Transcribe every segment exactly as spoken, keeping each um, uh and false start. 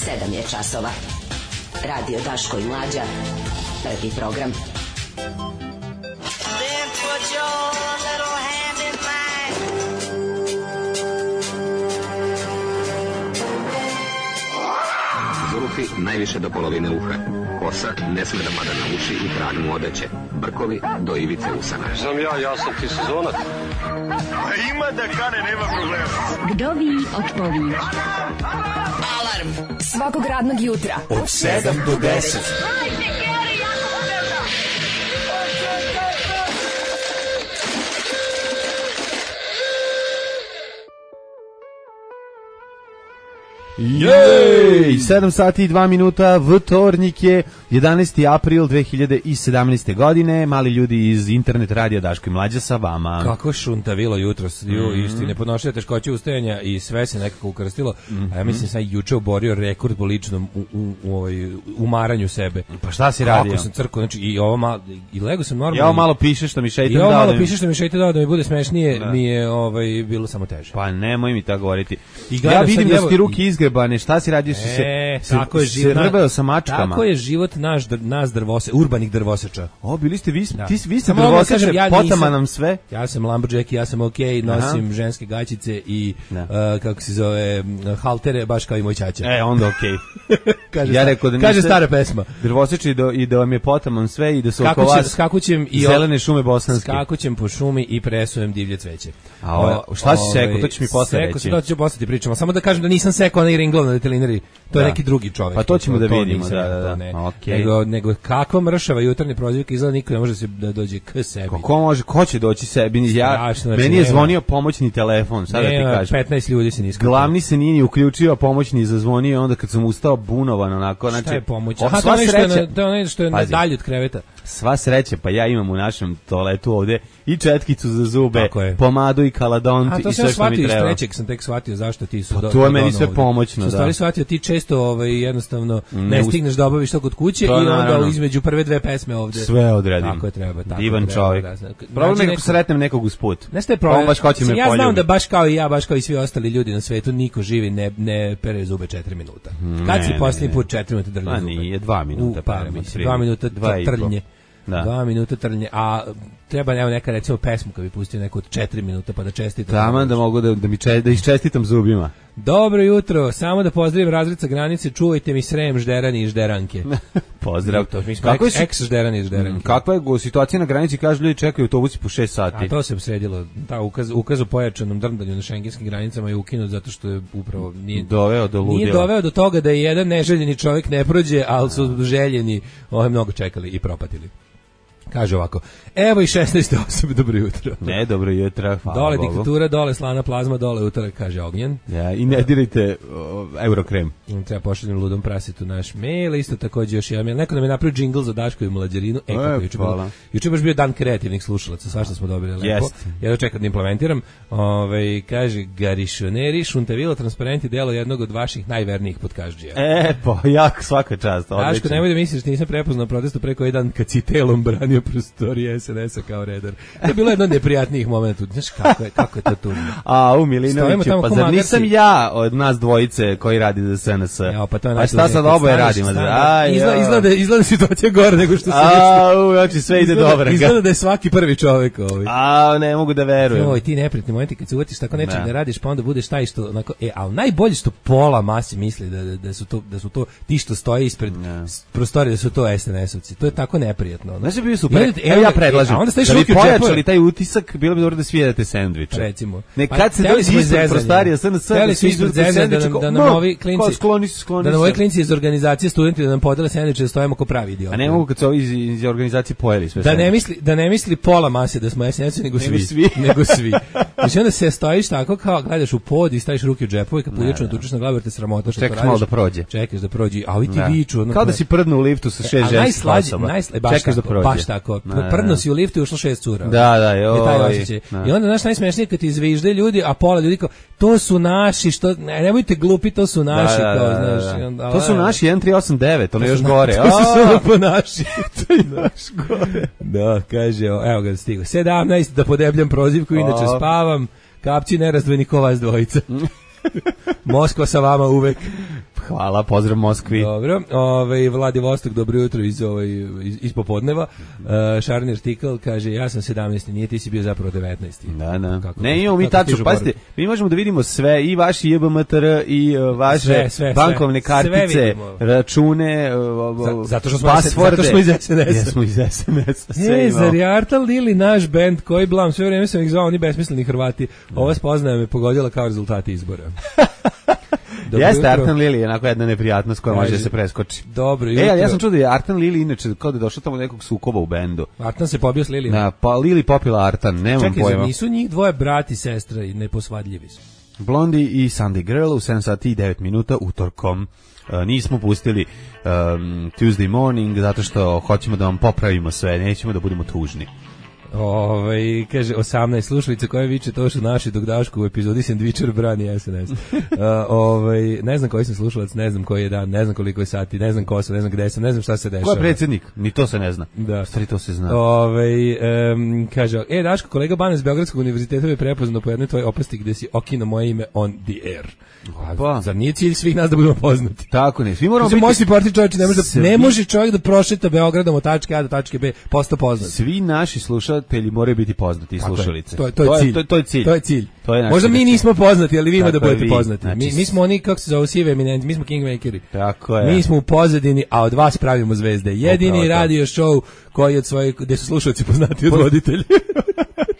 sedam je časova. Radio Daško i Mlađa. Prvi program. Zulufi najviše do polovine uha. Kosa ne sme da pada na uši i trag mu odeće. Brkovi do ivice usana. Znam ja, ja sam ti sezonac. Ima da kane, nema problema. Kdovi otpovi. Alarm svakog radnog jutra od sedam do deset. Jej! sedam sati i dva minuta, vtornik je jedanaesti april dve hiljade sedamnaeste. godine. Mali ljudi iz internet radija Daško i Mlađa sa vama. Kako šuntavilo jutros, ju, mm-hmm. isti nepodnošljive teškoće ustajanja i sve se nekako ukrstilo. Mm-hmm. A ja mislim sam juče oborio rekord po ličnom u, u, u, u umaranju sebe. Pa šta si radio? Kako sam crko, znači i ovo malo, i lego sam normalno. Ja ovo malo piše što mi šeitan dao. I ovo malo da piše što mi šeitan dao da mi bude smešnije, da. Mi je ovaj, bilo samo teže. Pa nemoj mi tako govoriti. I ja vidim da evo, su ti ruke izgrebane, šta si radio? E, se, tako je život, se rbeo sa mačkama. Tako je život naš, nas drvose, urbanih drvoseča. O, bili ste vi, da. ti, vi ste drvoseče, ja potama nam sve. Ja sam lumberjack, ja sam okej, okay, nosim Aha. ženske gaćice i, uh, kako se zove, haltere, baš kao i moj ćaća. E, onda okej. Okay. kaže, ja rekao da kaže stara pesma. Drvoseče i, do, i da vam je potama sve i da su oko vas skakućem i zelene šume bosanske. Skakućem po šumi i presujem divlje cveće. A o, šta si sekao, to ćeš mi posle reći. Sekao se, to ću posle ti pričamo. Samo da kažem da nisam sekao onaj ringlov na detelinari. To je da. neki drugi čovjek. Pa to ćemo to, da vidimo, to da, da, da. Ne. Okay. Nego, nego kakva mršava jutarnja prozivka, izgleda niko ne može se da dođe k sebi. Kako može, ko će doći sebi? Ja, Strašno, meni je zvonio pomoćni telefon, sad da ti kažem. petnaest ljudi se niskao. Glavni se nije ni uključio, a pomoćni zazvonio, onda kad sam ustao bunovan onako. Znači, šta je pomoć? Aha, to je što je, na, to je, što je dalje od kreveta. Sva sreća, pa ja imam u našem toaletu ovde i četkicu za zube, pomadu i kaladont i sve što mi treba. A to sam shvatio iz trećeg, sam tek shvatio zašto ti su... Pa to je meni sve pomoćno, da. Sam stvari shvatio, ti često ovaj, jednostavno ne stigneš da obaviš to kod kuće i onda između prve dve pesme ovde... Sve odredim. Tako je treba. Tako Divan čovjek. Problem je ako sretnem nekog usput. Ne ste problem. Ja znam da baš kao i ja, baš kao i svi ostali ljudi na svetu, niko živi ne, ne pere zube četiri minuta. Kad si posljednji put četiri minuta drlje zube? Pa nije, dva minuta. Pa, dva minuta trljenje. Da. Dva minuta trljenje, a treba evo neka recimo pesmu kad bi pustio neku od četiri minuta pa da čestitam. Taman da mogu da, da mi če, da iščestitam zubima. Dobro jutro, samo da pozdravim razred sa granice, čuvajte mi Srem, Žderani i Žderanke. Pozdrav. To, mi smo ex, ex Žderani i Žderanke. Kakva je situacija na granici, kažu ljudi čekaju autobusi po šest sati. A to se sredilo, ta ukaz, ukaz o pojačanom drndanju na šengenskim granicama je ukinut zato što je upravo nije doveo do ludila. Nije doveo do toga da je jedan neželjeni čovjek ne prođe, ali su željeni, ovaj mnogo čekali i propatili. Kaže ovako, evo i šesnaeste osobe, dobro jutro. Ne, dobro jutro, hvala dole Bogu. Diktatura, dole slana plazma, dole utorak, kaže Ognjen. Ja, i ne dirajte uh, Eurokrem. Treba pošaljem ludom prasitu naš mail, isto također još jedan mail. Neko nam je napravio džingl za Daško i Mlađarinu. E, kako juče bilo. Juče baš bio dan kreativnih slušalaca, svašta smo dobili lepo. Jest. Ja čekam da implementiram. Ove, kaže, garišoneri, šuntavilo, transparenti, delo jednog od vaših najvernijih podkažđija. E, pa, jak svaka čast. Daško, nemoj da misliš da nisam prepoznao protestu preko jedan kad si telom branio prostorije es en es-a kao redar. To je bilo jedno od neprijatnijih momenta. Znaš kako je, kako je to tužno. A, u Milinoviću, pa zar nisam ja od nas dvojice koji radi za es en es? Ja, pa, to je pa šta sad oboje radimo? Aj, izgleda, izgleda, izgleda situacija gore nego što se A, u, znači sve ide izgleda, dobro. Izgleda da je svaki prvi čovjek ovaj. A, ne mogu da verujem. Oj, ti neprijatni momenti kad se uvatiš tako nečeg ne. ne radiš, pa onda budeš taj što onako, e, al najbolje što pola masi misli da, da, da su to da su to ti što stoje ispred ne. prostorije da su to es en es-ovci. To je tako neprijatno. Znaš bi bio super. Evo ja predlažem. A onda da bi pojačali taj utisak, bilo bi dobro da svijedate sendviče. Recimo. Ne, kad se dođe ispred prostorije es en es, da svi ispred sendviče, da nam ovi klinci skloni se, skloni da nam ovi klinci iz organizacije studenti da nam podele sendviče da stojimo ko pravi idioti. A ne mogu kad se ovi iz, iz organizacije pojeli sve. Da ne misli, da ne misli pola mase da smo es en es nego svi, svi. nego svi. Znači onda se stojiš tako kao gledaš u pod i staviš ruke u džepove, kad puljačno tučeš na glavu te sramota što to radiš. Čekaš malo da prođe. Čekaš da prođe, a ovi ti viču. Kao da si prdnu u liftu sa šest ženskih osoba. Čekaš da prođe. Baš tako. Prdno si u liftu i ušlo šest cura. Da, da, joj. I onda znaš najsmešnije kad ti izvižde ljudi, a pola ljudi kao to su naši, što ne, nemojte glupi, to su naši, da, kao, da, znaš. da. Onda, to su naši jedan tri osam devet, ono još na, gore. To su samo po naši. To je naš gore. Da, kaže, evo ga stigo. sedamnaest da podebljam prozivku, inače spavam. Kapci nerazdvojni ko vas dvojica. Moskva sa vama uvek. hvala, pozdrav Moskvi. Dobro, ovaj Vladivostok, dobro jutro iz ovaj iz, iz popodneva. Uh, Šarni artikl kaže ja sam sedamnaesti, nije, ti si bio zapravo devetnaesti. Da, da. Kako, ne, imamo mi tačno, pazite, mi možemo da vidimo sve, i vaši J B M T R i uh, vaše sve, sve, bankovne sve, kartice, sve račune, uh, zato što smo pasvorde. Zato što smo iz S N S-a. Jesmo iz S N S-a. Sve e, zar je Artal Lili naš bend koji blam, sve vreme sam ih zvao, oni besmisleni Hrvati. Ova spoznaja me pogodila kao rezultati izbora. Jeste, Artan Lili je onako jedna neprijatnost koja može da se preskoči. Dobro jutro. E, ali ja sam čuo da je Artan Lili inače kao da je došao tamo nekog sukoba u bendu. Artan se pobio s Lilijom. Da, pa Lili popila Artan, nemam Čekaj, pojma. Čekaj, nisu njih dvoje brati i sestra i neposvadljivi su. Blondie i Sunday Girl u sedam sati i devet minuta utorkom. Uh, nismo pustili um, Tuesday Morning zato što hoćemo da vam popravimo sve, nećemo da budemo tužni. Ovaj kaže osamnaest slušalica koja viče to su naši dok Daško u epizodi Sandvičer brani S N S. uh, ovaj ne znam koji sam slušalac, ne znam koji je dan, ne znam koliko je sati, ne znam ko sam, ne znam gde sam, ne znam šta se dešava. Ko je predsjednik? Ni to se ne zna. Da. Stvari to se zna. Ovaj um, kaže e Daško, kolega Bane s Beogradskog univerziteta je prepoznao po jednoj tvojoj opasti gde si okino moje ime on the air. Pa, zar nije cilj svih nas da budemo poznati? Tako ne, svi moramo biti... Moći parti čovječ, ne može, da, svi... ne može čovjek da prošeta Beogradom od tačke A do tačke B, posto poznat. Svi naši slušatelji moraju biti poznati i slušalice. To je, to, je, to, je cilj. To, to je cilj. To je cilj. To je možda mi nismo poznati, ali vi ima da budete vi. poznati. Znači, mi, mi smo oni, kako se zove, sive eminenti, mi smo kingmakeri. Tako je. Mi smo u pozadini, a od vas pravimo zvezde. Jedini radio show koji od svojih, gde su slušalci poznati od voditelja.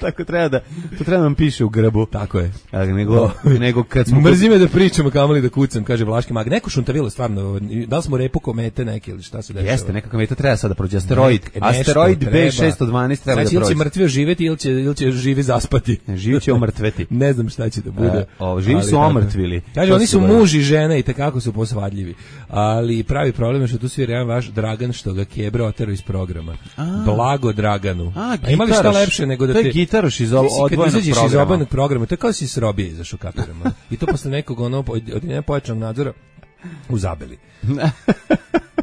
Tako treba da, to treba nam piše u grbu. Tako je. A, nego, nego kad smo... Mrzi me da pričamo, kamoli da kucam, kaže Vlaški mag. Neko šuntavilo, stvarno, da li smo repu komete neke ili šta se dešava? Jeste, neka kometa treba sada prođe. Asteroid. Ne, Asteroid B šesto dvanaest treba znači, da prođe. Znači, ili će mrtvio živeti ili će, ili će živi zaspati. Živi će omrtveti. Ne znam šta će da bude. A, o, živi su omrtvili. Kaže, oni su muž i žena i tekako su posvadljivi. Ali pravi problem je što tu svira jedan vaš Dragan što ga Kebra oterao iz programa. A. Blago Draganu. A, A ima li šta lepše nego da te... To je gitaroš iz odvojenog programa. Iz odvojenog programa, to je kao si s Robije izašao kapirama. I to posle nekog ono, od jednog pojačanog nadzora u Zabeli.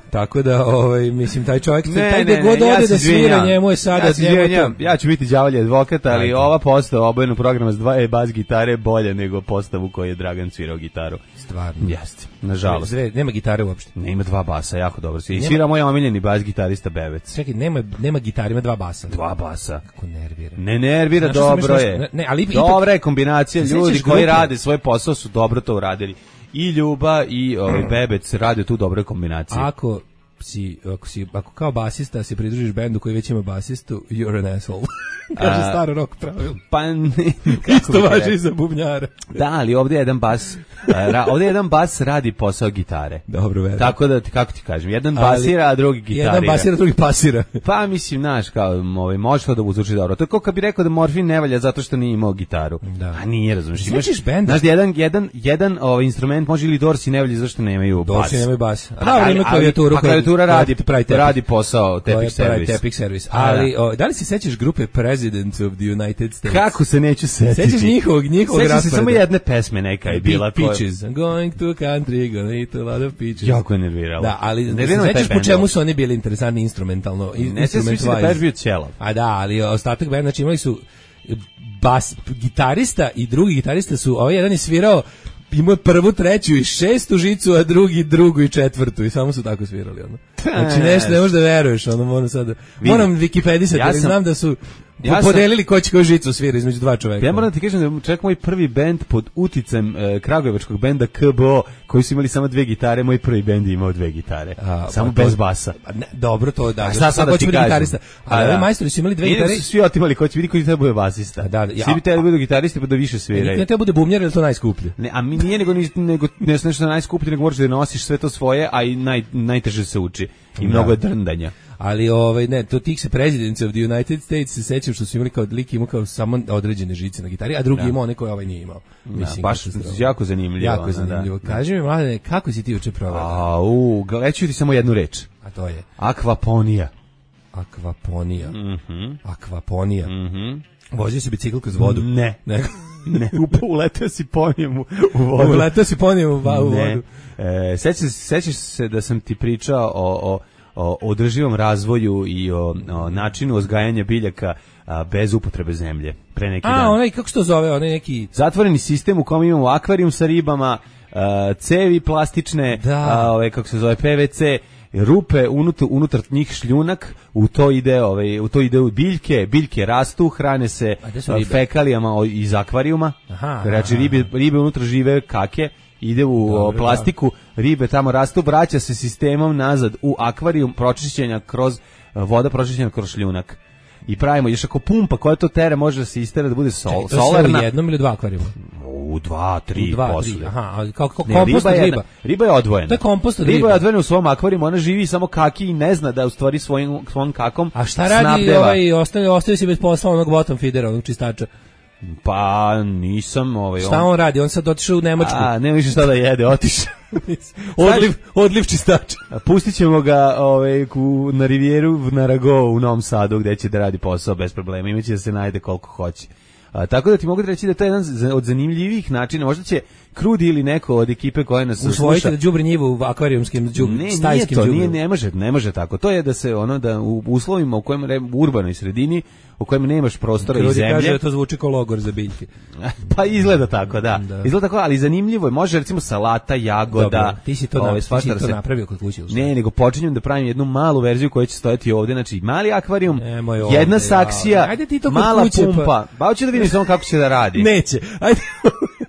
Tako da, ovaj, mislim, taj čovjek, ne, taj gde god ode ja da svira, njemu je sada... Ja, njemu to... ja ću biti đavolji advokat, ali Ajde. ova postava obojenog programa s dva e bas gitare bolje nego postavu koju je Dragan svirao gitaru. Stvarno. Jeste, nažalost. Zve, nema gitare uopšte. Ne, ima dva basa, jako dobro. I svira moj omiljeni bas gitarista Bevec. Čekaj, nema, nema gitare, ima dva basa. Dva basa. Kako nervira. Ne nervira, znaš, dobro je. Ne, ne, ali dobra je kombinacija, ljudi koji rade svoj posao su dobro to uradili. I Ljuba i ovaj Bebec rade tu dobre kombinacije. Ako si, ako si, ako kao basista se pridružiš bendu koji već ima basistu, you're an asshole. Kaže staro rock pravilo. Pa ne. Isto važi i za bubnjara. Da, ali ovdje je jedan bas, ra, ovdje je jedan bas radi posao gitare. Dobro, verujem. Tako da, kako ti kažem, jedan basira, a drugi gitarira. Jedan basira, drugi pasira. Pa mislim, znaš, kao, ovaj, može to da uzvuči dobro. To je kao kad bi rekao da Morfin ne valja zato što nije imao gitaru. Da. A nije, razumiješ. Svećiš benda? Znaš, jedan, jedan, jedan ovaj, instrument može ili Dorsi ne valja zato što nemaju bas. Dorsi nemaju bas. A dobro, ima klavijaturu. Pa klavijatura radi, radi posao Tepic Service. Tepic Service. Ali, o, da li se sećaš grupe Presidents of the United States? Kako se neću setiti? Sećaš njihovog, njihovog rasporeda? Sećam se samo jedne pesme neka je bila. Peaches. I'm going to country, gonna eat a lot of peaches. Jako je nerviralo. Da, ali ne sećaš po čemu su oni bili interesantni instrumentalno? Ne sećam se da peš bio ćelav. A da, ali ostatak benda, znači imali su bas, gitarista i drugi gitarista su, ovaj jedan je svirao imao je prvu, treću i šestu žicu, a drugi drugu i četvrtu i samo su tako svirali ono. Znači nešto ne možeš da veruješ, ono moram sada. Moram Wikipedisati, ja ali znam da su ja podelili ko će koju žicu svira između dva čoveka. Ja moram ti kažem da čak moj prvi bend pod uticajem e, kragujevačkog benda K B O koji su imali samo dve gitare, moj prvi bend je imao dve gitare. A, samo pa bez to, basa. Ne, dobro to da. Šta sad da ti gitarista? Ali ovi majstori su imali dve gitare. I su svi otimali ko će vidi koji treba bude basista. Da, da, ja, svi bi trebali da budu gitaristi pa da više sviraju. Ne treba bude bubnjar, jer to najskuplje. Ne, a mi nije nego nego ne nešto najskuplje, nego možeš da nosiš sve to svoje, a i naj najteže se uči. I mnogo je drndanja. Ali ovaj ne, to tih se Presidents of the United States se sećam što su imali kao lik imao kao samo određene žice na gitari, a drugi da. imao neko ovaj nije imao. Mislim, da, baš jako zanimljivo. Jako zanimljivo. Da. Kaži mi, mladene, kako si ti juče proveo? A, u, gledaću ti samo jednu reč. A to je? Akvaponija. Akvaponija. Mhm. Mm Akvaponija. Mhm. Mm Vozio si bicikl kroz vodu? Ne. Ne. Ne, uleteo si ponijem u, u vodu. Uleteo si ponijem u, u vodu. E, sećaš, sećaš se da sam ti pričao o, o, o održivom razvoju i o, o načinu uzgajanja biljaka a, bez upotrebe zemlje pre neki a, dan. A, onaj, kako se to zove, onaj neki... Zatvoreni sistem u kom imamo akvarijum sa ribama, Uh, cevi plastične, Da. uh, ove, kako se zove, P V C, rupe unutar, unutar njih šljunak, u to ide ovaj u to ide u biljke, biljke rastu, hrane se fekalijama iz akvarijuma. Aha, znači aha. ribe ribe unutra žive kake, ide u Dobro, plastiku, ribe tamo rastu, vraća se sistemom nazad u akvarijum, pročišćenja kroz voda pročišćena kroz šljunak. I pravimo još ako pumpa koja to tera može da se istera da bude sol, Čekaj, to solarna. U jednom ili dva akvarijuma? U dva, tri, U dva, posle. tri, aha, ali kao, kao Ne, kompost od riba je riba. jedna- Riba je odvojena. To je kompost od riba. riba. je odvojena u svom akvarijumu, ona živi samo kaki i ne zna da u stvari svojim, svojim kakom A šta radi snabdeva. ovaj, ostavio, ostavio si bez posla onog bottom feedera, onog čistača? Pa nisam ovaj Šta on radi? On sad otišao u Nemačku. A, nema više šta da jede, otišao. odliv, odliv čistača. Pustit ćemo ga ovaj, ku, na rivijeru na Rago u Novom Sadu gde će da radi posao bez problema. Imaće da se najde koliko hoće. A, tako da ti mogu reći da to je jedan z- od zanimljivih načina. Možda će Krudi ili neko od ekipe koja nas Usvojite sluša da đubri njivu u akvarijumskim đub, Ne, nije stajskim to, đubrom. nije, ne može, ne može tako. To je da se ono da u uslovima u kojem u urbanoj sredini u kojem nemaš prostora i Krudi zemlje. kaže da to zvuči kao logor za biljke. Pa izgleda tako, da. Da. Izgleda tako, ali zanimljivo je. Može recimo salata, jagoda. Dobro, ti si to, ovaj, na, ti si svašta to da se- napravio kod kuće. u stvari. Ne, nego počinjem da pravim jednu malu verziju koja će stojati ovde, znači mali akvarijum, Nemoj ovde, jedna ja. saksija, Ajde ti to kod mala kuće, pa- pumpa. Pa hoću da vidim samo kako će da radi. Neće. Ajde.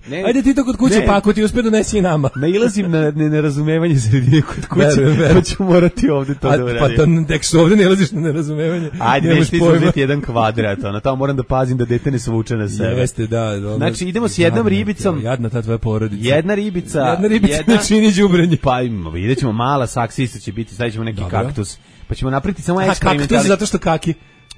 Ne. Ajde ti to kod kuće, Ne. pa ako ti uspe donesi i nama. Nailazim na ne- nerazumevanje sredine kod kuće, Verujem, verujem. pa ću morati ovde to A, da pa uradim. to, tek što ovde ne laziš na nerazumevanje. Ajde, nemaš neću ti pojma. uzeti jedan kvadrat, ono, tamo moram da pazim da dete ne svuče na sebe. Jeste, da. Dobro. Znači, idemo s jednom Jadna, ribicom. Jadna ta tvoja porodica. Jedna ribica, Jedna ribica ne čini đubrenje. Pa imamo, vidjet ćemo, mala saksija isto će biti, stavit ćemo neki Dobro. kaktus, pa ćemo napraviti samo A kaktus eksperimentalni. zato što kaki.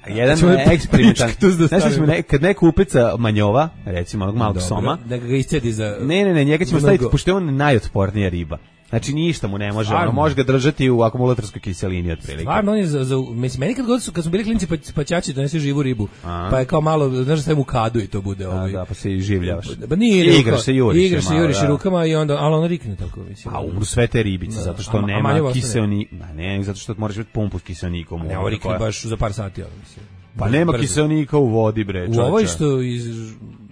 Jedan Ćemo eksperimentalni. kaktus da Znaš šta ćemo, stavimo. ne, kad neko upeca manjova, recimo onog malog Dobro, soma, da ga iscedi za... ne, ne, ne, njega ćemo Mnogo. staviti, pošto je on najotpornija riba. Znači ništa mu ne može, Stvarno? ono, može ga držati u akumulatorskoj kiselini otprilike. Stvarno, on je za, za, mislim, meni kad god su, kad smo bili klinci, pa, pa ćaći donesi živu ribu, A. pa je kao malo, znaš da stavim u kadu i to bude A, ovaj. da, pa se i življavaš. Ba nije, Igraš se, juriš igraš se se, malo, juriš da. rukama i onda, ali ono rikne tako, mislim. A umru sve te ribice, Da, zato što a- a nema manjeva ostane. kiseonik, ma ne, zato što moraš biti pumpu s kiseonikom. Ne, ovo rikne baš za par sati, ono, mislim. Pa nema Brzo. kiseonika u vodi, bre, U čoveče. ovoj što, iz,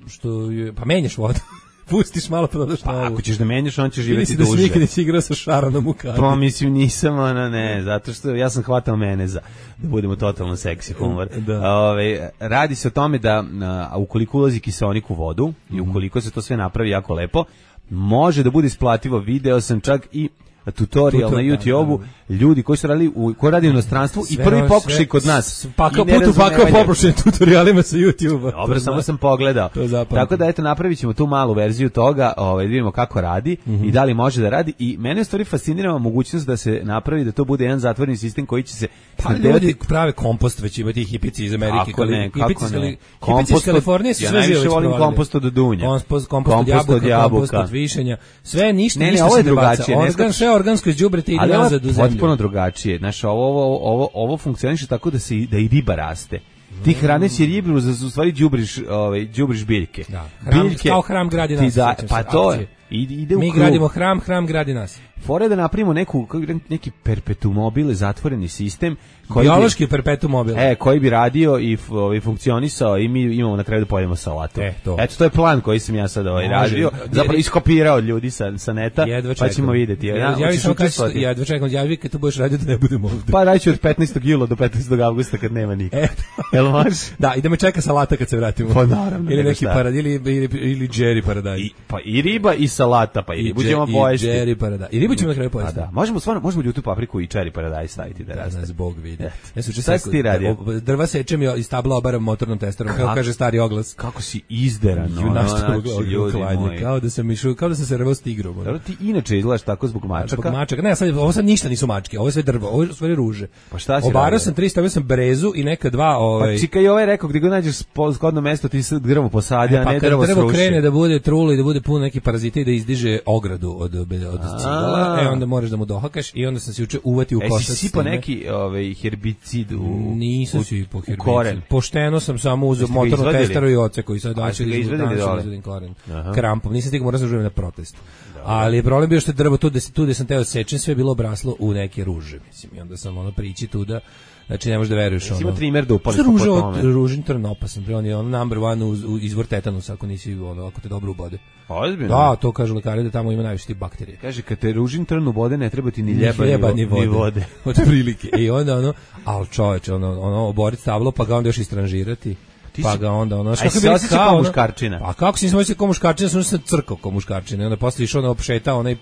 što je, pa menjaš vodu, pustiš malo pa dodaš Pa novu. ako ćeš da menjaš, on će Vidi živjeti si da si duže. nikad nisi igrao sa šaranom u kadi. Pa mislim nisam, ono ne, zato što ja sam hvatao meneza, da budemo totalno seksi humor. Da. Ove, radi se o tome da a, ukoliko ulazi kiseonik u vodu i ukoliko se to sve napravi jako lepo, može da bude isplativo. Video sam čak i tutorial Tutor- na da, YouTubeu, da, ljudi koji su radili u, koji rade u inostranstvu i Sve prvi ovo, pokušaj sve- kod nas. Pakao I putu, pakao nerazumevanje. poprošen tutorialima sa YouTube-a. Dobro, To samo zna. sam pogledao. To zapamtim. Tako da eto napravit ćemo tu malu verziju toga, ovaj da vidimo kako radi i da li može da radi i mene u stvari fascinira mogućnost da se napravi da to bude jedan zatvoreni sistem koji će se Pa snabdevati- ljudi prave kompost, već ima ti hipici iz Amerike. Kako ne, kali- kako hipici iz ne. Kali- Kompost hipici iz od- Kalifornije su ja sve najviše žive već volim provalili. kompost od dunja. Kompost, kompost, od Kompost od jabuka, kompost jabuka. od višenja. Sve ništa, Ne, ne, ništa ovo se je ne baca. drugačije, ne Organ, skačeš- sve organsko iz đubreta ide Ali ovo nazad u je zemlju. potpuno drugačije. Znaš, ovo, ovo, ovo, ovo funkcioniše tako da se i- da i riba raste. Ti hraneći ribu, za u stvari đubriš, ovaj đubriš biljke. Da, hram, kao hram gradi ti nas. da, sjećam pa se to akcije. je. Ide, ide u Mi krug. gradimo hram, hram gradi nas. Fora je da napravimo neku, kako bi rekao, neki perpetuum mobile, zatvoreni sistem koji bi- Biološki perpetuum mobile. E, koji bi radio i f- ovaj funkcionisao i mi imamo na kraju da pojedemo salatu. E, to. Eto, to je plan koji sam ja sad ovaj Može. radio. Zapravo iskopirao od ljudi sa, sa neta, Jedva pa čekam. ćemo vidjeti. Ja, Ja, ja, hoćeš samo kažem, učestvovati? jedva čekam, javi kad to budeš radio da ne budemo ovde. Pa radit ću od petnaestog jula do petnaestog avgusta kad nema nikog. Eto. Jel može? Da, idemo čeka salata kad se vratimo. Pa naravno, Ili nego neki šta. parad, ili, ili, ili Jerry paradajz. I, pa i riba i salata, pa i, ribu ćemo dže- pojesti. I Jerry paradajz. I ribu ćemo na kraju Pa pojesti. da, možemo stvarno, možemo ljutu papriku i cherry paradajz staviti da Da raste. nas Bog vidi. Eto. Ja se Šta si ti radio? Drva sečem i iz tabla obaram motornom testerom, kako Kako? kaže stari oglas. Kako si izderan, Ju, ono, na što znači, ljudi uklanjanje, moji. kao da sam išao, kao da sam se rvao s tigrom. ono. Dobro, ti inače izgledaš tako zbog mačaka. Zbog mačaka. Ne, sad, ovo sad ništa nisu mačke, ovo je sve drvo, ovo je sve ruže. Pa šta si Obarao radio? sam tri, stavio sam brezu i neka dva, ovaj, Pa čika i ovaj rekao, gdje god nađeš spo- zgodno mesto, ti se drvo posadi, a pa ne kad drvo drvo sruši. krene da bude trulo i da bude puno nekih parazita i da izdiže ogradu od, od cigala, e onda moraš da mu dohakaš i onda sam se juče uvati u E, koštac. si s sipao time. neki ovaj, herbicid u, Nisam u, si po u herbicid. koren. Pošteno sam samo uzeo Jeste ga motornu izvadili? testeru i oce koji sad A, daću jeste ga izvadili danas ću dole? izvadim koren. Aha. Krampom. Nisam stigao, morao sam živim na protest. Ali je problem bio što je drvo tu gde, tu gde sam teo sečem, sve je bilo obraslo u neke ruže, mislim. I onda sam ono prići tu da, znači ne možeš da veruješ. Jesi ono. imao trimer da upališ Što po ruže, tome? ružin trn opasan, bre, on je on number one uz, u, izvor tetanusa ako nisi, ono, ako te dobro ubode. Ozbiljno? Da, to kažu lekari da tamo ima najviše tih bakterija. Kaže, kad te ružin trn u vode, ne treba ti ni ljeba, ni, ni, ni vode. Ni vode. Od prilike. I onda ono, al čoveče, ono, ono oboriti stablo, pa ga onda još istranžirati. Pa ga onda ono, što se osjeća kao muškarčina. Pa kako si se osjeća kao muškarčina, sam se crkao kao muškarčina. I onda posle išao na opšeta, onaj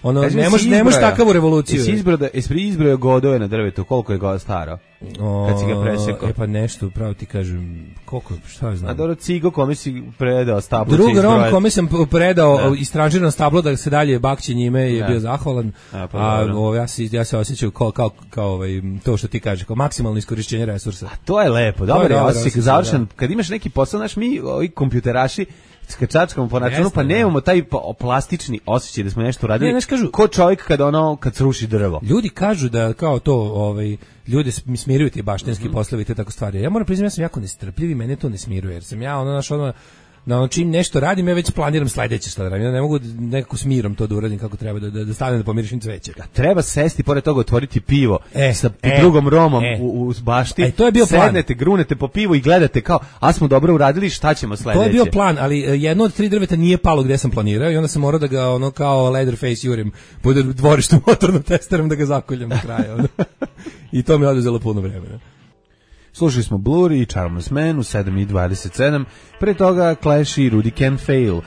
ono Kaži, ne može ne može takavu revoluciju. Jesi izbrojao, jesi izbrojao godove na drvetu, koliko je god staro? Kad si ga presekao. E pa nešto, pravo ti kažem, koliko, šta znam. A dobro, cigo kome si predao stablo. Drugi rom kome sam predao istražirano stablo da se dalje bakće njime je da. bio zahvalan. A, pa, a ovo, ja, se, ja se osjećam kao, kao, kao ovaj, to što ti kažeš, kao maksimalno iskorišćenje resursa. A to je lepo, dobro, ja osjećam završen. Da. Kad imaš neki posao, znaš, mi, ovi kompjuteraši, skačačkamo po računu, pa nemamo taj plastični osjećaj da smo nešto uradili. Ne, kažu, ko čovjek kad ono kad sruši drvo. Ljudi kažu da kao to, ovaj ljudi mi smiruju ti baštinski mm-hmm. poslovi i te tako stvari. Ja moram priznati da sam jako nestrpljiv i mene to ne smiruje, jer sam ja ono naš ono na ono čim nešto radim, ja već planiram sledeće šta da radim. Ja ne mogu nekako s mirom to da uradim kako treba, da, da, da stavim da pomirišim cveće. A treba sesti, pored toga otvoriti pivo e, sa e, drugom romom e. u, u bašti. E, to je bio sednete, plan. grunete po pivu i gledate kao, a smo dobro uradili, šta ćemo sledeće. To je bio plan, ali jedno od tri drveta nije palo gde sam planirao i onda sam morao da ga ono kao Leatherface jurim po dvorištu motornom testerom da ga zakoljem do kraja. I to mi je oduzelo puno vremena. Slušali smo Blur i Charmless Man u sedam i dvadeset sedam, pre toga Clash i Rudy Can't Fail.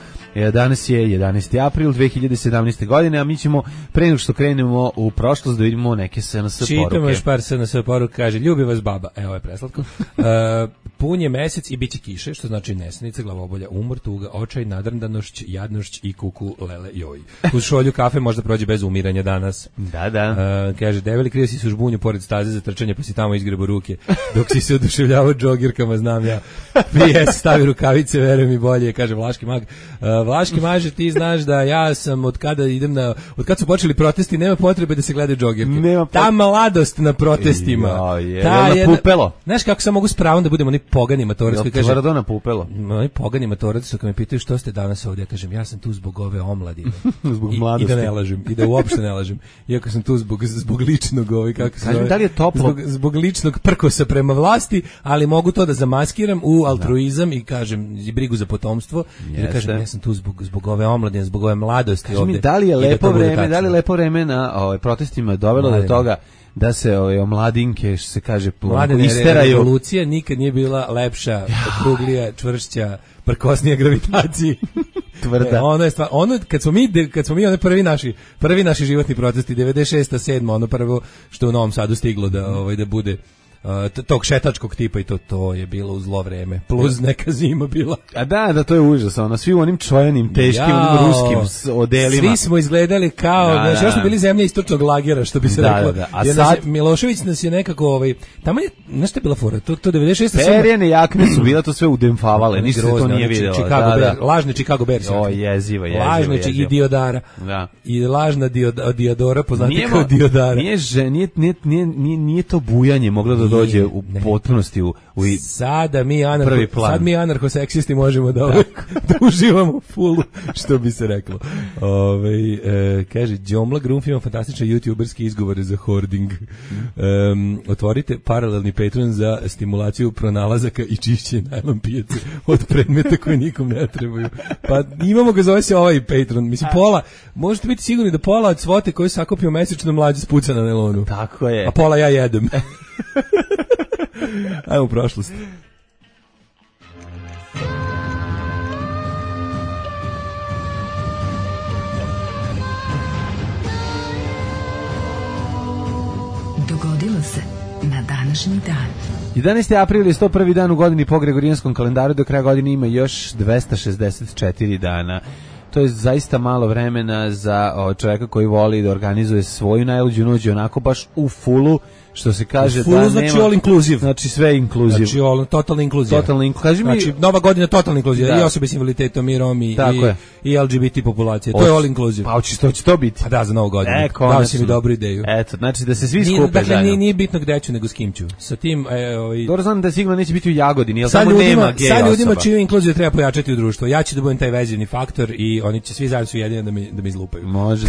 Danas je jedanaesti april dve hiljade sedamnaeste. godine, a mi ćemo pre nego što krenemo u prošlost da vidimo neke S N S poruke. Čitamo još par S N S poruka, kaže, ljubi vas baba, evo je preslatko. uh, pun je mesec i bit će kiše, što znači nesanica, glavobolja, umor, tuga, očaj, nadrndanošć, jadnošć i kuku, lele, joj. Uz šolju kafe možda prođe bez umiranja danas. Da, da. Uh, kaže, debeli krio si su žbunju pored staze za trčanje, pa si tamo izgrebo ruke, dok si se oduševljavao džogirkama, znam ja. P S stavi rukavice, veruj mi bolje, kaže Vlaški mag. Uh, Vlaški maže, ti znaš da ja sam od kada idem na, od kad su počeli protesti, nema potrebe da se gledaju džogirke. Nema pot... Ta mladost na protestima. Jo, je, ta je na pupelo. Znaš kako sam mogu s pravom da budemo oni pogani matorac koji kaže. Tvrdo na pupelo. Oni pogani matorac što kad me pitaju što ste danas ovdje, ja kažem ja sam tu zbog ove omladine. Zbog I, mladosti. I da ne lažem, i da uopšte ne lažem. Iako sam tu zbog zbog ličnog ovaj kako se kažem, da li je toplo? Zbog, zbog ličnog prkosa prema vlasti, ali mogu to da zamaskiram u altruizam da. I kažem i brigu za potomstvo. I da kažem ja sam tu zbog zbog ove omladine, zbog ove mladosti. Kaži mi, da li je lepo da vreme, da li je lepo vreme na ovaj protestima dovelo Mladine. Do toga da se ove omladinke, što se kaže, Mladine, isteraju. Revolucija nikad nije bila lepša, okruglija, čvršća, prkosnija gravitaciji. Tvrda. E, ono je stvar, ono kad smo mi kad smo mi one prvi naši, prvi naši životni protesti devedeset šesta sedma ono prvo što u Novom Sadu stiglo da ovaj da bude Uh, tog šetačkog tipa i to to je bilo u zlo vreme plus neka zima bila. A da, da to je užas, ono svi u onim čojenim teškim Jao, ruskim odelima. Svi smo izgledali kao, da, znači, da. Smo bili zemlja istočnog lagera, što bi se da, reklo. Da, da. A sad nas, Milošević nas je nekako ovaj tamo je nešto je bila fora, to to devedeset šesta Perjane jakne su bila to sve udemfavale, ništa se to nije videlo. Chicago da, Bear, da. Lažni Chicago Bears. O, jezivo, jezivo. Lažni jezivo. I Diodara. Da. I lažna Diod, Diodora poznati kao Diodara. Nije nije nije nije nije to bujanje moglo da dođe u potpunosti u, u sada mi anarho, sad mi anarhoseksisti možemo da, ovaj, da uživamo fullu, što bi se reklo. Ove, e, kaže, Đomla Grunf ima fantastične youtuberske izgovore za hoarding. Um, otvorite paralelni Patreon za stimulaciju pronalazaka i čišćenje najlon pijace od predmeta koji nikom ne trebaju. Pa imamo ga, zove se ovaj Patreon. Mislim, pola, možete biti sigurni da pola od svote koju sakupio mesečno mlađe spuca na nelonu. Tako je. A pola ja jedem. Ajmo u prošlost. Dogodilo se na današnji dan. jedanaesti april je sto prvi dan u godini po Gregorijanskom kalendaru, do kraja godine ima još dvesta šezdeset četiri dana. To je zaista malo vremena za o, čovjeka koji voli da organizuje svoju najluđu noć onako baš u fullu, što se kaže full, da znači nema, all inclusive. Znači sve inclusive. Znači all, totalna inkluzija. Totalna inkluzija. Znači nova godina totalna inkluzija. I osobe s invaliditetom, i Romi, i, i L G B T populacije. To je all inclusive. Pa hoće to, će to biti. Pa da, za novu godinu. E, dao si mi dobru ideju. Eto, znači da se svi skupe dakle, zajedno. Nije, nije bitno gde ću, nego s kim ću. Sa tim, e, ovaj... Dobro znam da sigurno neće biti u Jagodini, jer tamo nema gej osoba. Sad ljudima čiju inkluziju treba pojačati u društvu. Ja ću da budem taj vezivni faktor i oni će svi zajedno su jedini da mi, da mi izlupaju. Može.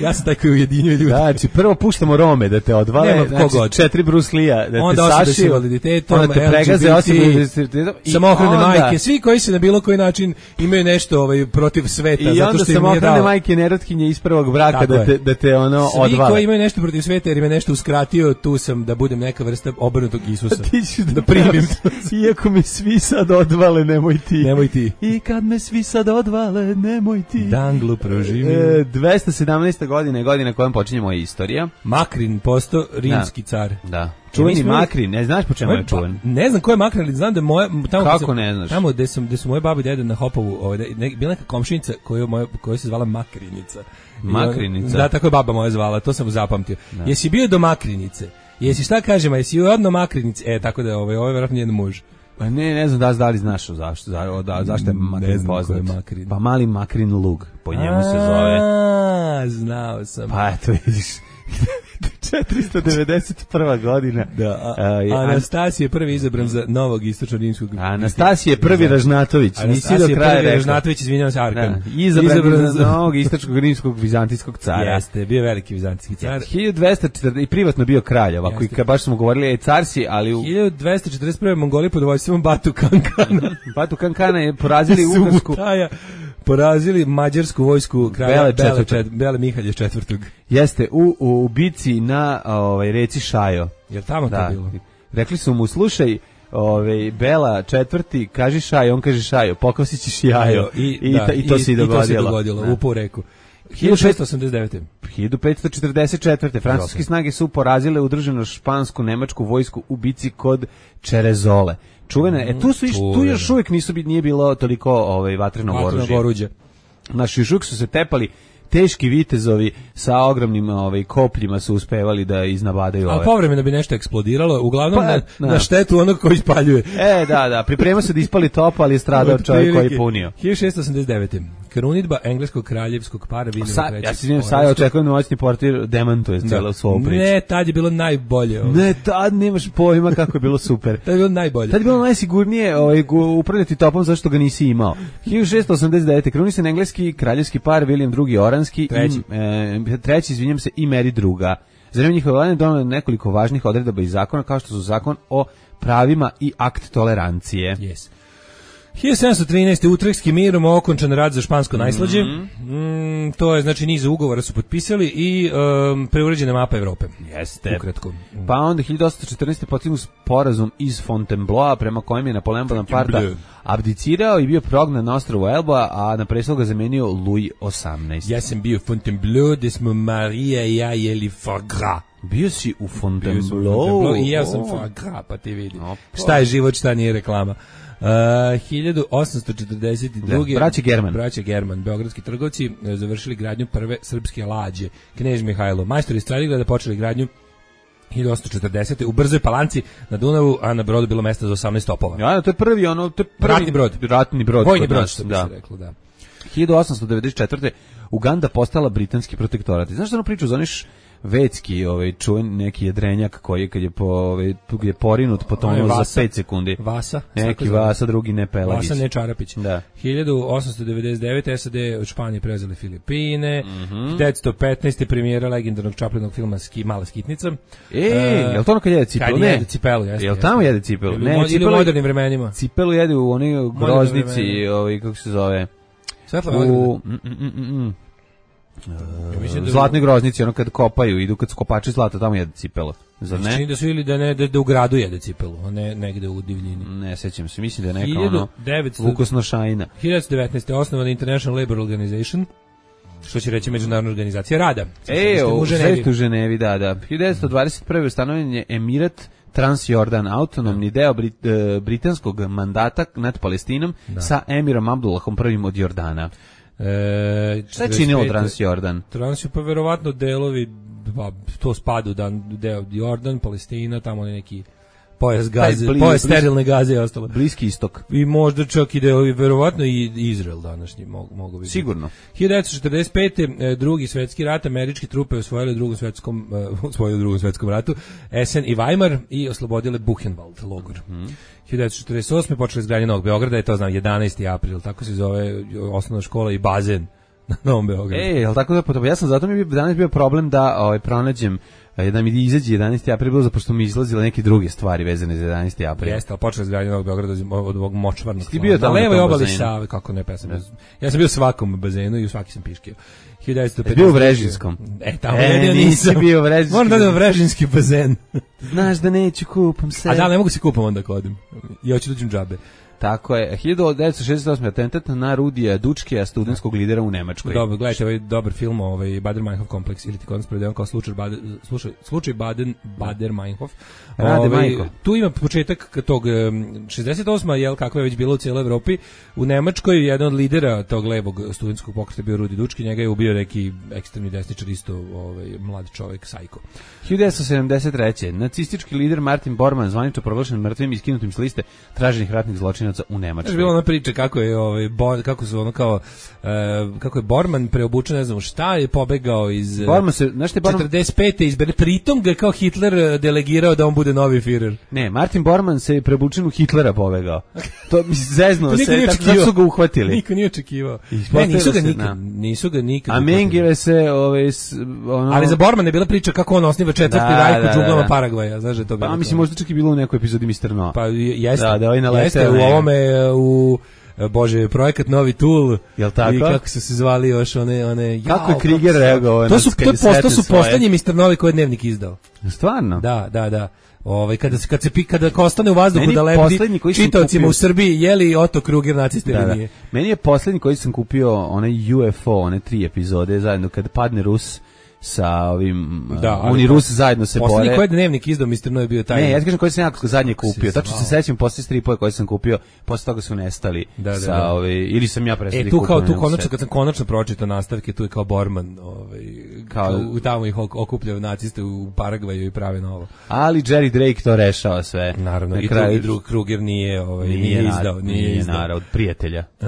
Ja sam taj koji ujedinjuje ljudi. Znači, prvo puštamo Rome da te odvale, Nema znači, kogod. četiri Bruslija, da Onda te osobe s sašiju, invaliditetom, onda te pregaze osobe s invaliditetom, i samohrane onda- majke, svi koji se na bilo koji način imaju nešto ovaj, protiv sveta, I zato onda što im nije samohrane dao. majke nerotkinje iz prvog braka Tako da je. te, da te ono Svi odvale. koji imaju nešto protiv sveta jer im je nešto uskratio, tu sam da budem neka vrsta obrnutog Isusa. Ti ćeš da, Da primim. Iako me svi sad odvale, nemoj ti. Nemoj ti. I kad me svi sad odvale, nemoj ti. Danglu proživim. E, dvesta sedamnaesta godina je godina kojom počinje moja istorija. Makrin posto rimski car. Da. Čuveni mi smo- Makrin, ne znaš po čemu je Pa, čuven? ne znam ko je Makrin, ali znam da je moja tamo kad Kako sam- ne znaš? Tamo gde sam gde su moje babe i dede na Hopovu, ovaj da- ne, bila neka komšinica koju moja koja se zvala Makrinica. I ona- Makrinica? Da, tako je baba moja zvala, to sam zapamtio. Jesi bio do Makrinice? Jesi šta kažemo, jesi odno Makrinice? E, tako da ovaj ovaj verovatno njen muž. Pa ne, ne znam da li, da li znaš zašto, za, da, zašto je Makrin Ne znam ko poznat. je Makrin. Pa mali Makrin lug, po njemu se zove. A, znao sam. Pa eto vidiš. četiristo devedeset prva godina. Da, a, A, je- Anastasije je prvi izabran za novog istočno-rimskog. Anastasije je prvi Ražnatović, nisi do Anastasije kraja prvi rekao. Ražnatović, izvinjavam se, Arkan. Da, izabran, za novog istočkog rimskog vizantijskog cara. Jeste, bio je veliki vizantijski car. hiljadu dvesta četrdeset i privatno bio kralj, ovako i Jeste. kad baš smo govorili je car si, ali u hiljadu dvesta četrdeset prve Mongoli pod vojstvom Batu Kankana Batu Kankana je porazili su Ugarsku. Mutaja porazili mađarsku vojsku kralja Bele Bele, četvrtog. čet, Bele Mihalja četvrtog. Jeste u, u bici na ovaj reci Šajo. Jel tamo Da. to bilo? Rekli su mu slušaj, ovaj Bela četvrti, kaži Šajo, on kaže Šajo, pokosit ćeš jajo. I, I, da, ta- i to se i I to se dogodilo. dogodilo, Da. upao u reku. hiljadu šesto osamdeset devete. hiljadu petsto četrdeset četvrte. francuske Dobro. snage su porazile udruženu špansku nemačku vojsku u bici kod Čerezole. Čuvene, e tu su iš, tu čuvene. još uvijek nisu bi nije bilo toliko ovaj vatrenog Vatrenog oružja. oruđa. Naši još uvijek su se tepali teški vitezovi sa ogromnim ovaj kopljima su uspevali da iznabadaju Ali ove. povremeno bi nešto eksplodiralo, uglavnom Pa, na, da. na štetu onog koji spaljuje. E, da, da, pripremao se da ispali top, ali je stradao čovjek koji je punio. hiljadu šesto osamdeset devete. Krunidba engleskog kraljevskog para Williama Sa, trećeg. ja se izvinjam, sad ja očekujem da moćni portir demantuje cijelu svoju priču. Ne, tad je bilo najbolje. ovo. Ne, tad nemaš pojma kako je bilo super. Tad je bilo najbolje. Tad je bilo najsigurnije ovaj, gu- upravljati topom zašto ga nisi imao. hiljadu šesto osamdeset devete. krunisan engleski kraljevski par William drugi Oranski Treći. i e, treći, izvinjam se, i Mary druga. Za vreme njihove vladavine donelo je nekoliko važnih odredaba i zakona kao što su zakon o pravima i akt tolerancije. Yes. hiljadu sedamsto trinaeste. Utrechtski mirom okončan rad za špansko najslađe. Mm, to je, znači, niz ugovora su potpisali i um, preuređena mapa Evrope. Jeste. Ukratko. Pa onda hiljadu osamsto četrnaeste. postignut sporazum iz Fontainebleau prema kojem je Napoleon Bonaparte Fontainebleau. abdicirao i bio prognan na ostrvu Elba, a na prestol ga zamenio Louis osamnaesti. Ja sam bio Fontainebleau, gde smo Marija i ja jeli foie gras. Bio si u Bio sam u Fontainebleau. Fontainebleau i ja sam O. foie gras, pa ti vidi. Opa. Šta je život, šta nije reklama. Uh, hiljadu osamsto četrdeset druge. Da, braće German. Braće German, beogradski trgovci e, završili gradnju prve srpske lađe. Knez Mihajlo. Majstori Stradigrada počeli gradnju hiljadu osamsto četrdesete. u Brzoj Palanci na Dunavu, a na brodu bilo mesta za osamnaest topova. Ja, to je prvi ono, to je prvi Ratni brod. ratni brod. Vojni kod brod, nas, što bi da. se reklo, da. hiljadu osamsto devedeset četvrte. Uganda postala britanski protektorat. I znaš što ono priču, zoniš Vecki, ovaj čuven neki jedrenjak koji kad je po ovaj tu gdje je porinut potonuo Ovaj za Vasa. pet sekundi. Vasa. Neki tako zove. Vasa, drugi ne Pelagić. Vasa ne Čarapić. Da. hiljadu osamsto devedeset devete. S A D od Španije preuzeli Filipine. Mhm. hiljadu devetsto petnaeste. premijera legendarnog Čaplinog filma Ski, Mala skitnica. E, je li to ono kad jede cipelu? Kad Ne. jede cipelu, jeste. Jel jeste. tamo jede cipelu? Ili, Ne, mo- ili u cipelu, modernim vremenima. cipelu jede u onoj groznici, vremena. ovaj, kako se zove? Svetla U Vagana. mm, mm, mm, mm. Ja mislim da- Zlatnoj groznici, ono kad kopaju, idu kad su kopači zlata, tamo jede cipelu. Zar Čini ne? da su ili da ne da, da u gradu jede cipelu, a ne negde u divljini. Ne sećam se, mislim da je neka hiljadu ono devetsto Vukosnošajna. hiljadu devetnaeste. osnovana International Labor Organization, što će reći Međunarodna organizacija rada. E, u u Ženevi. Ženevi. u Ženevi, da, da. hiljadu devetsto dvadeset prve. ustanovljen je Emirat Transjordan, autonomni deo Brit, e, britanskog mandata nad Palestinom sa emirom Abdullahom prvim od Jordana. E, Šta je činilo četrdeset pete. Transjordan? Trans pa verovatno delovi, pa, to spadu da deo Jordan, Palestina, tamo neki pojas gaze, bli- pojas bliz- sterilne gaze i ostalo. Bliski istok. I možda čak i delovi, verovatno i Izrael današnji mogu, mogu biti. Sigurno. hiljadu devetsto četrdeset pete. e, drugi svetski rat, američke trupe osvojile u drugom svetskom, e, osvojile u drugom svetskom ratu Essen i Weimar i oslobodile Buchenwald logor. Mhm. hiljadu devetsto četrdeset osme. počeli izgradnje Novog Beograda, je to znam jedanaesti april, tako se zove osnovna škola i bazen na Novom Beogradu. E, jel tako da potom, ja sam zato mi je danas bio problem da ovaj, pronađem da mi izađe jedanaesti april, bilo zapošto mi izlazile neke druge stvari vezane za jedanaesti april. Jeste, ali počela izgradnja Novog Beograda od ovog močvarnog. Ti bio tamo na levoj na obali bazenu? Save, kako ne, pa sam, ja sam bio u svakom bazenu i u svaki sam piškio. hiljadu devetsto pedeset Bio u Vrežinskom. E, tamo e, jedino nisi nisam. bio u Vrežinskom. Moram da idem u Vrežinski bazen. Znaš da neću kupam se. A da, ne mogu se kupam onda kad odem. I hoću da uđem džabe. Tako je, hiljadu devetsto šezdeset osme atentat na Rudija Dučkija, studentskog lidera u Nemačkoj. Dobro, gledajte ovaj dobar film, ovaj Bader-Meinhof kompleks, ili ti kod nas predajem kao slučaj Bader, slušaj, slučaj Baden, Bader-Meinhof. Rade Ovaj, Majko. tu ima početak tog šezdeset osma, jel, kako je već bilo u cijeloj Evropi, u Nemačkoj jedan od lidera tog levog studentskog pokreta bio Rudi Dučki, njega je ubio neki ekstremni desničar, isto ovaj, mlad čovjek, sajko. hiljadu devetsto sedamdeset treće nacistički lider Martin Bormann zvanično proglašen mrtvim i skinutim s liste traženih ratnih zločinaca u Nemačkoj. Znaš, bila ona priča kako je ovaj Bo, kako su ono kao e, kako je Bormann preobučen, ne znam šta, je pobegao iz Bormann se, znaš te Bormann četrdeset pete izbere, pritom ga je kao Hitler delegirao da on bude novi Führer. Ne, Martin Bormann se je preobučen u Hitlera pobegao. To mi zeznuo se, nije tako da su ga uhvatili. Niko nije očekivao. Ispostavilo Ne, nisu ga se, nikad, da. nisu ga nikad. A uhvatili. Mengele se, ove, s- ono... Ali za Bormann je bila priča kako on osniva četvrti Da, rajk da, u džunglama da. Paragvaja, znaš da je to bilo. Pa mislim, možda čak i bilo u nekoj epizodi mister Noa. Pa jeste. Da, da, ovaj naleteo jeste, u na njega. ovome u Bože, projekat Novi Tool. Jel tako? I kako su se zvali još one one Kako je jao, Krieger su- reagovao To na su kad to, je posto, sretne su svoje? poslednji mister Novi koji je Dnevnik izdao. Stvarno? Da, da, da. Ovaj kada se kad se pi- kada ostane u vazduhu Meni da poslednji lebdi koji sam čitaocima kupio- u Srbiji je li Otto Kruger nacista Da, ili da. nije. Meni je poslednji koji sam kupio onaj U F O, one tri epizode zajedno kad padne Rus sa ovim Da, da, ali oni to- Rusi zajedno se Poslednji bore. koji je Dnevnik izdao mister Novi bio taj. Ne, ja ti kažem koji sam jako zadnje kupio. se Tačno se zvao? sećam posle stripova koje sam kupio, posle toga su nestali Da, da, sa da. ove ili sam ja prestao E da tu ih kao kupujem, tu ne mogu konačno se kad sam konačno pročitao nastavke, tu je kao Bormann, ovaj Kao- kao u tamo ih ok- okupljaju naciste u Paragvaju i prave novo. Ali Jerry Drake to rešava sve. Naravno, Na i kraju- drugi drug Kruger nije, ovaj nije, Nije, izdao, na- nije, nije izdao. naravno, od prijatelja. E,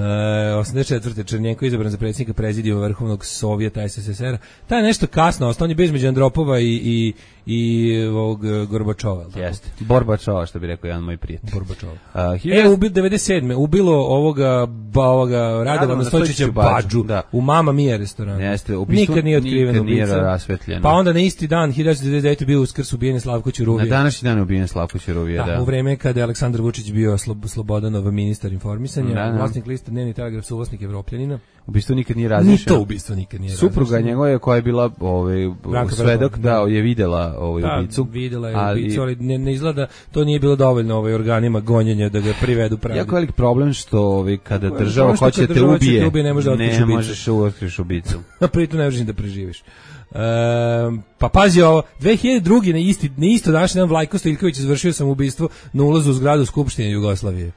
osamdeset četvrte Černjenko izabran za predsjednika prezidijuma Vrhovnog Sovjeta S S S R. Taj je nešto kasno, ostao on je bio između Andropova i i i ovog e, Gorbačova. jel tako? Jeste. Borbačova, što bi rekao jedan moj prijatelj. Gorbačova. Uh, E, ubi devedeset sedme ubilo ovoga ba, ovoga Radovana Radovana Stojčića Stojčića Badžu da. u Mama Mia restoranu. Jeste, ubistvo nikad nije otkriven nikad nije ubica. rasvetljeno. Pa onda na isti dan hiljadu devetsto devedeset devete bio Uskrs, ubijen je Slavko Na Ćuruvija. današnji dan je ubijen Slavko Ćuruvija, Da, da. u vreme kada je Aleksandar Vučić bio Slob- Slobodanov ministar informisanja, Da, da. vlasnik lista Dnevni telegraf, suvlasnik Evropljanina. Ubistvo nikad nije Ni razrešeno. to ubistvo nikad nije Supruga razrešeno. njegova je koja je bila ovaj Branka svedok Brabant, da je videla ovaj Da, ubicu. videla je ali ubicu, ali ne, ne izgleda, to nije bilo dovoljno ovaj organima gonjenja da ga privedu pravi. jako velik problem što ovaj kada Kako je? država Ono što hoće kad te država hoće ubije, te ubije, ne možeš da otkriješ ne ubicu. možeš otkriješ ubicu. Na pritom ne možeš ni da preživiš. Um, pa pazi ovo, dve hiljade druge na isti na isto današnji dan Vlajko Stojiljković izvršio samoubistvo na ulazu u zgradu Skupštine Jugoslavije.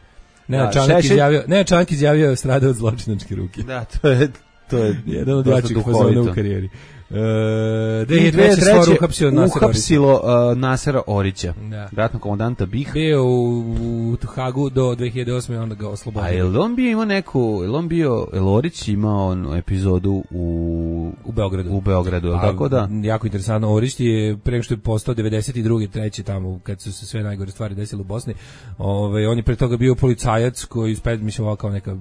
Nenad Da, Čanak Šešelj- izjavio, Nenad Čanak izjavio je stradao od zločinačke ruke. Da, to je to je Jedan od dosta jačih duhovito. fazona u karijeri. Uh, I dve hiljade treće stvar uhapsio Nasera Orića. uhapsilo uh, Nasera Orića, Da. ratnog komandanta B I H. Bio u, u Hagu do dve hiljade osme, onda ga A oslobodio. je li on bio imao neku, je li on bio, je li Orić imao onu epizodu u, U Beogradu. u Beogradu, je li A, tako da? Jako interesantno, Orić je pre nego što je postao devedeset druge treće tamo kad su se sve najgore stvari desile u Bosni. Ovaj on je pre toga bio policajac koji spe mislim ovako kao neka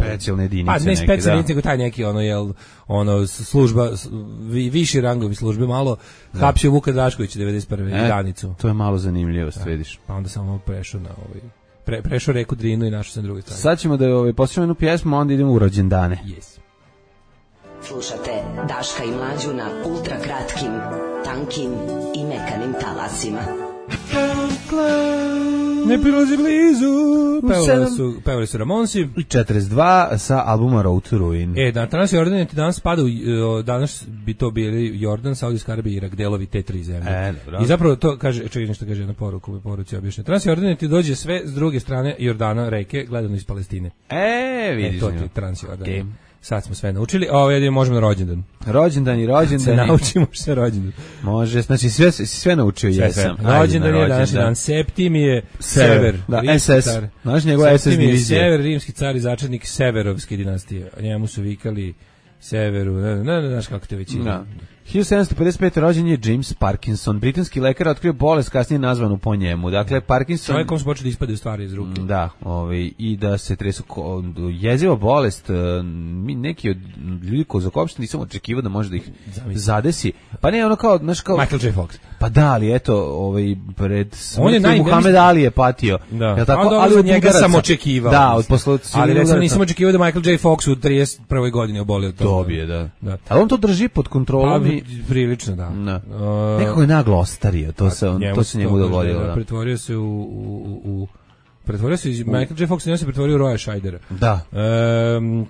Specijalne jedinice Pa ne neke, specijalne da. jedinice, nego taj neki ono jel ono služba s- vi, viši rangovi službe malo hapsio Vuka Draškovića devedeset prve E, granicu. To je malo zanimljivost, vidiš. Pa onda samo prešao na ovaj pre, prešao reku Drinu i našao se na drugoj strani. Sad ćemo da ovaj, poslušamo jednu pjesmu, a onda idemo u rođendane. Yes. Slušate Daška i Mlađu na ultra kratkim, tankim i mekanim talasima. Ne prilazi blizu. Pevali sedam. su, pevali su Ramonsi. I četrdeset dva sa albuma Road to Ruin. E, da, danas Jordan je ti danas spada u, e, danas bi to bili Jordan, Saudijska Arabija i Irak, delovi te tri zemlje. E, dobro. I zapravo to kaže, čekaj nešto kaže jedna poruka, u poruci objašnjeno. Transjordan ti dođe sve s druge strane Jordana, reke, gledano iz Palestine. E, E, vidiš. to ti je Transjordan. Okay. Sad smo sve naučili, a ovo jedino možemo na rođendan. Rođendan i Se rođendan. naučimo što je rođendan. Može, znači sve, sve naučio Sve, jesam. sve. Ajde Rođendan na je današnji rođendan. dan. Septimije Sever. Sever. Da, rimski S S. car. Znaš njegova S S Septimije divizija. Sever, rimski car i začetnik Severovske dinastije. A njemu su vikali Severu, ne, ne, ne, ne znaš kako te već ide. Da. hiljadu sedamsto pedeset pete rođen je James Parkinson, britanski lekar, otkrio bolest kasnije nazvanu po njemu. Dakle, Parkinson... Čovjek kom se počeo da ispade stvari iz ruke. Da, ovaj, i da se tresu jeziva bolest, mi neki od ljudi koji zakopšteni nisam očekivao da može da ih zadesi. Pa ne, ono kao, znaš kao... Michael J. Fox. Pa da, ali eto, ovaj, pred smrti Muhammed Ali je patio. Da. Je tako? Ali, ali od njega sam očekivao. Da, od posluca. Ali recimo nisam očekivao da Michael J. Fox u trideset prvoj godini obolio od toga. Dobije, da. da. Ali on to drži pod kontrolom. Pa, i... prilično, da. da. Uh, Nekako je naglo ostario, to se, on, to se njemu dogodilo. Da, da. Pretvorio se u... u, u Pretvorio se, Michael J. Fox se pretvorio u Roya Scheidera. Da. E,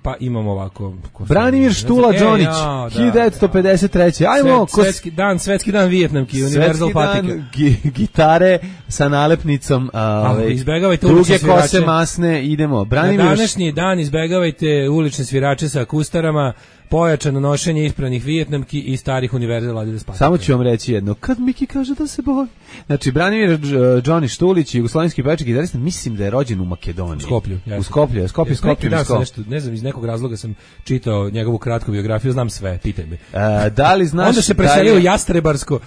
pa imamo ovako... Branimir Štula Đonić, e, hiljadu devetsto pedeset treće. Ajmo, Svet, svetski dan, svetski dan Vijetnamki, Universal patika. Gi, gitare sa nalepnicom, a, izbegavajte druge kose masne, idemo. Branimir... Na današnji dan izbegavajte ulične svirače sa kustarama, pojačano nošenje ispranih Vijetnamki i starih Universal Adidas patika. Samo ću vam reći jedno, kad Miki kaže da se boji. Znači, Branimir Đoni Štulić, jugoslovenski pevač i gitarista, mislim da je rođen u Makedoniji. Skoplju. Jasno. U Skoplju, Skoplju, Skoplju. Da, nešto, ne znam, iz nekog razloga sam čitao njegovu kratku biografiju, znam sve, pitaj me. E, da li znaš onda se preselio u je... Jastrebarsko,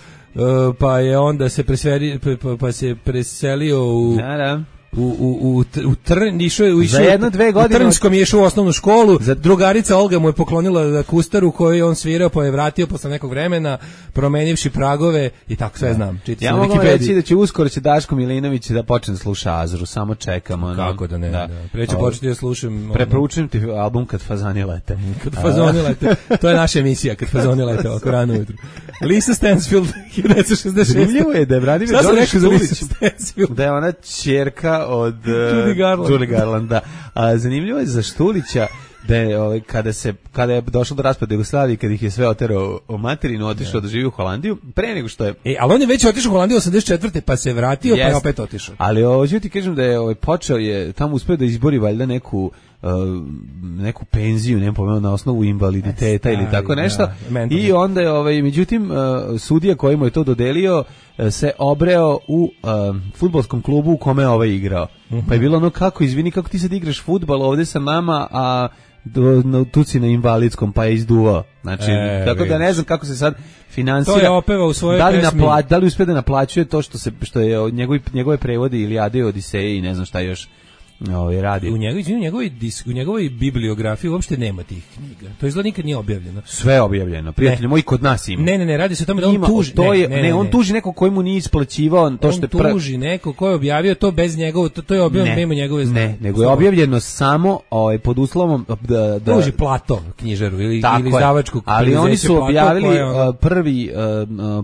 pa je onda se preselio, pa, pa se preselio u... Da, da. u u u u Trn išao je u za jedno dve godine u Trnskom je išao u osnovnu školu. Za... drugarica Olga mu je poklonila kustaru koju je on svirao, pa je vratio posle nekog vremena promenivši pragove i tako sve znam. Čiti ja mogu reći da će uskoro će Daško Milinović da počne da sluša Azru, samo čekamo. No. Kako da ne, da. da. Pre ću početi da slušam. Preporučujem ti album Kad fazani lete. Kad fazoni lete. To je naša emisija, Kad fazoni lete, oko rano ujutru. Lisa Stansfield, hiljadu devetsto šezdeset šeste. Zanimljivo je da je Branimir Đoni Štulić, da je ona ćerka od uh, Judy Garland. Judy Garland, da. A zanimljivo je za Štulića da je ovaj, kada se kada je došlo do raspada Jugoslavije, kad ih je sve oterao o materinu, otišao da živi u Holandiju, pre nego što je. E, ali on je već otišao u Holandiju osamdeset četvrte pa se vratio, yes. Pa je opet otišao. Ali hoću ti kažem da je ovaj počeo je tamo uspeo da izbori valjda neku Uh, neku penziju, ne pomenuo na osnovu invaliditeta ili tako nešto. Da, i onda je ovaj međutim uh, sudija koji mu je to dodelio uh, se obreo u uh, fudbalskom klubu u kome je ovaj igrao. Uh-huh. Pa je bilo ono kako izvini kako ti sad igraš fudbal ovde sa nama, a do, no, tu si na invalidskom, pa je izduvao. Znači, e, tako vidiš. Da ne znam kako se sad finansira. To je opeva u svojoj da li pesmi. Napla, da li uspe da naplaćuje to što se što je njegovi njegove prevode Ilijade i Odiseje i ne znam šta još. Ovaj radi. U njegovoj u njegovoj u njegovoj bibliografiji uopšte nema tih knjiga. To izgleda nikad nije objavljeno. Sve je objavljeno. Prijatelji moji, kod nas ima. Ne, ne, ne, radi se o tome da on ima, tuži. To je, ne, ne, ne, ne, on tuži nekog koji mu nije isplaćivao to što je on tuži nekog ko je objavio to bez njegovog, to, to je objavljeno mimo njegove znanje. Ne, nego je objavljeno samo ovaj pod uslovom da da tuži Plato knjižaru ili ili izdavačku. Ali oni su objavili ono, prvi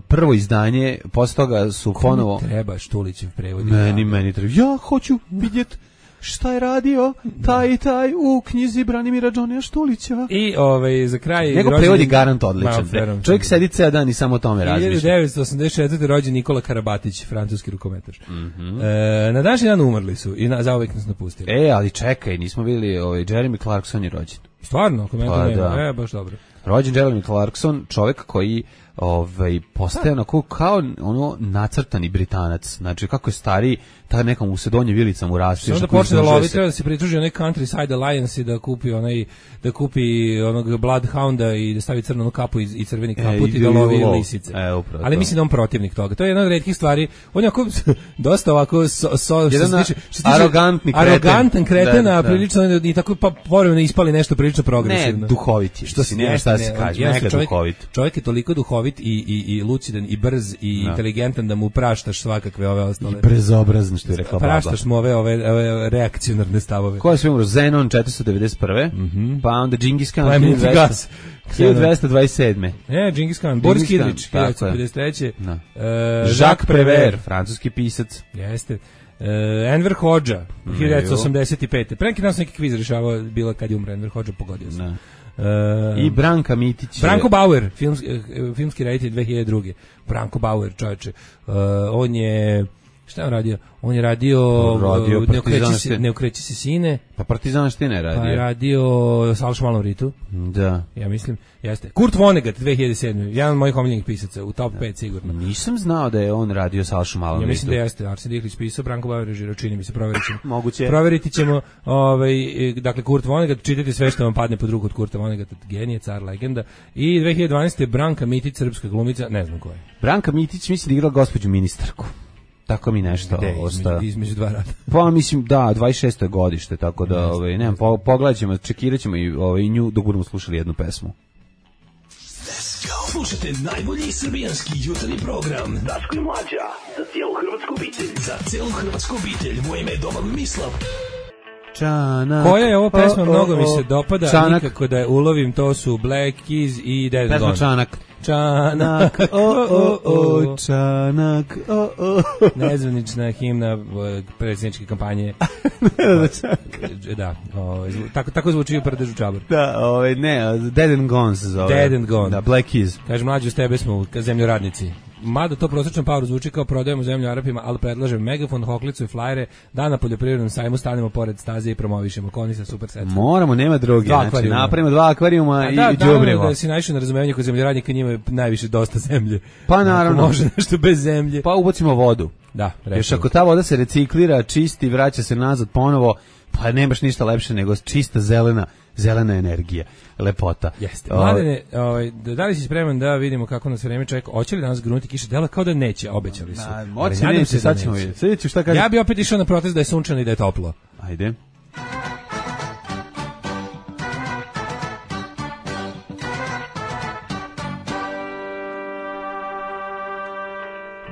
prvo izdanje, posle toga su ponovo treba Štulićev prevod. Meni meni treba. Ja hoću vidjeti šta je radio taj i taj u knjizi Branimira Đonija Štulića. I ovaj za kraj njegov prevod je garant odličan. Ma, čovjek sedi ceo dan i samo o tome razmišlja. hiljadu devetsto osamdeset četvrte rođen Nikola Karabatić, francuski rukometaš. Mm-hmm. E, na današnji dan umrli su i na, zauvek nas napustili. E, ali čekaj, nismo bili, ovaj Jeremy Clarkson je rođen. Stvarno, komentar nema. Da. E, baš dobro. Rođen Jeremy Clarkson, čovjek koji ovaj postaje onako kao ono nacrtani Britanac. Znači kako je stariji, ta neka mu se donje vilica mu raste. Onda počne da lovi, treba da se pridruži onaj Countryside Alliance i da kupi onaj da kupi onog Bloodhounda i da stavi crnu kapu i, i crveni kaput e, i da lovi lisice. E, ali mislim da on protivnik toga. To je jedna od retkih stvari. On je ako dosta ovako so, so, što se tiče, što tiče arogantni kreten. Arogantan kreten, a prilično i tako pa povremeno ispali nešto prilično progresivno. Ne, duhovit je. Što si ne šta se kaže, mega duhovit. Čovjek je toliko duhovit i i i lucidan i brz i no. inteligentan da mu praštaš svakakve ove ostale. I brezobrazan što je rekla baba. Praštaš mu ove, ove, ove reakcionarne stavove. Ko je sve umro? Zenon četiristo devedeset prve, mm-hmm. pa onda Džingis Khan hiljadu dvesta dvadeset sedme. E, Džingis Khan, Boris Kidrić hiljadu devetsto pedeset treće. No. Uh, Jacques Prévert, francuski pisac. Jeste. Uh, Enver Hodža, hiljadu devetsto osamdeset pete. Pre neki dan sam neki kviz rešavao, bila kad je umro Enver Hodža, pogodio sam. Uh, I Branka Mitić. Branko Bauer, filmski, filmski reditelj dve hiljade druge. Branko Bauer, čovječe. Uh, on je Šta je on radio? On je radio, radio uh, ne, okreći se, ne okreći se sine. Pa Partizanštine je radio. Pa je radio Salš malom Ritu. Da. Ja mislim, jeste. Kurt Vonnegut dve hiljade sedme. Jedan od mojih omiljenih pisaca, u top pet sigurno. Nisam znao da je on radio Salšu malom Ritu. Ja mislim da jeste. Arsen Dihlić pisao, Branko Bauer režirao, čini mi se, proverit ćemo. Moguće. Proveriti ćemo, ovaj, dakle, Kurt Vonnegut, čitajte sve što vam padne pod ruku od Kurta Vonnegutta, genije, car, legenda. I dve hiljade dvanaeste. Branka Mitić, srpska glumica, ne znam ko je. Branka Mitić misli da igrala gospođu ministarku. Tako mi nešto ostaje. Između, između dva rada. Pa mislim da dvadeset šesto godište, tako da ovaj nemam po, pogledaćemo, čekiraćemo i ovaj nju dok budemo slušali jednu pesmu. Slušajte najbolji srbijanski jutarnji program Daško i Mlađa za cijelu hrvatsku obitelj. Za cijelu hrvatsku obitelj. Moje ime je Domagoj Mislav. Čanak. Koja je ovo pesma, mnogo mi se dopada, Čanak. Nikako da je ulovim, to su Black Keys i Dead Gone. Pesma Čanak. Čanak, o, o, o, Čanak, o, o. Nezvanična himna predsjedničke kampanje. Da, o, tako, tako zvuči u Prdežu Čabar. Da, ovaj, ne, Dead and Gone se zove. Dead and Gone. Da, Black Keys. Kaže, mlađu, s tebe smo zemljoradnici. Mada to prosječnom paru zvuči kao prodajemo zemlju Arapima, ali predlažem megafon, hoklicu i flajere, da na poljoprivrednom sajmu stanemo pored staze i promovišemo koni sa super setom. Moramo, nema druge. Dva znači, akvarijuma. Napravimo dva akvarijuma i da, đubrivo. Da, da si naišao na razumevanje kod zemljoradnika, njima je najviše dosta zemlje. Pa naravno. Ako može nešto bez zemlje. Pa ubacimo vodu. Da, recimo. Još ako ta voda se reciklira, čisti, vraća se nazad ponovo, pa nemaš ništa lepše nego čista zelena, zelena energija, lepota. Jeste. Mladene, ovaj, da li si spreman da vidimo kako nas vreme čeka? Hoće li danas grunuti kiša? Dela kao da neće, obećali su. Da, moći neće, sad ćemo vidjeti. Sad ću šta kaže. Ja bi opet išao na protest da je sunčano i da je toplo. Ajde.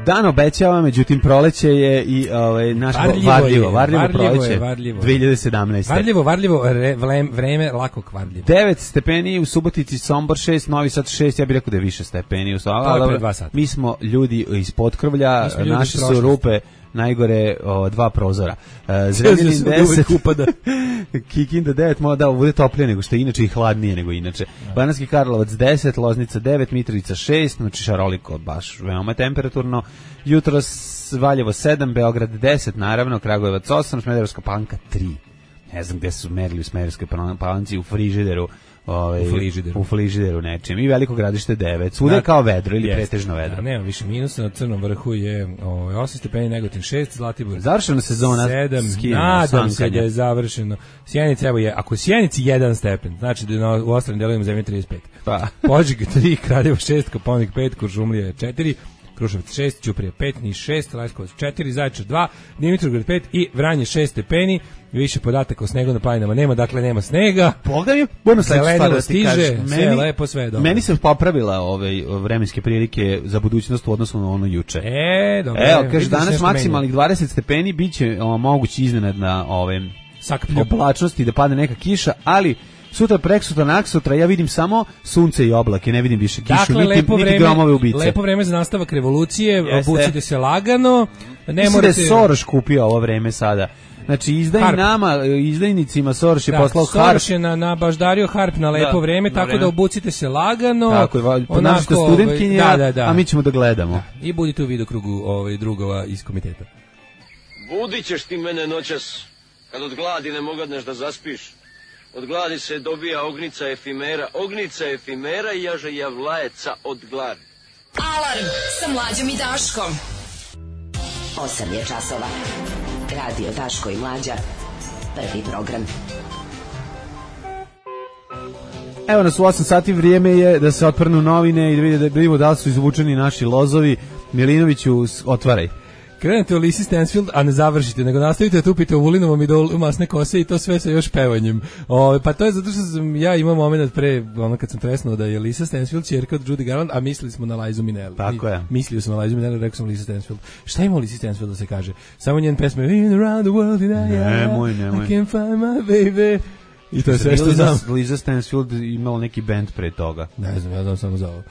Dan obećava, međutim proleće je i ovaj naš varljivo, varljivo, varljivo, varljivo proleće. Je, varljivo. dve hiljade sedamnaeste. Varljivo, varljivo, re, vlem, vreme lako kvarljivo. devet stepeni u Subotici, Sombor šest, Novi Sad šest, ja bih rekao da je više stepeni u Somboru. To je dva sata. Mi smo ljudi iz Potkrvlja, naše su rupe najgore o, dva prozora. Uh, Zrenjanin deset, upada. Kikinda devet, malo da bude toplije nego što je inače i hladnije nego inače. Banatski Karlovac deset, Loznica devet, Mitrovica šest, znači šaroliko, baš veoma temperaturno. Jutros Valjevo sedam, Beograd deset, naravno, Kragujevac osam, Smederevska Palanka tri. Ne znam gde su merili u Smederevskoj Palanci, u frižideru. Ove, u frižideru. U frižideru nečem. I Veliko Gradište devet. Svuda je kao vedro ili jest, pretežno vedro. Da, nema više minusa, na Crnom vrhu je ovaj, osam stepeni, Negotin šest, Zlatibor završena sezona sedam, skijanja, nadam se da je završeno. Sjenica, evo je, ako u Sjenici jedan stepen, znači da je u ostalim delovima zemlje trideset pet. Pa. Požega tri, Kraljevo šest, Koponik pet, Kuršumlija četiri, Kruševac šest, Ćuprija pet, Niš šest, Leskovac četiri, Zaječar dva, Dimitrovgrad pet i Vranje šest stepeni. Više podataka o snegu na planinama nema, dakle nema snega. Boga mi, budemo sledeću stvar da ti kažeš. Sve je lepo, sve je dobro. Meni se popravila ove vremenske prilike za budućnost u odnosu na ono juče. E, dobro. Evo, kaže, danas maksimalnih dvadeset stepeni, bit će o, mogući iznenadna ove oblačnosti da padne neka kiša, ali sutra, preksutra, naksutra, ja vidim samo sunce i oblake, ne vidim više kišu, dakle, niti, lepo niti vreme, gromove ubice. Lepo vreme za nastavak revolucije, obucite se lagano. Ne Mislim morate... da je Soros kupio ovo vreme sada. Znači, izdaj harp. nama, izdajnicima Soros je da, poslao Soros harp. je na, na baždario harp na lepo da, vreme, tako vreme. da obucite se lagano. Tako je, ponašite studentkinja, da, da, da. a mi ćemo da gledamo. Da. I budite u vidokrugu ovaj, drugova iz komiteta. Budit ćeš ti mene noćas, kad od gladi ne mogadneš da zaspiš. Od gladi se dobija ognica efimera, ognica efimera i jaže javlajeca od gladi. Alarm sa Mlađom i Daškom. osam je časova. Radio Daško i Mlađa. Prvi program. Evo nas u osam sati, vrijeme je da se otprnu novine i da vidimo, da vidimo da li su izvučeni naši lozovi. Milinoviću, otvaraj. Krenete u Lisi Stansfield, a ne završite, nego nastavite da tupite u Vulinovom idolu masne kose i to sve sa još pevanjem. O, pa to je zato što sam, ja imam moment pre, ono kad sam tresnuo da je Lisa Stansfield ćerka od Judy Garland, a mislili smo na Lizu Minnelli. Tako je. Mislio sam na Lizu Minnelli, rekao sam Lisa Stansfield. Šta ima u Lisi Stansfield da se kaže? Samo njen pesme In around the world in I, nemoj, nemoj. I can't find my baby. I to je sve što znam. Lisa Stansfield imala neki band pre toga. Ne znam, ja znam samo za ovo.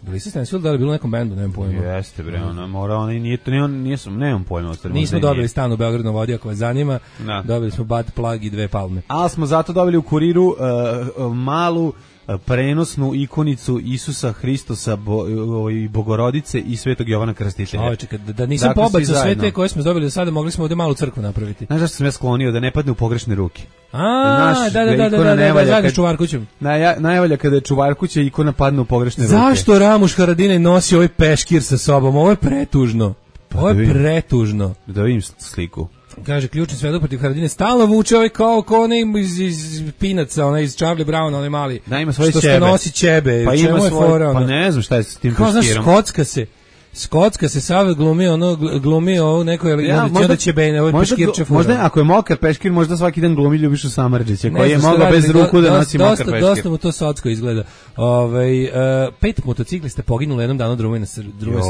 Lisa Stansfield da li bilo u nekom bendu, nemam pojma. Jeste bre, ona mora, ona nije to, nije, nije sam, nemam pojma. Nismo dobili stan u Beogradu na vodi, ako vas zanima. Da. Dobili smo bad plug i dve palme. Ali smo zato dobili u Kuriru uh, malu prenosnu ikonicu Isusa Hristosa, bo, i Bogorodice i Svetog Jovana Krstitelja. Oj, čekaj, da, da nisam dakle, pobacao sve te koje smo dobili do sada, mogli smo ovde malu crkvu napraviti. Znaš zašto sam ja sklonio? Da ne padne u pogrešne ruke. A, Naš, da, da, da, da, da, da, da, zajedno s Čuvarkućem. Naj, najvalja kada je Čuvarkuća ikona padne u pogrešne ruke. Zašto Ramuš Haradinaj nosi ovaj peškir sa sobom? Ovo je pretužno. Ovo je pretužno. Da vidim sliku. Kaže, ključni svedok protiv Haradine stalno vuče ovaj kao, kao onaj iz, iz Pinaca, onaj iz Charlie Browna, onaj mali. Da, ima svoje što ćebe. Što nosi ćebe. Pa ima svoje, pa ne znam šta je s tim kao, peškirom. Znaš, skocka se. Skocka se Save glumi ono glumi ovo neko je ja, možda će bene ovaj peškirče fura. Možda ako je mokar peškir možda svaki dan glumi Ljubišu Samardžića koji je mogao bez ruku da nosi mokar peškir. Dosta mu to socko izgleda. Ovaj uh, pet motociklista poginulo jednom danu drumoj na drumoj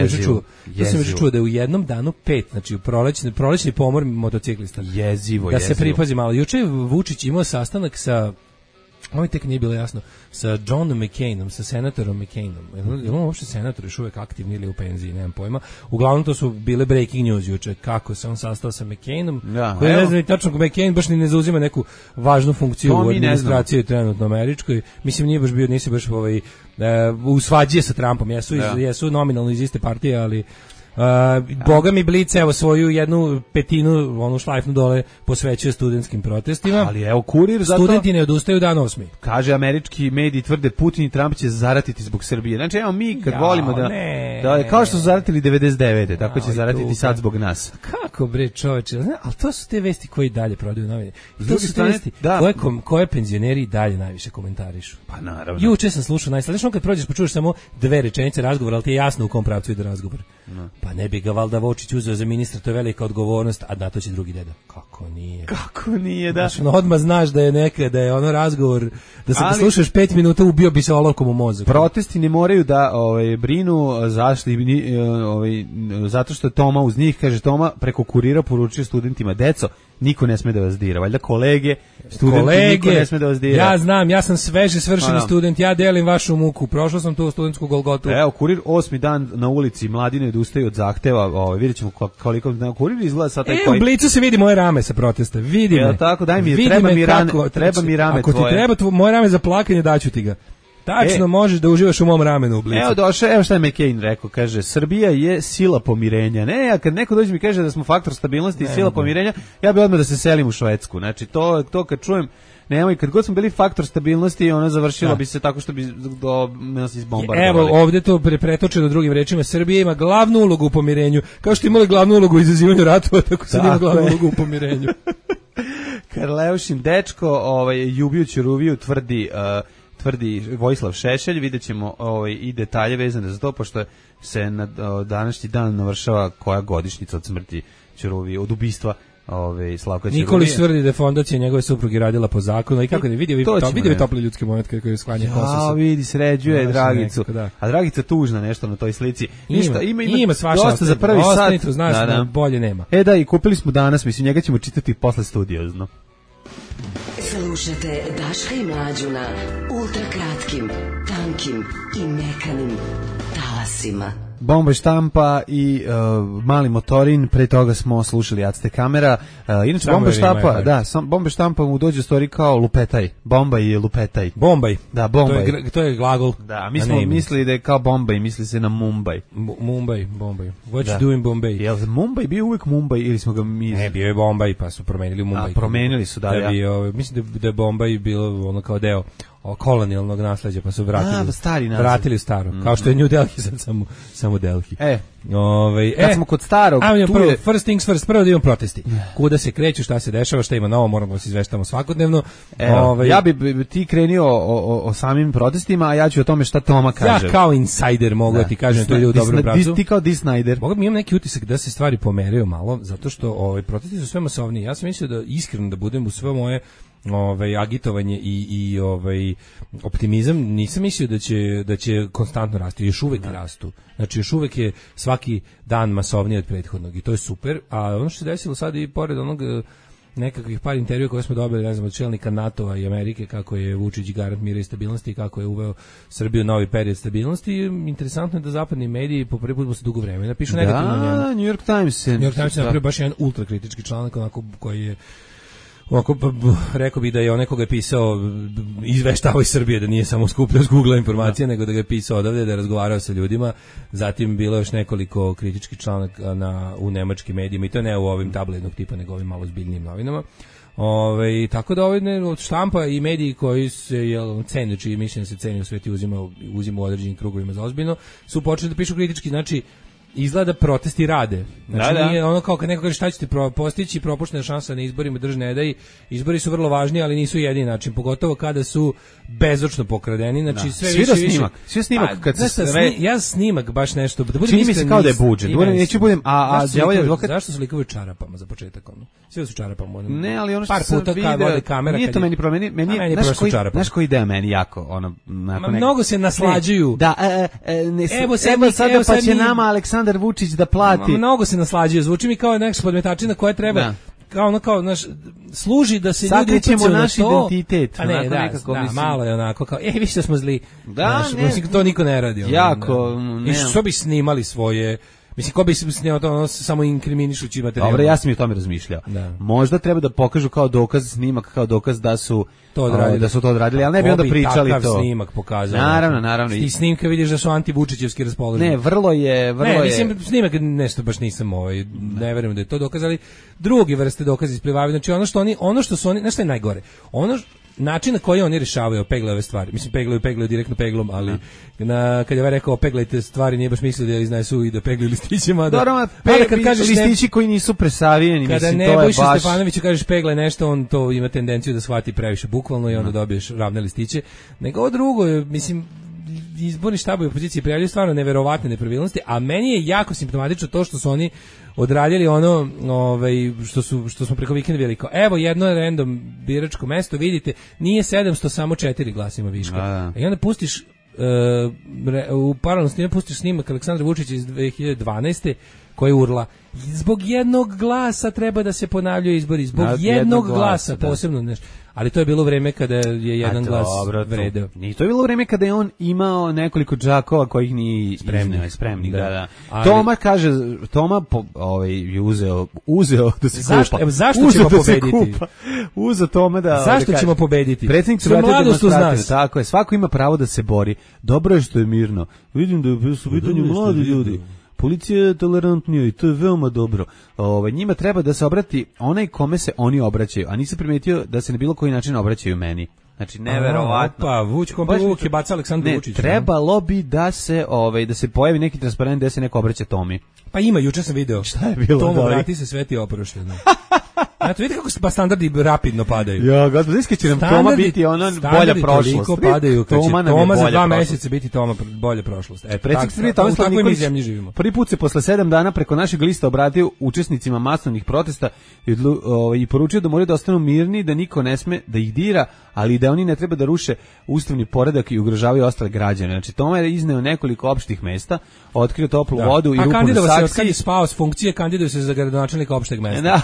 se čuo. Ja sam još čuo da je u jednom danu pet, znači u prolećni prolećni pomor motociklista. Jezivo, da jezivo. se pripazi malo. Juče je Vučić imao sastanak sa ovo tek nije bilo jasno, sa Johnom McCainom, sa senatorom McCainom. Je li on uopšte senator još uvek aktivni ili u penziji, nemam pojma. Uglavnom to su bile breaking news juče, kako se on sastao sa McCainom, ja, koji ne znam i tačno McCain baš ni ne zauzima neku važnu funkciju to u administraciji trenutno američkoj. Mislim, nije baš bio, nisi baš ovaj, uh, u svađi sa Trumpom, jesu, ja. iz, jesu nominalno iz iste partije, ali Uh, Boga mi Blic, evo svoju jednu petinu, onu šlajfnu dole posvećuje studentskim protestima. Ali evo kurir zato... Studenti ne odustaju dan osmi. Kaže, američki mediji tvrde Putin i Trump će zaratiti zbog Srbije. Znači, evo mi kad ja, volimo da, da... Kao što su zaratili devedeset devete tako će zaratiti tu, sad zbog nas. Kako bre čoveče, ali to su te vesti koje dalje prodaju novine. I to su te vesti da, koje, kom, koje penzioneri dalje najviše komentarišu. Pa naravno. Juče sam slušao najslednije, kad prođeš pa čuješ samo dve rečenice razgovora, ali ti je jasno u kom pravcu ide razgovor. No. Pa ne bi ga valjda Vučić uzeo za ministra, to je velika odgovornost, a na to će drugi deda. Kako nije? Kako nije, da. Znači, odmah znaš da je neka, da je ono razgovor, da se ali, slušaš pet minuta ubio bi se olovkom u mozak. Protesti ne moraju da ovaj, brinu zašli, ovaj, zato što je Toma uz njih, kaže Toma, preko kurira poručuje studentima, deco, niko ne sme da vas dira, valjda kolege, studenti, kolege, niko ne sme da vas dira. Ja znam, ja sam sveže svršeni student, ja delim vašu muku, prošao sam tu studentsku Golgotu. Evo, kurir osmi dan na ulici, mladi ne odustaju od zahteva, ovaj, vidjet ćemo koliko, kurir izgleda sad taj e, koji... u Blicu se vidi moje rame sa protesta, vidi me. Tako, daj mi, vidi treba mi rame, kako, treba mi rame ako tvoje. Ako ti treba tvo, moje rame za plakanje, daću ti ga. Tačno, e, možeš da uživaš u mom ramenu u Blicu. Evo došao, evo šta je McCain rekao, kaže, Srbija je sila pomirenja. Ne, a kad neko dođe mi kaže da smo faktor stabilnosti i sila ne, pomirenja, ja bih odmah da se selim u Švedsku. Znači, to, to kad čujem, nemoj, kad god smo bili faktor stabilnosti, ona završila da. bi se tako što bi do nas izbombardovali. Evo, ovdje to pretočeno drugim rečima, Srbija ima glavnu ulogu u pomirenju, kao što imali glavnu ulogu u izazivanju ratova, tako sad ima glavnu ulogu u pomirenju. Karleušin dečko, ovaj, Ljubiju Ćuruviju tvrdi... Uh, tvrdi Vojislav Šešelj, vidjet ćemo ovaj, i detalje vezane za to, pošto se na o, današnji dan navršava koja godišnjica od smrti Ćuruvije, od ubistva ove, Slavka Ćuruvije. Nikolić tvrdi da je fondacija njegove supruge radila po zakonu i kako ne vidi, to, to vidi topli ljudski moment koji je sklanja kosa. Ja, vidi, sređuje no, Dragicu. Nekako, da. A Dragica tužna nešto na toj slici. Ništa, ima, ima, ima svašta dosta za prvi sat. Znaš, da, da. Bolje nema. E da, i kupili smo danas, mislim, njega ćemo čitati posle studiozno. Slušate Daška i Mlađu na ultrakratkim, tankim i mekanim talasima. Bomba štampa i uh, mali motorin, pre toga smo slušali Acte kamera. Uh, inače bomba štampa, da, sam, bomba štampa mu dođe stvari kao lupetaj. Bomba i lupetaj. Bombaj. Da, Bombaj. To je, to je glagol. Da, mi smo mislili da je kao Bombaj, misli se na Mumbai. M Mumbai, Bombaj. What you doing Bombay? Jel Mumbai bio uvek Mumbai ili smo ga mi... Ne, bio je Bombaj, pa su promenili u Mumbai. A, promenili su, da, da ja. Bio, mislim da, da je Bombaj bilo ono kao deo o kolonijalnog nasleđa, pa su vratili, A, stari vratili staro, mm -hmm. kao što je New Delhi sad samo, samo Delhi. E, Ove, kad e, smo kod starog, ajmo, tu prvo, je... first things first, prvo da imamo protesti. Kuda se kreću, šta se dešava, šta ima novo, moramo da se izveštamo svakodnevno. Evo, Ove, ja bi ti krenio o, o, o samim protestima, a ja ću o tome šta Toma kaže. Ja kao insider mogu da, da ti kažem, to je u dobrom pravcu. Ti kao Di Snyder. Mogu mi imam neki utisak da se stvari pomeraju malo, zato što ovaj, protesti su sve masovniji. Ja sam mislio da iskreno da budem u sve moje ovaj agitovanje i i ovaj optimizam, nisam mislio da će da će konstantno rasti, još uvek rastu. Znači još uvek je svaki dan masovniji od prethodnog i to je super. A ono što se desilo sad i pored onog nekakvih par intervjua koje smo dobili, ne znam, od čelnika NATO-a i Amerike, kako je Vučić garant mira i stabilnosti i kako je uveo Srbiju novi period stabilnosti, interesantno je da zapadni mediji po prvi put posle dugo vremena pišu negativno. Da, New York Times. New York Times je napravio baš jedan ultrakritički članak onako koji je Ovako, rekao bih da je onaj koga je pisao izveštavao iz Srbije, da nije samo skupljao s Google informacije, nego da ga je pisao odavde, da je razgovarao sa ljudima. Zatim bilo još nekoliko kritičkih članaka na, u nemačkim medijima, i to ne u ovim tabloidnog tipa, nego ovim malo zbiljnijim novinama. Ove, tako da ovaj od štampa i mediji koji se jel, cene, čiji mišljenje se ceni u sveti uzima, uzima u određenim krugovima za ozbiljno, su počeli da pišu kritički, znači izgleda protesti rade. Znači da, da. nije ono kao kad neko kaže šta ćete postići, propuštena šansa na izborima, drž ne daj. Izbori su vrlo važni, ali nisu jedini način, pogotovo kada su bezočno pokradeni. Znači da. sve Svi više snimak, više. svi snimak A, kad se sni, sve... ja snimak baš nešto, da budem čini mi se kao da je budžet. Ima, Budem, neću budem, a a đavolji advokat. Zašto su likovi u čarapama za početak ono? Svi su čarapama. Ono, ne, ali ono što par puta kad vode kamera, nije to meni problem, meni, meni, meni znaš koji, čarapama. znaš koji ideja meni jako, ono, Ma, mnogo se naslađuju. Ne, da, e, e, ne, evo sad, evo sada evo pa sad će mi, nama Aleksandar Vučić da plati. Ma, mnogo se naslađuje, zvuči mi kao neka podmetačina koja treba, da. kao ono kao naš služi da se ljudi upucaju na naš identitet. A ne, da, nekako, da, mislim, malo je onako kao, e, vi što smo zli. Da, naš, ne. Mislim, to niko ne radi. Ono, jako, ne. I što bi snimali svoje... Mislim, ko bi se snimao to ono, samo inkriminišući materijal. Dobro, ja sam i o tome razmišljao. Da. Možda treba da pokažu kao dokaz snimak, kao dokaz da su to odradili, da su to odradili, ali ne bi onda pričali to. Takav snimak pokazao. Naravno, naravno. Ti snimka vidiš da su antivučićevski raspoloženi. Ne, vrlo je, vrlo ne, je. mislim, snimak nešto baš nisam ovaj, ne verujem da je to dokazali. Drugi vrste dokaza isplivavaju. Znači ono što oni, ono što su oni, nešto je najgore. Ono način na koji oni rješavaju pegle ove stvari. Mislim, peglaju, peglaju direktno peglom, ali na, kad je ovaj rekao peglajte stvari, nije baš mislio da iznesu i da peglaju listićima. Da, Dobro, pe, kad kažeš listići ne, koji nisu presavijeni, kada mislim, ne, to je Nebojša baš... Stefanoviću kažeš peglaj nešto, on to ima tendenciju da shvati previše bukvalno i onda dobiješ ravne listiće. Nego ovo drugo, mislim, izborni štabovi opozicije prijavljaju stvarno neverovatne nepravilnosti, a meni je jako simptomatično to što su oni odradili ono, ovaj, što su što smo preko vikenda vidjeli kao, evo jedno random biračko mesto, vidite, nije sedamsto, samo četiri glasima viška. A, I onda pustiš uh, u paralelno s njima pustiš snimak Aleksandra Vučića iz dve hiljade dvanaeste koji urla, zbog jednog glasa treba da se ponavljaju izbori, zbog jednog, jednog glasa, glasa posebno nešto. Ali to je bilo vreme kada je jedan glas vredeo. I to je bilo vreme kada je on imao nekoliko džakova kojih ni spremni, spremni, da, da. da. Ali, Toma kaže, Toma po, ovaj je uzeo, uzeo da se zašto, kupa. Zašto ćemo da pobediti? Uzeo Toma da. Zašto da ćemo pobediti? Predsjednik su mladost uz nas. Tako je, svako ima pravo da se bori. Dobro je što je mirno. Vidim da su u pitanju mladi ljudi. Policija je tolerantnija i to je veoma dobro. Ovaj njima treba da se obrati onaj kome se oni obraćaju, a nisam primetio da se na bilo koji način obraćaju meni. Znači neverovatno. Pa Vuč kompa Vuk je bacao Aleksandru Vučiću. Trebalo bi da se ovaj da se pojavi neki transparent da se neko obraća Tomi. Pa ima, juče sam video. Šta je bilo? Tomo, vrati se, sveti oprošteno. Znate, vidite kako pa standardi rapidno padaju. Ja, gospod, iska će nam Toma biti ono bolja prošlost. Standardi padaju, kad će Toma, Toma za dva meseca biti Toma bolja prošlost. E, predsjednik Tomislav Nikolić živimo. Prvi put se posle sedam dana preko našeg lista obratio učesnicima masovnih protesta i, ovaj, i poručio da moraju da ostanu mirni, da niko ne sme da ih dira, ali da oni ne treba da ruše ustavni poredak i ugrožavaju ostale građane. Znači, Toma je izneo nekoliko opštih mesta, otkrio toplu da. vodu i rupu na saksiji. A kandidovao se, kad je spao s funkcije, kandiduje se za gradonačelnika opšteg mesta. Da.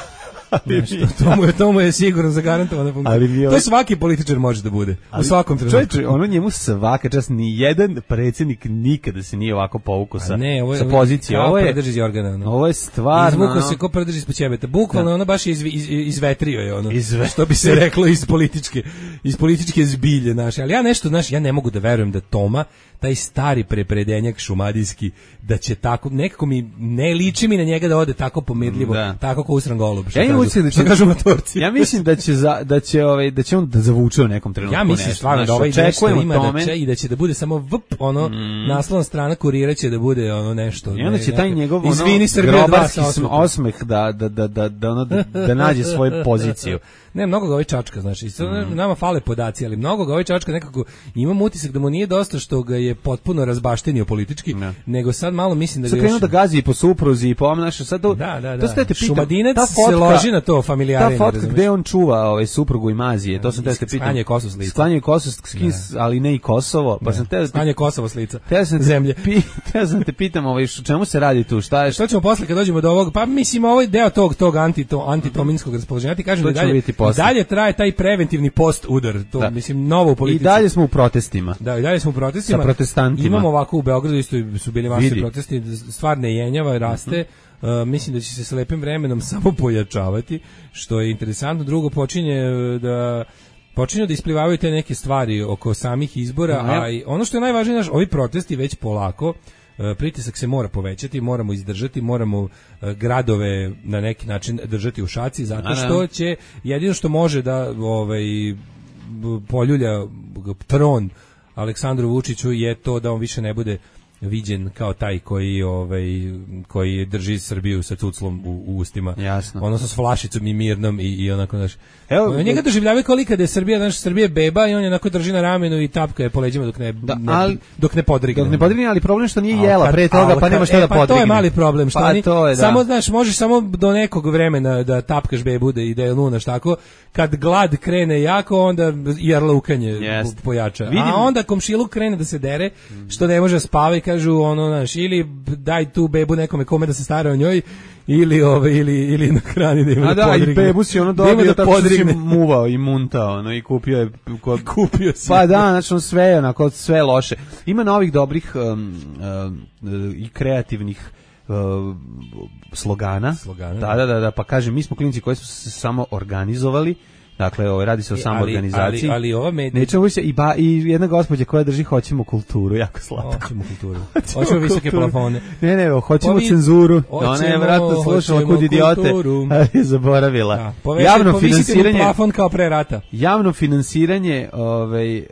Nešto, to, mu je, to mu je sigurno zagarantovana funkcija. To svaki političar može da bude. Ali, u svakom trenutku. Čovječe, ono njemu svaka čast, ni jedan predsjednik nikada se nije ovako povukao sa, ne, ovo je, sa pozicije. Ovo je, predrži iz organa, no. Ovo je stvarno... Izvukao se ko predrži ispod ćebeta. Bukvalno, ono baš iz, iz, izvetrio je ono. Izve... Što bi se reklo iz političke, iz političke zbilje naše. Ali ja nešto, znaš, ja ne mogu da verujem da Toma, taj stari prepredenjak šumadijski, da će tako, nekako mi, ne liči mi na njega da ode tako pomirljivo, da. Tako kao usran golub. Ja kažu, da će, kažu motorci. Ja mislim da će, za, da će, ovaj, da će on da zavuče u nekom trenutku. Ja mislim stvarno da ovaj nešto ima da će, i da će da bude samo vp, ono, mm. naslovna strana kurira će da bude ono nešto. I onda će taj njegov ono, izvini Srbija grobarski osmeh da, da, da, da, da, ono, da, da nađe svoju poziciju. Ne, mnogo ga ovaj čačka, znači, mm. nama fale podaci, ali mnogo ga ovaj čačka nekako, imam utisak da mu nije dosta što ga je potpuno razbaštenio politički, ne. Nego sad malo mislim da ga sad još... da gazi i po supruzi i po ovom našem, sad to... Da, da, da. To ste te pitam, Šumadinac fotka, se loži na to familijarine. Ta fotka gde on čuva ovaj, suprugu i mazije, to sam te te pitam. Sklanje Kosovo s lica. Sklanje Kosovo s lica, ali ne i Kosovo, pa sam te... Sklanje Kosovo s lica, zemlje. Te sam te pitam, ovaj, čemu se radi tu, šta je... Što ćemo posle kad dođemo do ovog, pa mislim ovaj deo tog, tog anti-to, antitominskog raspoloženja, ti kažem da dalje, dalje traje taj preventivni post udar, to da. Mislim novo političko. I dalje smo u protestima. Da, i dalje smo u protestima. protestantima. Imamo ovako u Beogradu isto su bili masovni Vidi. protesti, stvar ne jenjava, raste. Uh, mislim da će se s lepim vremenom samo pojačavati, što je interesantno. Drugo, počinje da počinju da isplivavaju te neke stvari oko samih izbora, No, ja. a i ono što je najvažnije, naš, ovi protesti već polako, uh, pritisak se mora povećati, moramo izdržati, moramo uh, gradove na neki način držati u šaci, zato što će jedino što može da ovaj poljulja tron Aleksandru Vučiću je to da on više ne bude viđen kao taj koji ovaj koji drži Srbiju sa cuclom u, u ustima. Jasno. Odnosno s flašicom i mirnom i, i onako naš. Evo, njega doživljavaju kao lika da je Srbija, naš Srbija beba i on je onako drži na ramenu i tapka je po leđima dok ne, Da, ne ali- dok ne podrigne. Dok ne podrigne, ali problem je što nije Al jela kad- pre toga, al pa kad- nema šta e, da pa podrigne. to je mali problem, što Pa oni, to je, da. samo znaš, možeš samo do nekog vremena da tapkaš bebu da ide lunaš tako, kad glad krene jako, onda i jarlukanje Jest. pojača. Vidim- A onda komšiluk krene da se dere, što ne može da spava i kažu ono, znaš, ili daj tu bebu nekome kome da se stara o njoj, ili ove ili ili na hrani da ima A da da, i podrigne. bebu si ono Da ima dobio da tako što si podrigne. muvao i muntao, ono, i kupio je... Ko, Kupio si. Pa da, znači ono sve, onako, sve loše. Ima novih dobrih um, um, i kreativnih um, slogana. Slogana, Da, da, da, da, pa kažem, mi smo klinci koji su se samo organizovali. Dakle, ovo radi se o E, samoorganizaciji. ali- ali ova medija- Nećemo više i ba i jedna gospođa koja drži hoćemo kulturu, jako slatko. Hoćemo kulturu. Hoćemo visoke kulturu. plafone. Ne, ne, hoćemo Ovi- cenzuru. hoćemo- Ona je vratno slušala hoćemo kud idiote, kulturu. ali je zaboravila. Da, povesi- Javno povisite mu finansiranje, plafon kao pre rata. javno finansiranje, ovaj e,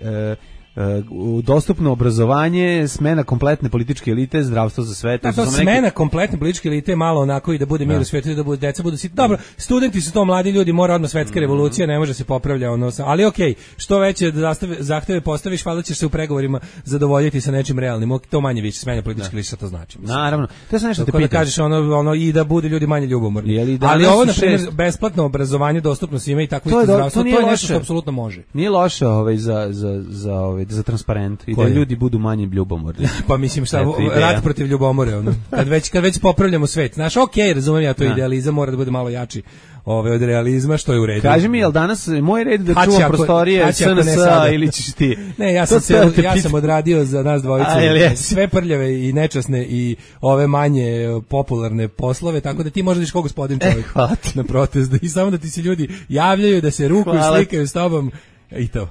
e, u dostupno obrazovanje, smena kompletne političke elite, zdravstvo za sve. Da, su to samo neke- smena kompletne političke elite malo onako i da bude mir Da. u svijetu i da bude deca budu sitni. Dobro, studenti su to mladi ljudi, mora odmah svetska revolucija, ne može se popravlja ono, sa- ali okej, što veće zastave, zahteve postaviš, valjda ćeš se u pregovorima zadovoljiti sa nečim realnim. Ok, to manje više smena političke elite, šta to znači? Mislim. Naravno. To sam nešto te Tako da pitam. kažeš ono, ono i da bude ljudi manje ljubomorni. Je li danas Ali ovo u na primjer šest- besplatno obrazovanje dostupno svima i tako To je isto do- zdravstvo, to nije to je nešto loše. što apsolutno može. Nije loše ovaj za za za ovaj za transparent i da Koje? ljudi budu manje ljubomorni. Pa mislim šta, Eto, ideja. rat protiv ljubomore, ono. Kad već kad već popravljamo svet. Znaš, okej, razumem ja to, Da. idealizam mora da bude malo jači. Ove od realizma, što je u redu. Kaži mi, jel danas moj red da Hači čuvam ako- prostorije hači ako ne S N S sada. ili ćeš ti? Ne, ja To sam, ste cel, da te ja pitam. sam odradio za nas dvojicu A, jel jesi? sve prljave i nečasne i ove manje e, popularne poslove, tako da ti možeš da iš kao gospodin čovjek E, hvala ti. na protest i samo da ti se ljudi javljaju, da se rukuju, Hvala ti. slikaju s tobom i to.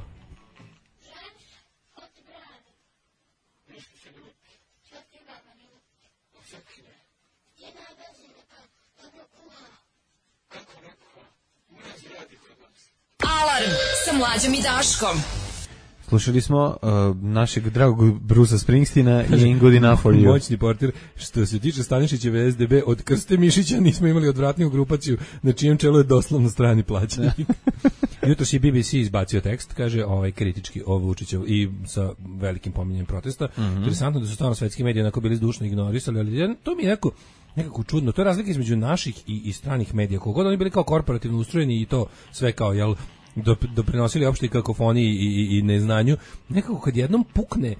Alarm sa Mlađom i Daškom. Slušali smo uh, našeg dragog Brusa Springsteena i Ain't Good Enough for You. Moćni portir. Što se tiče Stanišićeve S D B, od Krste Mišića nismo imali odvratniju grupaciju na čijem čelu je doslovno strani plaćenik. Jutros je B B C izbacio tekst, kaže ovaj kritički o Vučiću i sa velikim pominjanjem protesta. Mm-hmm. Interesantno da su stvarno svetski mediji onako bili zdušno ignorisali, ali jedan- to mi je neko nekako čudno. To je razlika između naših i, i stranih medija. Kogod oni bili kao korporativno ustrojeni i to sve kao, jel, dop- doprinosili opštoj kakofoniji i, i, i neznanju, nekako kad jednom pukne e,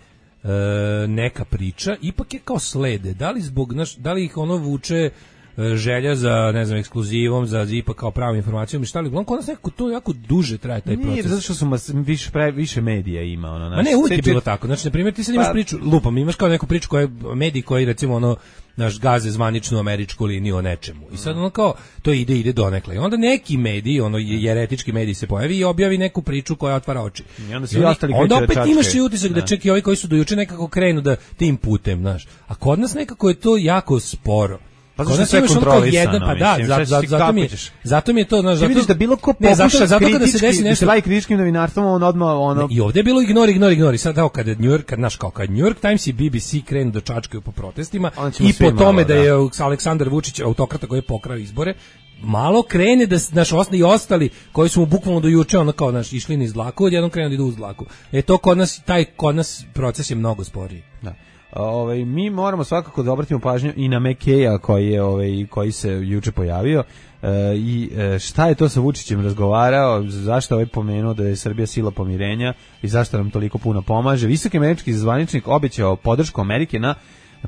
neka priča, ipak je kao slede. Da li zbog, naš, da li ih ono vuče e, želja za, ne znam, ekskluzivom, za ipak kao pravom informacijom i šta li, uglavnom kod nas nekako to jako duže traje taj Nije, proces. zato što su mas, više, pre, više medija ima. Ono, Ma ne, uvijek je bilo tako. Znači, na primjer, ti sad imaš Pa- priču, lupam, imaš kao neku priču koja je mediji koji, recimo, ono, naš gaze zvaničnu američku liniju o nečemu. I sad ono kao, to ide, ide donekle. I onda neki mediji, ono, jeretički mediji se pojavi i objavi neku priču koja otvara oči. I onda svi oni- ostali onda kreću da opet čačkaju. imaš i utisak da Da. čak i ovi koji su do juče nekako krenu da tim putem, znaš. A kod nas nekako je to jako sporo. Pa Kod zašto nas sve imaš ono kao kontrolisano, jedan, pa da, mislim, za, sad za, si zato, mi, je- kako ćeš? zato mi je to, znaš, Ti zato... vidiš da bilo ko ne, zato, pokuša zato kada se kritički, desi da nešto... se bavi kritičkim novinarstvom, on odmah ono... I ovdje je bilo ignori, ignori, ignori. Sad evo kada New York, kad naš kao kad New York Times i B B C krenu da čačkaju po protestima Onda ćemo i svi po malo, tome da, da. je Aleksandar Vučić autokrata koji je pokrao izbore, malo krene da s- naš osni i ostali koji su mu bukvalno do juče ono kao naš išli niz dlaku, odjednom krenu da idu uz dlaku. E to kod nas taj kod nas proces je mnogo sporiji. Da. Ovaj mi moramo svakako da obratimo pažnju i na McKeja koji je ovaj koji se juče pojavio e, i e, šta je to sa Vučićem razgovarao, zašto ovaj pomenuo da je Srbija sila pomirenja i zašto nam toliko puno pomaže. Visoki američki zvaničnik obećao podršku Amerike na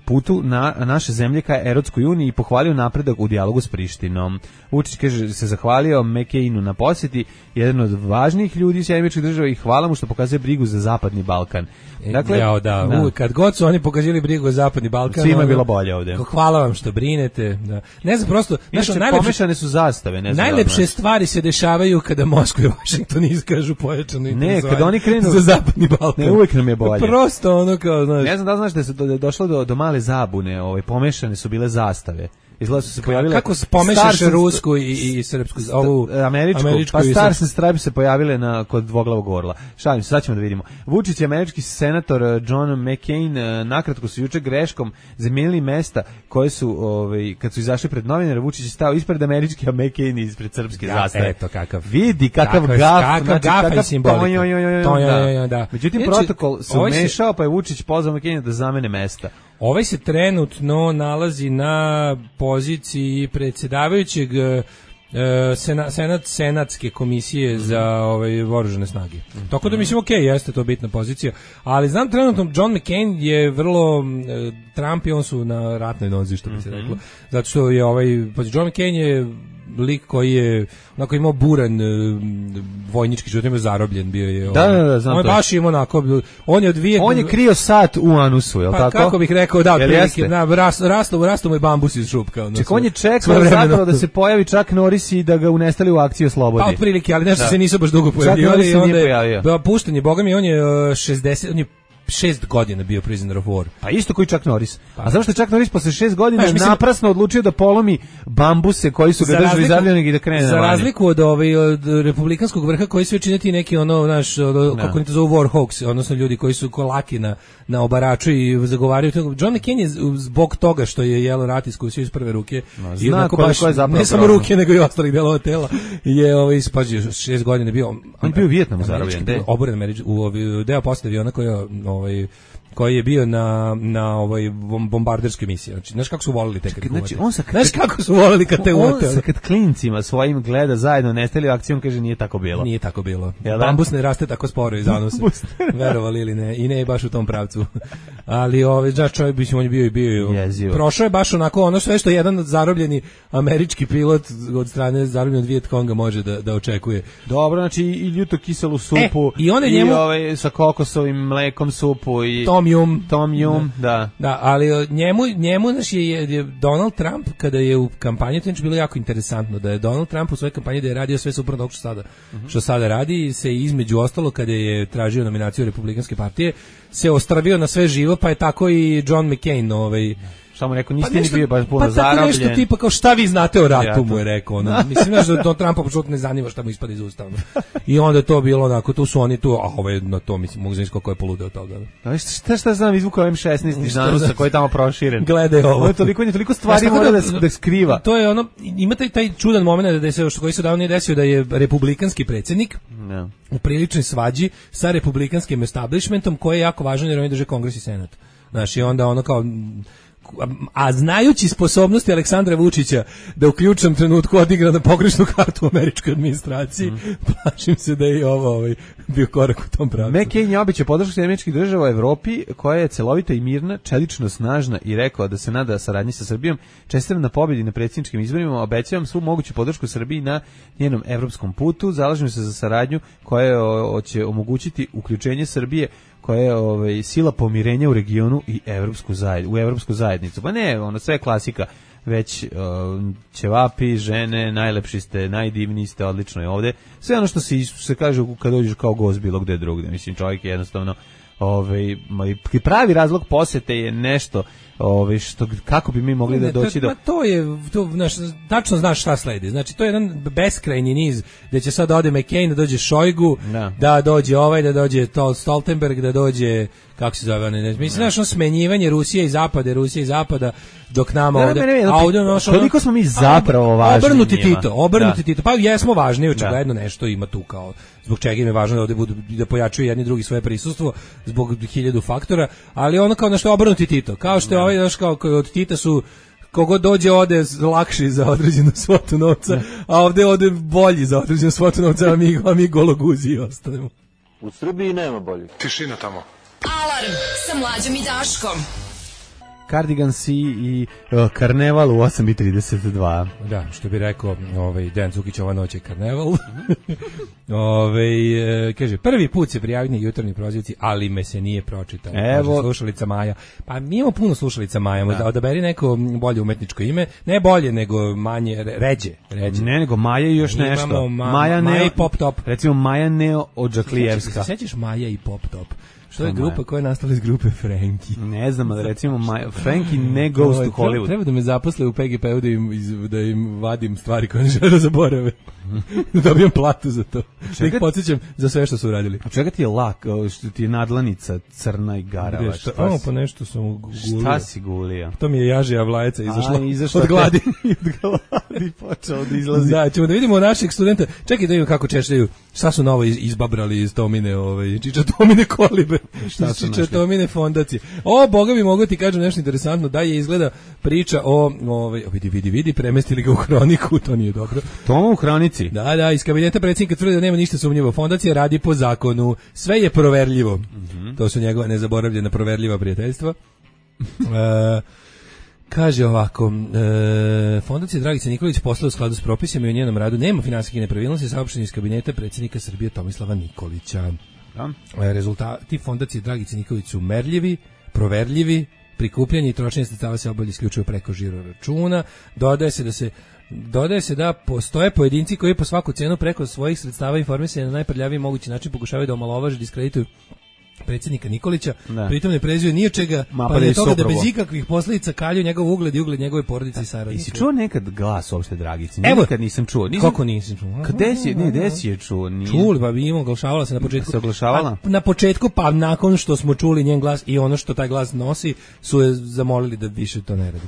putu na naše zemlje ka Evropskoj uniji i pohvalio napredak u dijalogu s Prištinom. Vučić kaže se zahvalio McCainu na posjeti, jedan od važnijih ljudi Sjedinjenih Američkih Država i hvala mu što pokazuje brigu za Zapadni Balkan. Dakle, Jao, da, da. Uvijek, kad god su oni pokazali brigu za Zapadni Balkan, svima je bilo bolje ovde. Hvala vam što brinete. Da. Ne znam, prosto, nešto najlepše, pomešane su zastave, ne znam. Najlepše stvari se dešavaju kada Moskva i Vašington iskažu pojačano ne, kada oni krenu za Zapadni Balkan. Ne, uvijek nam je bolje. Prosto ono kao, znaš. Ne znam da znaš da se do, došlo do, do male zabune, ovaj pomešane su bile zastave. Izgleda su se pojavile. Kako se pomešaš rusku i, i, i srpsku, ovu američku, američku pa Stars and Stripes se pojavile na kod dvoglavog orla. Šalim se, sad ćemo da vidimo. Vučić i američki senator John McCain nakratko su juče greškom zamijenili mesta koje su, ovaj, kad su izašli pred novinare, Vučić je stao ispred američke, a McCain ispred srpske ja, zastave. Eto kakav. Vidi kakav kakav gaf, kakav znači, gaf kakav i simbolika. Da. Da. Međutim, Ječi, protokol se umešao, pa je Vučić pozvao McCaina da zamene mesta. Ovaj se trenutno nalazi na poziciji predsjedavajućeg uh, sena, senat, senatske komisije mm-hmm. za ovaj, oružane snage. Mm-hmm. Tako da mislim, ok, jeste to bitna pozicija, ali znam trenutno John McCain je vrlo, uh, Trump i on su na ratnoj nozi, što bi se reklo, mm-hmm. zato što je ovaj, pa John McCain je lik koji je onako imao buran uh, vojnički život, imao zarobljen bio je. Da, da, da, znam on je baš imao onako, on je od Vijetnama. On je krio sat u anusu, je li pa, tako? Kako bih rekao, da, otprilike, na rast, rasto, rasto mu je bambus iz šupka. Ono, Ček, on je čekao zapravo da se pojavi Chuck Norris i da ga unestali u akciju oslobodi. Pa otprilike, ali nešto da. se nisu baš dugo pojavljivali. Chuck Norris se nije pojavio. Pušten je, boga mi, on je šezdeset, on je šest godina bio prisoner of war. Pa isto koji Chuck Norris. Pa. A zašto je Chuck Norris posle šest godina Znaš, mislim, naprasno odlučio da polomi bambuse koji su ga držali zarobljenog i da krene za na vanje? Za razliku od, ovaj, od republikanskog vrha koji sve činiti neki ono, naš, od, kako oni to zovu war hawks, odnosno ljudi koji su kolaki na, na obaraču i zagovaraju. John McCain je zbog toga što je jelo rat iskusio iz prve ruke. No, zna i baš, je zapravo ne samo problem. ruke, nego i ostalih delova tela. Je ovaj, ispazio, šest godina bio. On bio u Vijetnamu zarobljen. Oboren američki, u ovaj, deo posle aviona koji je ovaj, koji je bio na na ovoj bombarderskoj misiji. Znači, znaš kako su voleli te kad znači, on sa znaš kako su voleli kad te uvate. On sa kad klincima svojim gleda zajedno nestali u akciju, on kaže nije tako bilo. Nije tako bilo. Bambus ne raste tako sporo iz anusa. Verovali ili ne. I ne baš u tom pravcu. Ali ovaj znači čovjek bi on je bio i bio. Jezivo. Prošao je baš onako ono sve što jedan zarobljeni američki pilot od strane zarobljenog Vijetkonga može da da očekuje. Dobro, znači i ljuto kiselu supu e, i, one njemu, i ovaj sa kokosovim mlekom supu i Tom Yum. Tom Yum, da. da. Da, ali njemu, njemu naš je, je Donald Trump, kada je u kampanji, to je bilo jako interesantno, da je Donald Trump u svojoj kampanji da je radio sve suprotno što sada, uh-huh. što sada radi, se između ostalo, kada je tražio nominaciju Republikanske partije, se ostravio na sve živo, pa je tako i John McCain, ovaj, samo rekao, niste pa ni bio baš puno pa zarobljen. Pa tako nešto tipa kao šta vi znate o ratu, mu je rekao. Ono. Mislim, znaš da to Trumpa apsolutno ne zanima šta mu ispada iz usta. I onda je to bilo onako, tu su oni tu, a ovo je na to, mislim, mogu znaći koliko je poludeo od toga. A šta šta znam, izvukao em šesnaest iz Danusa koji je tamo proširen. Gledaj ovo. Ovo je toliko, je toliko stvari mora da, da, da skriva. To je ono, imate taj čudan moment da se, koji se davno nije desio, da je republikanski predsjednik no. u priličnoj svađi sa republikanskim establishmentom, koji je jako važan jer oni drže Kongres i Senat. Znaš, i onda ono kao... a znajući sposobnosti Aleksandra Vučića da u ključnom trenutku odigra na pogrešnu kartu u američkoj administraciji, mm. plašim se da je i ovo ovaj, bio korak u tom pravcu. McCain je obećao podršku američkih država u Evropi, koja je celovita i mirna, čelično snažna i rekao da se nada saradnji sa Srbijom. Čestitam na pobjedi na predsjedničkim izborima, obećavam svu moguću podršku Srbiji na njenom evropskom putu, zalažem se za saradnju koja će omogućiti uključenje Srbije koja je ovaj, sila pomirenja u regionu i evropsku zajednicu, u evropsku zajednicu. Pa ne, ono sve klasika, već uh, ćevapi, žene, najlepši ste, najdivniji ste, odlično je ovde. Sve ono što se, se kaže kad dođeš kao gost bilo gde drugde. Mislim, čovjek je jednostavno ovaj, pravi razlog posete je nešto ovaj, što, kako bi mi mogli ne, da doći to, do... Ma to je, to, znaš, tačno znaš šta sledi. Znači, to je jedan beskrajni niz gde će sad da ode McCain, da dođe Šojgu, no. da dođe ovaj, da dođe Stoltenberg, da dođe, kako se zove, ne, ne, mislim, znaš, no. smenjivanje Rusije i Zapada, Rusije i Zapada, dok nama ovde... Ne, ne, ne, ovde no, koliko smo mi zapravo važni obrnuti njima. Tito, obrnuti da. Tito, pa jesmo važni, očigledno da. Nešto ima tu kao, zbog čega im je važno da ovde budu, da pojačuju jedni drugi svoje prisustvo, zbog hiljadu faktora, ali ono kao nešto obrnuti Tito, kao što je ovaj, znaš, kao od Tita su kogod dođe ode lakši za određenu svotu novca, ne. A ovde ode bolji za određenu svotu novca, a mi, a mi gologuzi i ostanemo. U Srbiji nema bolji. Tišina tamo. Alarm sa Mlađom i Daškom. Cardigansi i uh, Karneval u osam i trideset dva. Da, što bi rekao ovaj, Dejan Cukić, ova noć je Karneval. Ove, kaže, prvi put se prijavio na jutarnji prozivci, ali me se nije pročitao. Evo. Kaže, slušalica Maja. Pa mi imamo puno slušalica Maja, da. Odaberi neko bolje umetničko ime. Ne bolje, nego manje, ređe. ređe. Ne, nego Maja i još mi nešto. Ma, Maja, Maja Neo, i Pop Top. Recimo Maja Neo Odžaklijevska. Se sećaš Maja i Pop Top? Što je Maja? grupa koja je nastala iz grupe Frankie. Ne znam, ali recimo Maja, Frankie ne goes to Hollywood. Treba da me zaposle u P G P-u da im, iz, da im vadim stvari koje ne žele da zaborave. Da dobijem platu za to. Da ih podsjećam za sve što su uradili. A čega ti je lak, što ti je nadlanica crna i garava? Šta, šta o, pa nešto sam gulio. Šta si gulio? To mi je jažija vlajeca izašla, A, izašla od gladi. Od gladi počeo da izlazi. Da, ćemo da vidimo naših studenta. Čekaj da vidimo kako češljaju. Šta su novo izbabrali iz Tomine, ovaj, Čiča Tomine kolibe. Šta su Čiča Tomine fondacije. O, boga mi mogu ti kažem nešto interesantno. Da je izgleda priča o, ovaj, vidi, vidi, vidi, premestili ga u hroniku, to nije dobro. Toma u hronici? Da, da, iz kabineta predsjednika tvrdi da nema ništa sumnjivo. Fondacija radi po zakonu. Sve je proverljivo. Mm-hmm. To su njegova nezaboravljena proverljiva prijateljstva. e, kaže ovako, e, Fondacija Dragice Nikolić posla u skladu s propisima i u njenom radu nema finansijskih nepravilnosti, saopšteni iz kabineta predsjednika Srbije Tomislava Nikolića. Da. E, rezultati Fondacije Dragice Nikolić su merljivi, proverljivi, prikupljanje i trošenje sredstava se obavlja isključivo preko žiro računa. Dodaje se da se Dodaje se da postoje pojedinci koji po svaku cenu preko svojih sredstava informisanja na najprljaviji mogući način pokušavaju da omalovaže, diskredituju predsjednika Nikolića, da. Pritom ne prezio ni od čega, Ma, pa, pa je toga da bez ikakvih posljedica kalju njegov ugled i ugled njegove porodice i saradnika. Jesi čuo nekad glas uopšte Dragici? Evo, nikad nisam čuo. Nisam... Kako nisam čuo? Gde si, ne, gde si je čuo? Nije... Čuli, pa bi imao, oglašavala se na početku. Se oglašavala? A, na početku, pa nakon što smo čuli njen glas i ono što taj glas nosi, su je zamolili da više to ne radi.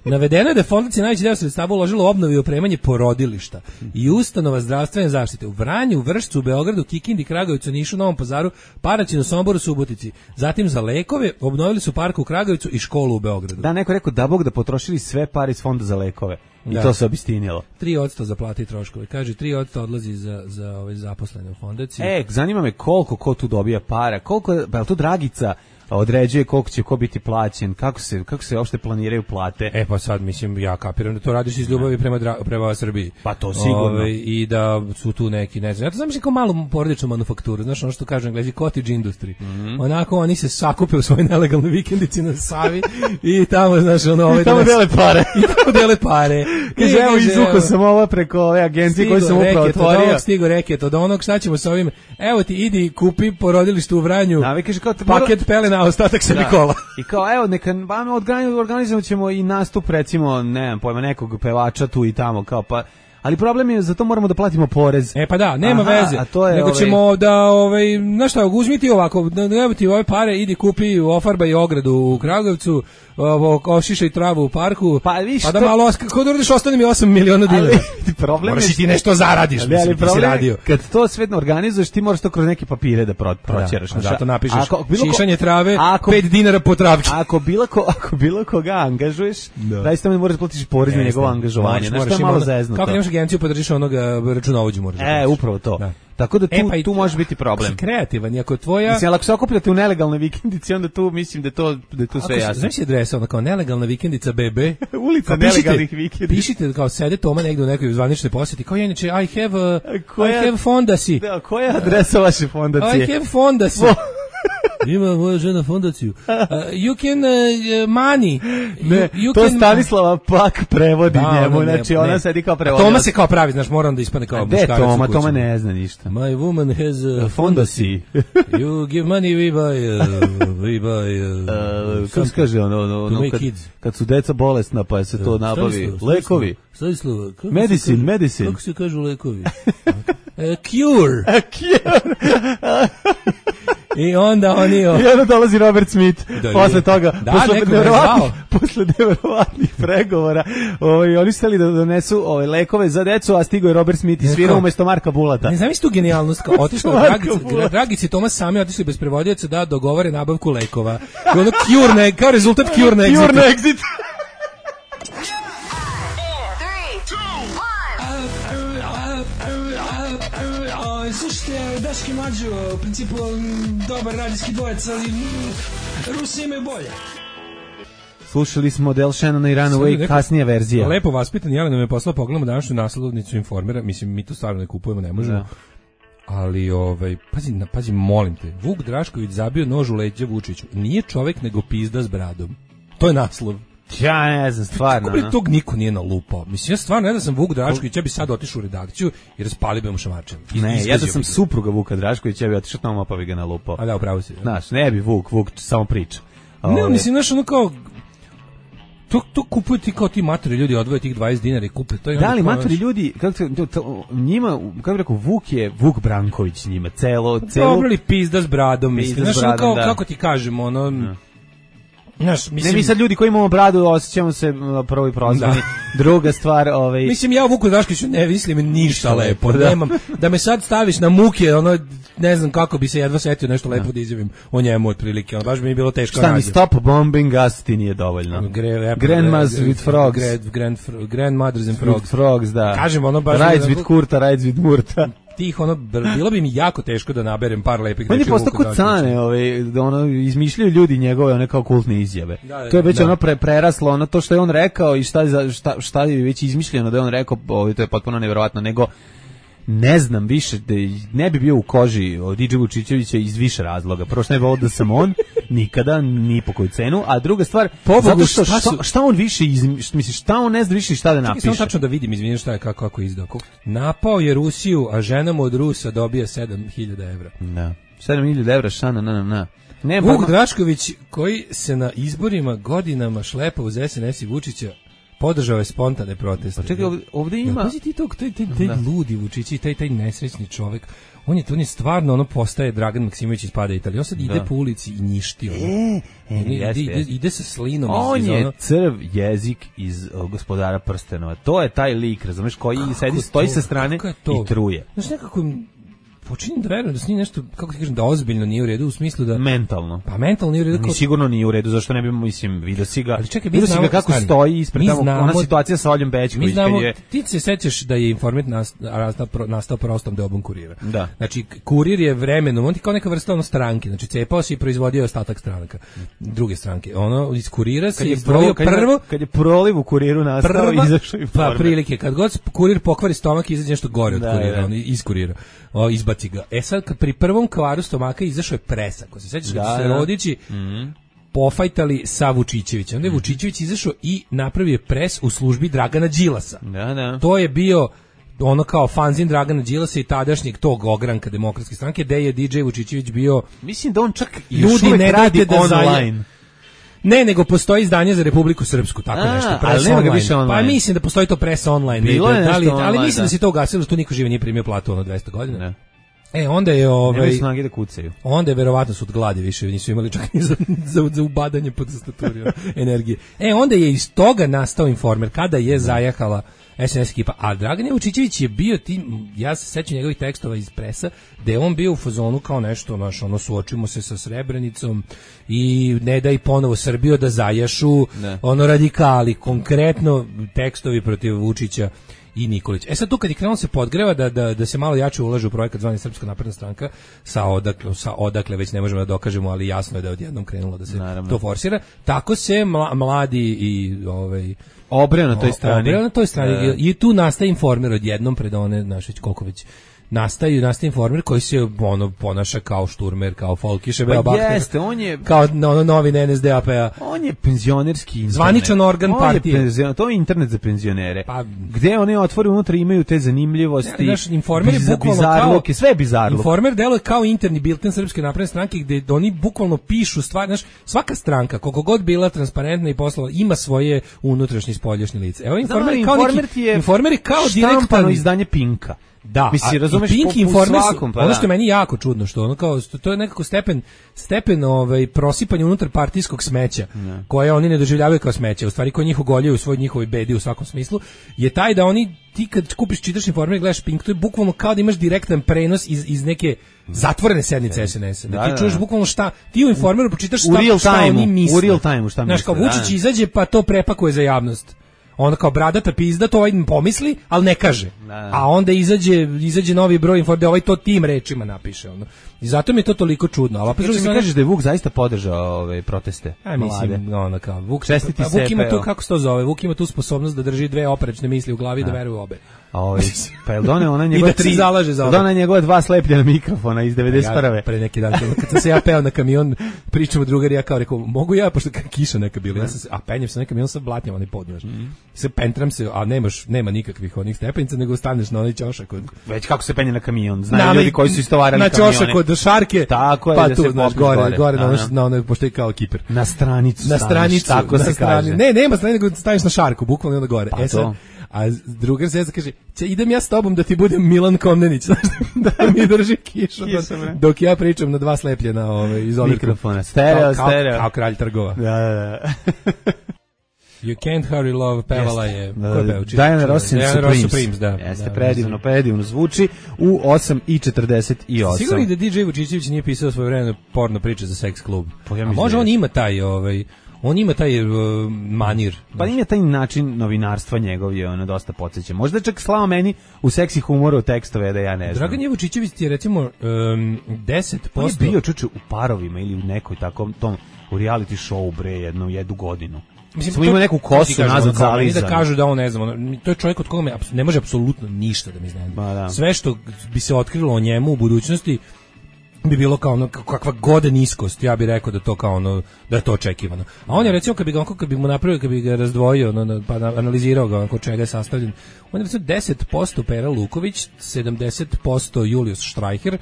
Navedeno je da je Fondacija najveći deo sredstava uložila u obnovu i opremanje porodilišta i ustanova zdravstvene zaštite u Vranju, Vršcu, u Beogradu, Kikindi, Kragujevcu, Nišu, Novom Pazaru, Paraćinu, Somboru, Subotici. Zatim za lekove obnovili su park u Kragujevcu i školu u Beogradu. Da, neko rekao da Bog da potrošili sve pare iz fonda za lekove. I da. To se obistinilo. tri posto za plate i troškove. Kaže, tri posto odlazi za, za ove zaposlene u fondaciji. E, zanima me koliko ko tu dobija para. Koliko, pa je to Dragica određuje koliko će ko biti plaćen, kako se kako se uopšte planiraju plate. E pa sad mislim ja kapiram da to radiš iz ljubavi prema dra, prema Srbiji. Pa to sigurno. Ove, i da su tu neki, ne znam. Ja to znam kao malu porodičnu manufakturu, znaš ono što kažu Englezi cottage industry. Mm-hmm. Onako oni se sakupe u svojoj nelegalnoj vikendici na Savi i tamo znaš ono ovaj i tamo dele pare. I tamo dele pare. Kaže evo izvuko sam ovo preko ove agencije koje sam upravo otvorio. Stigo reket od onog, šta ćemo sa ovim? Evo ti idi kupi porodilište u Vranju. Da, kaže kao paket pelena, a ostatak se Nikola. I kao evo neka vam organizovat ćemo i nastup recimo, ne znam, pojma nekog pevača tu i tamo kao pa ali problem je, zato moramo da platimo porez. E pa da, nema Aha, veze. To je, nego ovaj... ćemo da, ovaj, znaš šta, uzmi ti ovako, evo ti ove pare, idi kupi ofarbaj ogradu u Kragujevcu, ošišaj travu u parku, pa, viš, pa da malo, kako da uradiš, ostane mi osam miliona dinara. Problem moraš i ti nešto zaradiš, ali, mislim, ali ti si radio. Kad to sve organizuješ, ti moraš to kroz neke papire da pro, proćeraš. Da, zato napišeš ako, šišanje trave, ako, pet dinara po travki. Ako bilo, ko, ako bilo koga angažuješ, zaista mi moraš da platiš porez na njegovo angažovanje. Znaš, to je malo zeznuto. Kako nemaš agenciju podržiš onoga računovođu moraš. E, upravo to. Da. Tako da tu, e, pa tu može biti problem. Kreativan, iako tvoja... Mislim, ako se okupljate u nelegalnoj vikendici, onda tu mislim da to, da to sve jasno. Znaš je adresa, ona kao nelegalna vikendica B B? Ulica nelegalnih vikendica. Pišite kao sede Toma negdje u nekoj zvaničnoj posjeti, kao inače, I have, a, koja, I have fondasi. Da, koja je adresa vaše fondacije? I have fondasi. Ima moja žena fondaciju. Uh, you can uh, money. Ne, you, you to can... Stanislava Pak prevodi da, njemu, ne, znači ne. Ona sedi kao prevodi. Toma se kao pravi, znaš, moram da ispane kao muškarac. Ne, Toma, Toma ne zna ništa. My woman has uh, fondasi. You give money, we buy, uh, we buy, uh, uh, kako se kaže ono, ono, ono kad, kad su deca bolesna pa se to nabavi. Lekovi. Stanislava, medicine, medicine. Kako se kažu lekovi? Uh, cure. A cure. I onda oni... I onda dolazi Robert Smith, da, posle toga, da, posle, nevjerovatnih, posle nevjerovatnih pregovora, ovaj, oni su hteli da donesu ovaj, lekove za decu, a stigo je Robert Smith i svirao umjesto Marka Bulata. Ne znam tu genijalnost, kao otišla Dragici, Dragici i Tomas sami otišli bez prevodioca da dogovore nabavku lekova. I ono cure ne, kao rezultat cure na exit. Cure na exit. Slušajte, Daški Mađo, u principu dobar radijski dvojec, ali Rusi imaju bolje. Slušali smo Del Shannona i Runaway, kasnija verzija. Lepo vaspitan Jelena me poslao, pogledamo današnju naslovnicu Informera, mislim, mi to stvarno ne kupujemo, ne možemo. Da. Ali, ovaj, pazi, pazi, molim te, Vuk Drašković zabio nož u leđa Vučiću. Nije čovek, nego pizda s bradom. To je naslov. Ja ne znam, stvarno. Kako bi tog niko nije nalupao? Mislim, ja stvarno ne da sam Vuk Drašković, ja bi sad otišao u redakciju i raspalio bi mu šamačem. Ne, ja da sam supruga Vuka Draškovića, ja bi otišao tamo pa bi ga nalupao. A da, upravo si. Znaš, ne bi Vuk, Vuk samo priča. Ne, Ove... mislim, znaš, ono kao... To, to kupuju ti kao ti matori ljudi, odvoje tih dvadeset dinara i kupe to. I da li matori ljudi, kako to, to, njima, kako bih rekao, Vuk je Vuk Branković njima, celo... celo dobro li pizda s bradom, mislim, znaš, ono kao, da. Kako ti kažemo, ono... Ja. Znaš, mislim, ne, mi sad ljudi koji imamo bradu osjećamo se prvo i prozvani. Da. Druga stvar, ovaj mislim, ja u Vuku Draškoviću ne mislim ništa lepo. Da. Nemam, da me sad staviš na muke, ono, ne znam kako bi se jedva setio nešto lepo da, da izjavim o njemu otprilike. Ono, baš bi mi bilo teško. Šta mi stop bombing us ti nije dovoljno. Gre, Grandmas with frogs. Grand, grand, grandmothers and frogs. With frogs, da. Kažem, ono baš... Rides with kurta, rides with murta. Tih, ono, bilo bi mi jako teško da naberem par lepih reči. On je postao kod Cane, ovaj, da ono, izmišljaju ljudi njegove, one kao kultne izjave. Da, da, to je već da. ono pre, preraslo, ono to što je on rekao i šta, šta, šta je već izmišljeno da je on rekao, ovaj, to je potpuno nevjerovatno, nego ne znam više, da ne bi bio u koži od Didže Vučićevića iz više razloga. Prvo što ne bi volio da sam on, nikada, ni po koju cenu, a druga stvar, Pobogu, zato što šta, šta, šta on više, izmiš, misli, šta on ne zna više šta da napiše. Čekaj, samo tačno da vidim, izvinite šta je, kako, kako izdao. Napao je Rusiju, a ženama od Rusa dobija sedam hiljada evra. Da, sedam hiljada evra, šana, na, na, na. Ne, Vuk Drašković, koji se na izborima godinama šlepa uz S N S i Vučića, podržao je spontane proteste. Pa čekaj, ovdje, ovdje ima... Ja, pazi ti to, taj, taj, taj ludi Vučići, taj, taj nesrećni čovjek, on je, on je stvarno, ono, postaje Dragan Maksimović iz Pada Italije. On sad ide da. po ulici i njišti, ono. E, e, ide, jeste, ide, jeste. ide sa slinom. On iz, je ono... crv jezik iz uh, Gospodara prstenova. To je taj lik, razumeš, koji kako sedi, stoji sa strane i truje. Znaš, nekako... Počinjem da verujem da s njim nešto, kako ti kažem, da ozbiljno nije u redu, u smislu da... Mentalno. Pa mentalno nije u redu. Kao... Sigurno nije u redu, zašto ne bi, mislim, vidio si ga... Ali čekaj, vidio si ga kako stvari. stoji ispred tamo, znamo, ona situacija sa Oljom Bećković. Mi znamo, je... ti se sećaš da je Informer nastao, nastao prostom deobom Kurira. Da. Znači, Kurir je vremenom, on ti kao neka vrsta ono stranke, znači cepao se i proizvodio ostatak stranaka, druge stranke. Ono, iz Kurira se je proliv prvo... Kad je proliv u Kuriru nastao, izašao Informer. Pa prilike, kad god Kurir pokvari stomak, izađe nešto gore od da, Kurira, da. On iz Kurira. O, izbaci ga. E sad, pri prvom kvaru stomaka izašao je Presa. Ko se sećaš, da, kad su se Rodići mm-hmm. pofajtali sa Vučićevićem. Onda je Vučićević izašao i napravio pres u službi Dragana Đilasa. Da, da. To je bio ono kao fanzin Dragana Đilasa i tadašnjeg tog ogranka Demokratske stranke, gde je D J Vučićević bio... Mislim da on čak ljudi ne radi da online. Ne, nego postoji izdanje za Republiku Srpsku, tako A, nešto, press ali online. Više online. Pa mislim da postoji to press online. Bilo je da li, online, ali mislim da, da se to ugasilo, što niko živi nije primio platu ono dvesta godina. Ne. E, onda je ovaj Nemaju snage da kucaju. Onda je verovatno su od gladi više, nisu imali čak ni za, za, za ubadanje pod tastaturom energije. E, onda je iz toga nastao Informer, kada je zajahala S N S ekipa. A Dragan Vučićević je bio ti, ja se sećam njegovih tekstova iz Presa, da je on bio u fazonu kao nešto, naš, ono, suočimo se sa Srebrenicom i ne daj ponovo Srbiju da zajašu, ne. Ono, radikali, konkretno tekstovi protiv Vučića i Nikolić. E sad tu kad je krenulo se podgreva da, da, da se malo jače ulaže u projekat zvani Srpska napredna stranka, sa odakle, sa odakle već ne možemo da dokažemo, ali jasno je da je odjednom krenulo da se Naravno. to forsira. Tako se mla, mladi i ovaj obreo na toj strani. Obreo na toj strani. I, i tu nastaje Informer odjednom pred one, znaš već koliko već nastaju, nastaje Informer koji se ono ponaša kao šturmer, kao Folkiše, pa Bakter, jeste, on je kao ono novi N S D A P-a. On je penzionerski internet. Zvaničan organ on partije. Je penzion, to je internet za penzionere. Pa, gde oni otvore unutra imaju te zanimljivosti. Naš Informer je bukvalno kao sve bizarluke. Informer deluje kao interni bilten Srpske napredne stranke gde oni bukvalno pišu stvari, znaš, svaka stranka koliko god bila transparentna i poslova ima svoje unutrašnje i spoljašnje lice. Evo Informer je kao Informer neki, je Informer je kao direktno izdanje Pinka. Da, misli, razumeš, Pink po, Informer, svakom, pa ono da. što je meni jako čudno, što ono kao, to je nekako stepen, stepen ovaj, prosipanja unutar partijskog smeća, ne. koje oni ne doživljavaju kao smeće, u stvari koji njih ugoljaju u svoj njihovoj bedi u svakom smislu, je taj da oni, ti kad kupiš, čitaš Informer i gledaš Pink, to je bukvalno kao da imaš direktan prenos iz, iz neke zatvorene sednice S N S-a. Da, da ti čuješ da. bukvalno šta, ti u Informeru pročitaš šta, šta oni misle. U real time, šta misle. Znaš, kao Vučić da, izađe pa to prepakuje za javnost. Ona kao bradata pizda, to ovaj pomisli, ali ne kaže. Da. A onda izađe, izađe novi broj informa, ovaj to tim rečima napiše. Ono. I zato mi je to toliko čudno. Ali opet Znači, mi mi kažeš da je Vuk zaista podržao ove proteste? A mislim, ono kao, Vuk, Čestiti pa, Vuk ima Sepe, tu, evo. kako se to zove, Vuk ima tu sposobnost da drži dve oprečne misli u glavi i da veruje u obe. A ovaj, pa je doneo ona I njegova da se tri, zalaže za jel obe. doneo njegova dva slepljena mikrofona iz devedeset prve. Ja, pre neki dan, kad sam se ja peo na kamion, pričamo drugari, ja kao rekao, mogu ja, pošto kiša neka bila, ja sam se, a penjem se na kamion sa blatnjama, onaj pod, znaš. Mm. Se pentram se, a nemaš, nema nikakvih onih stepenica, nego staneš na onaj ćošak od... Već kako se penje na kamion, znaju Na, ljudi koji su istovarali na kamione. ćošak od šarke, Tako je, pa da tu, se znaš, popneš gore, gore. gore, na Da, ono, da. na ono, pošto je kao kiper. Na stranicu Na staneš, stranicu, tako na se strani. kaže. Ne, nema stranice, nego staviš na šarku, bukvalno onda gore. Pa e sad, to. a drugar se kaže, "Će, idem ja s tobom da ti budem Milan Komnenić, znaš, da mi drži kišu, Kiša, bre. dok ja pričam na dva slepljena ove, iz ovih Mikrofona, stereo, kao, stereo. Kao, kao kralj trgova. Da, da, da. You can't hurry love, pevala Jeste. je, Da, ko je da, peo? Či- Diana či- Ross and Diana Ross Supremes. Supremes, da. Jeste, da, predivno, predivno zvuči u osam i četrdeset osam. Sigurno da D J Vučićević nije pisao svoje vreme porno priče za seks klub. Pa ja A mislim može da on je. ima taj, ovaj, on ima taj uh, manir. Pa ima taj način novinarstva njegov je ono dosta podsjeća. Možda čak slao meni u seksi humoru tekstove da ja ne znam. Dragan Jevučićević ti je recimo um, deset On je posto bio čuče u parovima ili u nekoj takom tom u reality show bre jednu jednu godinu. Mislim, Smo to- imali neku ti kosu kažem, nazad ono, kao meni zalizanu. da kažu da on ne znam, ono, to je čovjek od koga me apso- ne može apsolutno ništa da mi iznenadi. Ma da. Sve što bi se otkrilo o njemu u budućnosti bi bilo kao ono kakva god niskost, ja bih rekao da to kao ono da je to očekivano. A on je recimo kad bi ga onako kad bi mu napravio, kad bi ga razdvojio, ono, pa na- analizirao ga onako čega je sastavljen. On je recimo deset posto Pera Luković, sedamdeset posto Julius Streicher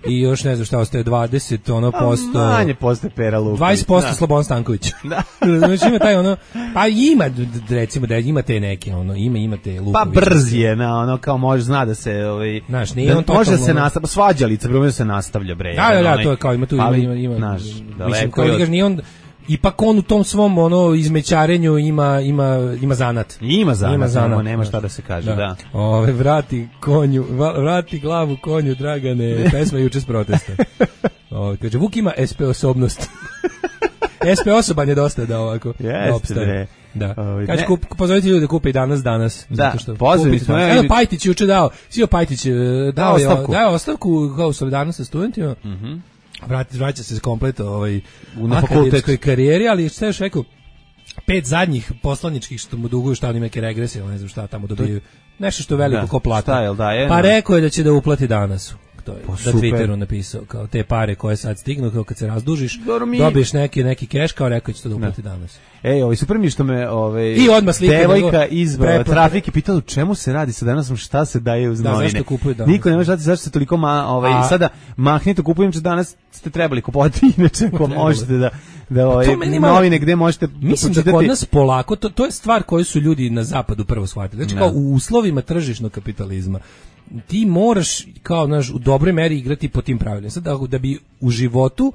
i još ne znam šta ostaje dvadeset ono posto. A manje posto Pera Luković. dvadeset posto Da. Slobodan Stanković. Da. Znači ima taj ono, pa ima d- d- recimo da ima te neke ono, ima ima te Pa Luković. brz je, na ono kao može zna da se ovaj Znaš, nije da on može da totalno se ono- nastavlja, svađalica, bre, može da se nastavlja bre. Da, da, jedan da, onaj- to je kao ima tu ima ali, ima ima. znaš, mislim daleko kao je da od- kažeš, nije on ipak on u tom svom ono izmećarenju ima ima ima zanat. Ima zanat, Ima zanat, nema, nema znaš. šta da se kaže, da. Ove, vrati konju, va- vrati glavu konju, Dragane, pesma juče s protesta. Ove, kaže, Vuk ima S P osobnost. S P osoban je dosta da ovako Jeste, da opstane. bre. Da. Ovaj, Kaže, ne. kup, pozovite ljude da kupe i danas, danas. Da, zato što pozvali kupite smo, danas. evo, Evo, Pajtić je juče dao, Sio Pajtić e, dao je ostavku. dao ostavku kao solidarnost sa studentima. Mhm. Vrati, vraća se komplet ovaj, U- na akademskoj fakultet. karijeri, ali šta još rekao, pet zadnjih poslaničkih što mu duguju, šta oni neke regrese, ili ne znam šta tamo dobiju, nešto što je veliko Da, ko plata. šta, jel da, je, pa no. rekao je da će da uplati danas. To je, Pa na super. Twitteru napisao, kao te pare koje sad stignu, kao kad se razdužiš, Dobro, mi- dobiješ neki, neki keš, kao rekao će to da uplati danas. Ej, ovaj super mi je što me ovaj I odmah slike devojka nego- iz preplate. trafike pitala u čemu se radi, sad danas sam šta se daje uz Da, novine. zašto kupuju danas? Niko ne može znati zašto se toliko ma, ovaj A- sada mahnite kupujem što danas ste trebali kupovati inače ako Trebalo. možete da da ovaj to meni malo- novine gde možete Mislim da pročitati- kod nas polako, to, to je stvar koju su ljudi na zapadu prvo shvatili. Znači Da. kao u uslovima tržišnog kapitalizma ti moraš kao naš u dobroj meri igrati po tim pravilima. Sad da, da bi u životu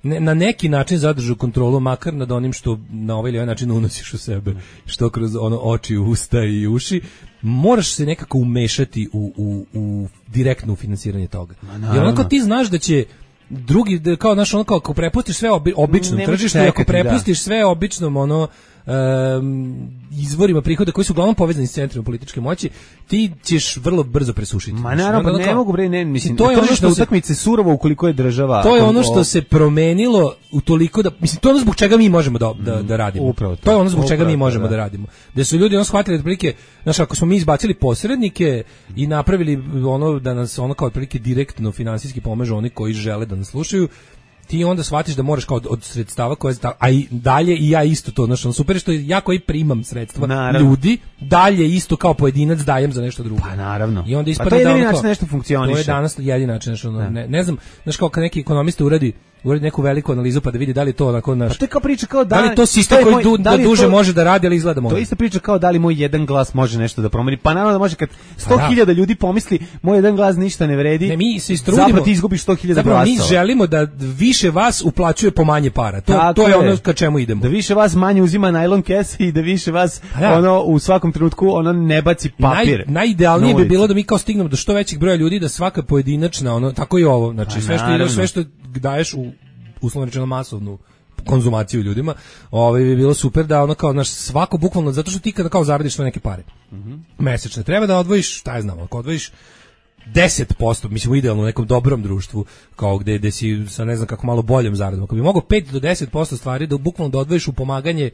ne, na neki način zadržao kontrolu makar nad onim što na ovaj ili ovaj način unosiš u sebe, što kroz ono oči, usta i uši, moraš se nekako umešati u, u, u direktno u finansiranje toga. naravno. Jer onako ti znaš da će drugi da, kao naš ono kao ako prepustiš sve obi, običnom Nemaš tržištu i ako čekati, da. prepustiš sve običnom ono um, izvorima prihoda koji su uglavnom povezani s centrom političke moći, ti ćeš vrlo brzo presušiti. Ma Znači, naravno, onda pa ono ne kao- mogu bre, ne, mislim, to je ono tržišna što se utakmica je surovo ukoliko je država. to je ako- ono što o- se promenilo u toliko da mislim to je ono zbog čega mi možemo da da, da radimo. upravo to. To je ono zbog čega Upravo mi to, možemo da. da. radimo. Da su ljudi ono shvatili otprilike, znaš, ako smo mi izbacili posrednike i napravili ono da nas ono kao otprilike direktno finansijski pomažu oni koji žele da nas slušaju, ti onda shvatiš da moraš kao od, od sredstava koje a i dalje i ja isto to, znači super je što ja koji primam sredstva Naravno. ljudi dalje isto kao pojedinac dajem za nešto drugo. Pa naravno. I onda Pa ispadne to je da jedini ono način kao- nešto funkcioniše. To je danas jedini način, znači ono, ne, ne znam, znaš kao kad neki ekonomista uradi uradi neku veliku analizu pa da vidi da li to onako naš Pa to je kao priča kao da da li je to sistem je koji moj- du, da da li je duže to- može da radi, ali izgleda To može. je ista priča kao da li moj jedan glas može nešto da promeni. Pa naravno da može kad sto da. hiljada ljudi pomisli moj jedan glas ništa ne vredi. Ne, mi se istrudimo. Zapravo ti izgubiš sto hiljada Zapravo glasova. mi želimo da više vas uplaćuje po manje para. To, Tako to je ono ka čemu idemo. Da više vas manje uzima najlon kese i da više vas Pa da. ono u svakom trenutku ono ne baci papir. Naj, najidealnije na bi ulicu. bilo da mi kao stignemo do što većeg broja ljudi, da svaka pojedinačna, ono, tako i ovo, znači Pa sve što naravno. ideš, sve što daješ u uslovno rečeno masovnu konzumaciju ljudima, ovaj bi bilo super da ono kao naš svako bukvalno zato što ti kada kao zaradiš sve neke pare. Mhm. Mesečne treba da odvojiš, šta je znam, ako odvojiš deset posto, mislim idealno u nekom dobrom društvu, kao gde, gde si sa ne znam kako malo boljom zaradom, ako bi mogao pet do deset posto stvari da bukvalno da odvojiš u pomaganje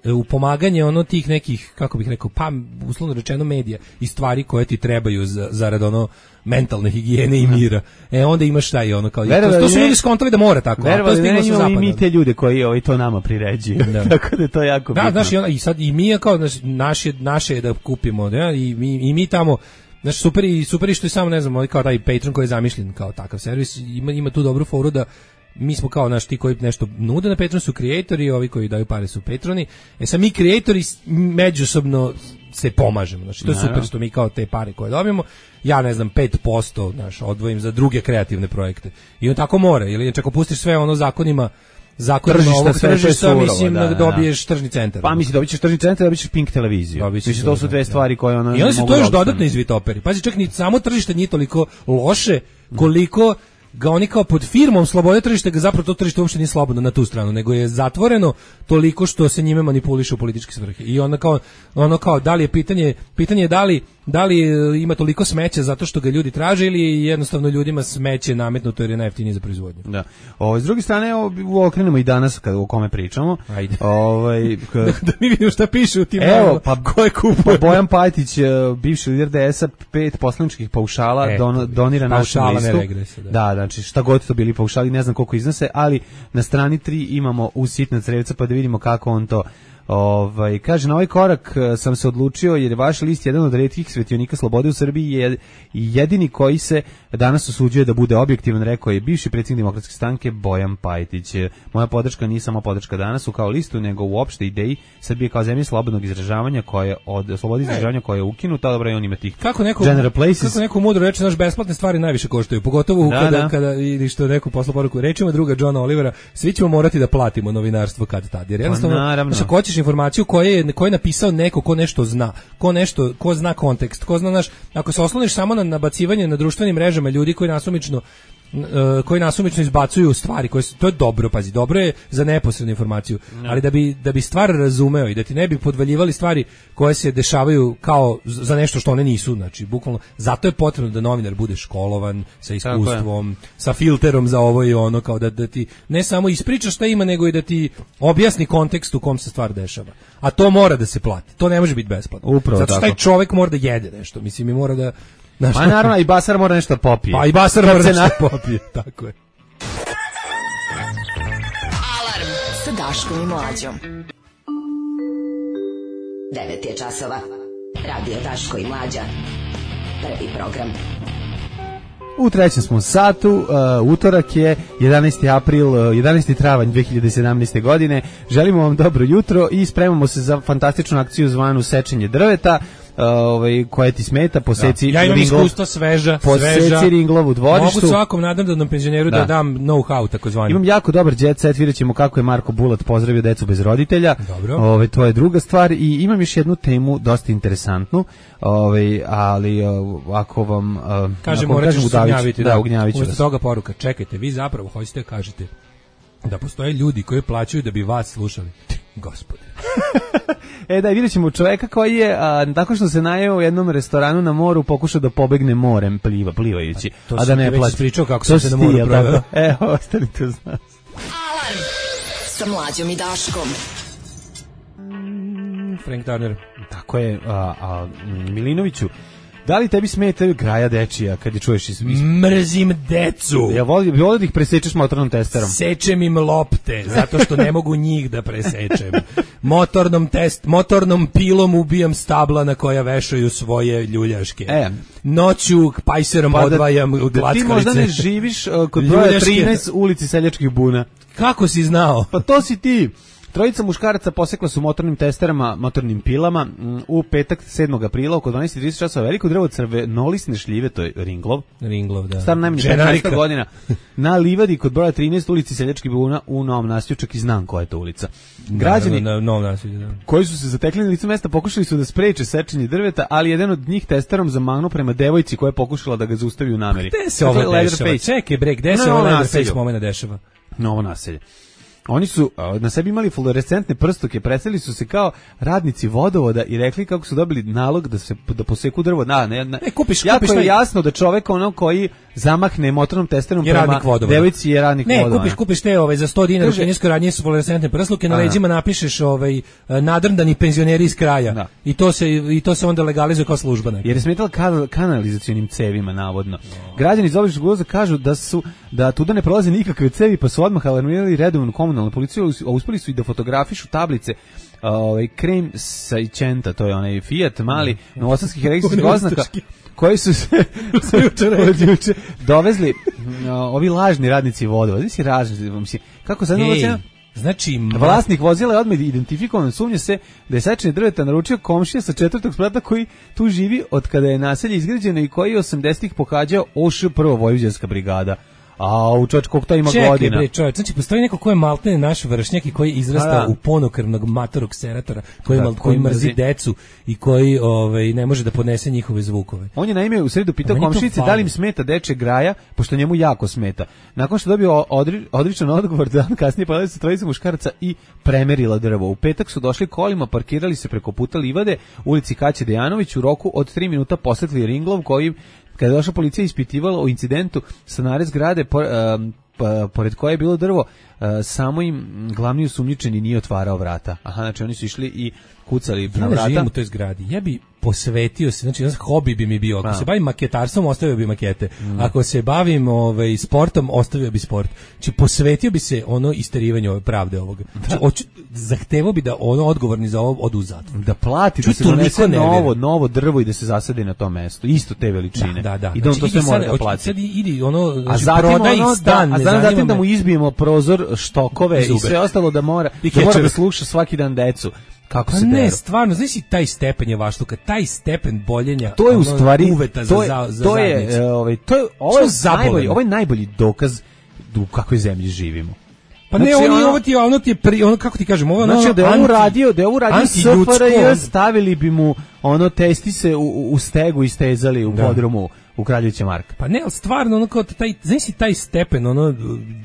u pomaganje ono tih nekih, kako bih rekao, pa uslovno rečeno medija i stvari koje ti trebaju za, zarad ono mentalne higijene i mira. E onda imaš šta i ono kao, Verovali, to, to su ljudi skontali da mora tako. Verovali, ne, imamo i mi te ljude koji ovaj, to nama priređuju. Da. Tako da je to jako da, bitno. Znaš, i, ona, i sad i mi kao, znaš, naše, naše je da kupimo, ja, i, mi, i mi tamo. Znači super i super i što je samo ne znam, kao taj Patreon koji je zamišljen kao takav servis, ima ima tu dobru foru da mi smo kao naš ti koji nešto nude na Patreonu su kreatori, ovi koji daju pare su patroni. E sad mi kreatori međusobno se pomažemo. Znači to je super što mi kao te pare koje dobijemo, ja ne znam pet posto naš odvojim za druge kreativne projekte. I on tako mora, ili čak ako pustiš sve ono zakonima zakonima ovog tržišta, mislim da, dobiješ tržni centar. Pa mislim dobiješ tržni centar, dobiješ Pink televiziju. Mislim to su dve stvari koje ona i onda se to još dodatno izvitoperi. Pazi, čak ni samo tržište nije toliko loše koliko ga oni kao pod firmom slobode tržišta, ga zapravo to tržište uopšte nije slobodno na tu stranu, nego je zatvoreno toliko što se njime manipuliše u političke svrhe. I onda kao, ono kao, da li je pitanje, pitanje je da li, da li ima toliko smeća zato što ga ljudi traže ili jednostavno ljudima smeće nametnuto jer je najjeftinije za proizvodnju. Da. O, s druge strane, o, okrenemo i danas kad o kome pričamo. Ajde. Ovaj, k... da, da mi vidimo šta piše u tim Evo, pa, ko je kupuje. Pa Bojan Pajtić, bivši lider D S-a, pet poslaničkih paušala e, don, donira našu listu. Regrese, da. da, znači šta god to bili paušali, ne znam koliko iznose, ali na strani tri imamo u sitna crevca pa da vidimo kako on to ovaj kaže. Na ovaj korak sam se odlučio jer je vaš list jedan od retkih svetionika slobode u Srbiji je jedini koji se danas osuđuje da bude objektivan, rekao je bivši predsjednik Demokratske stranke Bojan Pajtić. Moja podrška nije samo podrška danas u kao listu, nego uopšte ideji Srbije kao zemlje slobodnog izražavanja koje je od slobode izražavanja koja je ukinuta, dobro i on ima tih kako neko, General Places. Kako neko mudro reče, naš besplatne stvari najviše koštaju, pogotovo da, kada, da. kada ili što neko posla poruku, rečima druga Johna Olivera, svi ćemo morati da platimo novinarstvo kad tad, jer jednostavno pa, hoćeš informaciju koju je, koju je napisao neko ko nešto zna, ko nešto, ko zna kontekst, ko zna naš, ako se osloniš samo na nabacivanje na društvenim mrežama ljudi koji nasumično uh, koji nasumično izbacuju stvari koje su, to je dobro, pazi, dobro je za neposrednu informaciju, no. ali da bi da bi stvar razumeo i da ti ne bi podvaljivali stvari koje se dešavaju kao za nešto što one nisu, znači bukvalno zato je potrebno da novinar bude školovan, sa iskustvom, sa filterom za ovo i ono, kao da, da ti ne samo ispriča šta ima, nego i da ti objasni kontekst u kom se stvar dešava. A to mora da se plati. To ne može biti besplatno. Upravo zato što taj čovjek mora da jede nešto. Mislim, i mora da... Znaš, pa naravno, i basar mora nešto popije. Pa i basar mora nešto popije, tako je. Alarm sa Daškom i Mlađom. devet je časova. Radio Daško i Mlađa. Prvi program. U trećem smo satu, uh, utorak je jedanaesti april, uh, jedanaesti travanj dve hiljade sedamnaeste. godine. Želimo vam dobro jutro i spremamo se za fantastičnu akciju zvanu Sečenje drveta. Ovaj koja ti smeta, poseci da. Ja imam ringlov, iskustva sveža, poseci sveža. Ringlov u dvorištu. Mogu svakom nadamdanom penzioneru da, da dam know-how takozvani. Imam jako dobar jet set, vidjet ćemo kako je Marko Bulat pozdravio decu bez roditelja. Ovaj to je druga stvar i imam još jednu temu dosta interesantnu. Ovaj ali ako vam kažemo reći ugnjaviti, da, ugnjaviti. Umesto toga poruka, čekajte, vi zapravo hoćete da kažete da postoje ljudi koji plaćaju da bi vas slušali. Gospode. E da, vidjet ćemo čoveka koji je, a, tako što se najeo u jednom restoranu na moru, pokušao da pobegne morem pliva, plivajući. A, a da ne plaći. Pričao kako sam se na moru proveo. Evo, ostanite uz nas. Alarm sa Mlađom i Daškom. Frank Turner. Tako je, a, a Milinoviću, da li tebi smetaju graja dečija kad je čuješ iz... Mrzim decu. Ja volim, volim da ih presečeš motornom testerom. Sečem im lopte, zato što ne mogu njih da presečem. Motornom test, motornom pilom ubijam stabla na koja vešaju svoje ljuljaške. E. Noću pajserom pa odvajam da, glackalice. Da ti možda ne živiš uh, kod broja trinaest ulici Seljačkih buna. Kako si znao? Pa to si ti. Trojica muškaraca posekla su motornim testerama, motornim pilama u petak sedmog aprila oko dvanaest i trideset časova veliko drvo crvenolisne šljive, to je Ringlov. Ringlov, da. Star najmanje petnaest godina. Na livadi kod broja trinaest ulici Seljačkih buna u Novom Naselju, čak i znam koja je to ulica. Građani da, na, na Novom Naselju, da. koji su se zatekli na licu mesta pokušali su da spreče sečenje drveta, ali jedan od njih testerom zamahnuo prema devojci koja je pokušala da ga zaustavi u nameri. Gde se ovo dešava? Čekaj bre, gde se ovo Leatherface momena dešava? Novo Naselje. Oni su a, na sebi imali fluorescentne prstuke, predstavili su se kao radnici vodovoda i rekli kako su dobili nalog da se da poseku drvo. Na, ne, ne. E, kupiš, jako kupiš je taj... jasno da čovek ono koji zamahne motornom testerom je prema devojci je radnik ne, vodovoda. Ne, kupiš, kupiš te ovaj, za sto dinara u kineskoj radnji su fluorescentne prsluke, na leđima napišeš ovaj, nadrndani penzioneri iz kraja. Da. I to se i to se onda legalizuje kao služba neka. Jer je smetala kanal, kanalizacionim cevima navodno. No. Građani iz obližnjeg uvoza kažu da su da tuda ne prolaze nikakve cevi, pa su odmah alarmirali redovnu komunalnu policiju, a uspeli su i da fotografišu tablice ovaj krem Sajčenta, to je onaj Fiat mali novosadskih registrskih oznaka koji su se juče dovezli no, ovi lažni radnici vodovoda. Znači ražni, mislim, kako sad hey. Znači, vlasnik vozila je odmah identifikovan, sumnja se da je sečenje drveta naručio komšija sa četvrtog sprata koji tu živi od kada je naselje izgrađeno i koji je osamdesetih pohađao O Š prva vojvođanska brigada. A u čovječ, koliko to ima Čekaj, godina? Čekaj, bre, čovječ, znači postoji neko ko je maltene naš vršnjak i koji izrasta u ponokrvnog matorog seratora, koji, da, mal, koji mrzi, mrzi decu i koji ovaj, ne može da podnese njihove zvukove. On je naime u sredu pitao komšinice da li im smeta deče graja, pošto njemu jako smeta. Nakon što dobio odri, odričan odgovor, dan kasnije pojavili se trojica muškaraca i premerila drvo. U petak su došli kolima, parkirali se preko puta livade, ulici Kaće Dejanović, u roku od tri minuta posetli ringlov koji kada je došla policija ispitivala o incidentu stanare zgrade po, um, pa, pored koje je bilo drvo, uh, samo im glavni osumnjičeni nije otvarao vrata. Aha, znači oni su išli i kucali ja na vrata. Ja živim u toj zgradi. Ja bi posvetio se, znači jedan hobi bi mi bio. Ako A. se bavim maketarstvom, ostavio bi makete. Mm. Ako se bavim ovaj, sportom, ostavio bi sport. Znači posvetio bi se ono isterivanju ove pravde ovoga. Znači, oču, zahtevao bi da ono odgovorni za ovo odu u zatvor. Da plati, da se donese novo, novo drvo i da se zasadi na to mesto. Isto te veličine. Da, da, da. I da on znači, to sve mora sad, da plati. Sad idi ono, znači, a prodaj ono, stan. Da, a zatim, zatim da mu izbijemo prozor, štokove i, i sve ostalo da mora, da mora da sluša svaki dan decu. Kako pa se ne, deru. stvarno, znaš i taj stepen je vaštuka, taj stepen boljenja, to je u stvari uveta to je, za, za to zajednicu. Je, ovaj, to je, ovo je najbolji, ovo je najbolji dokaz u kakvoj zemlji živimo. Pa znači, ne, oni ono, ovo ti ono ti je pri, ono kako ti kažem, ovo znači ono, da je ovo radio, da je ovo radio S F R J, stavili bi mu ono testise u, u stegu i stezali u da. podrumu u Kraljevića Marka. Pa ne, ali stvarno ono kao taj, znaš si taj stepen ono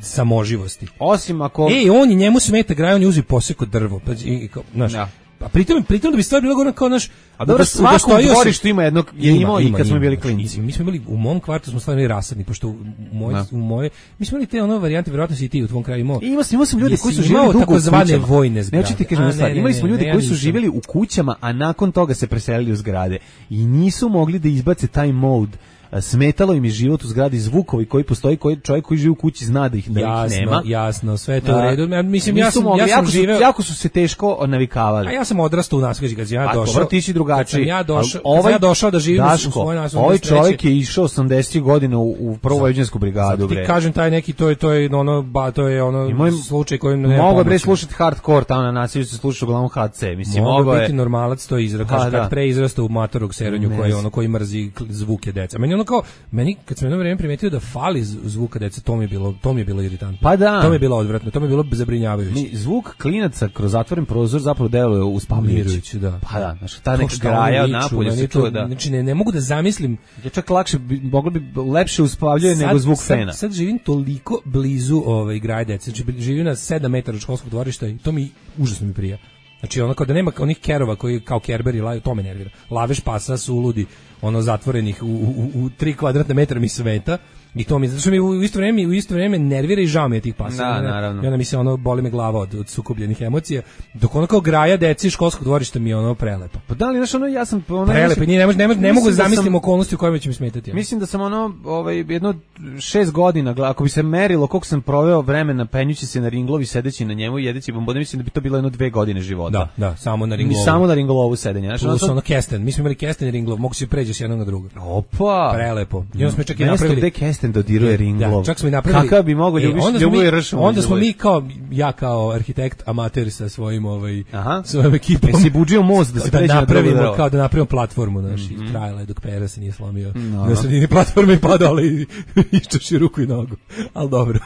samoživosti. Osim ako ej, on i njemu smeta graj, on je uzeo poseko drvo, pa i kao, znaš. Ja. A pritom, pritom da bi stvar bila gore kao naš... A dobro, svakom dvorištu ima jednog, je ima, imao i kad ima, smo bili klinci. Mi smo imali, u mom kvartu smo stvarno rasadni, pošto u moje, u moje, mi smo imali te ono varijante, vjerojatno si i ti u tvom kraju imao. Imao sam, imao sam ljudi koji su živjeli dugo u kućama. Vojne zgrade. Ne, ti kažem stvar, imali smo ljudi ne, koji su živjeli u kućama, a nakon toga se preselili u zgrade. I nisu mogli da izbace taj mod. Smetalo im je život u zgradi, zvukovi koji postoji, koji čovjek koji živi u kući zna da ih, da jasno, ih nema. Jasno, sve to u redu. Mislim, ja sam, mogli, ja sam jako, živeo... su, jako su se teško navikavali. A ja sam odrastao u nasleđi, kad sam ja došao. Dobro, ti si drugačiji. Kad sam ja došao, ovaj, kad sam ja došao da živim Daško, u svojoj naslednoj ovaj čovjek je išao osamdesetih godina u, u prvu vojvođansku brigadu. Ti kažem, taj neki, to je, to je ono, ba, to je ono moj, slučaj kojim ne mogu bre slušati hardcore, tamo na nasilju se sluša uglavnom H C. Mislim, mogu biti normalac, to izra, kaže, kad pre izrasta u matorog seronju koji ono koji mrzi zvuke deca. Meni ono kao, meni kad sam jedno vrijeme primetio da fali zvuka deca, to mi je bilo, to mi je bilo iritantno. Pa da. To mi je bilo odvratno, to mi je bilo zabrinjavajuće. Mi, zvuk klinaca kroz zatvoren prozor zapravo deluje uspavljujuće, da. Pa da, znači ta neka graja napolje se čuje, da. Znači ne, ne mogu da zamislim. Ja čak lakše bi, moglo bi lepše uspavljuje nego zvuk sad, fena. Sad živim toliko blizu ovaj graje dece, znači živim na sedam metara od školskog dvorišta i to mi užasno mi prija. Znači ono kao da nema onih kerova koji kao kerberi laju, to me nervira. Laveš pasa su uludi, ono zatvorenih u, u, u tri kvadratne metra mi sveta i to mi, zato što mi u isto vrijeme, u isto vrijeme nervira i žao mi je tih pasa. Da, naravno. I onda mi se ono, boli me glava od, od sukobljenih emocija, dok ono kao graja deci školskog dvorišta mi je ono prelepo. Pa da li, znaš, ono, ja sam... Ono, prelepo, nije, ne, mogu, ne, ne mogu da zamislim okolnosti u kojima će mi smetati. Ono. Mislim da sam ono, ovaj, jedno šest godina, ako bi se merilo koliko sam proveo vremena penjući se na ringlovi, sedeći na njemu i jedeći bombone, mislim da bi to bilo jedno dve godine života. Da, da, samo na ringlovu. Samo na ringlovu sedenja. Znaš, plus ono, ono kesten, mi smo imali kesten i ringlov, mogu se pređe s jednog na drugo. Opa! Prelepo. I onda smo čak i napravili... Mesto gde kesten dodiruje ringlov. Da, čak smo i napravili. Kakav bi mogao ljubiš, e, ljubovi ršom. Onda smo mi kao, ja kao arhitekt, amater sa svojim, ovaj, Aha. svojom ekipom. Jesi buđio most da se da pređe napravimo, na drugo kao da napravimo platformu, znaš, mm -hmm. i trajala je dok pera se nije slomio. No. Na sredini platforme i padao, ali iščuši ruku i nogu. Ali dobro.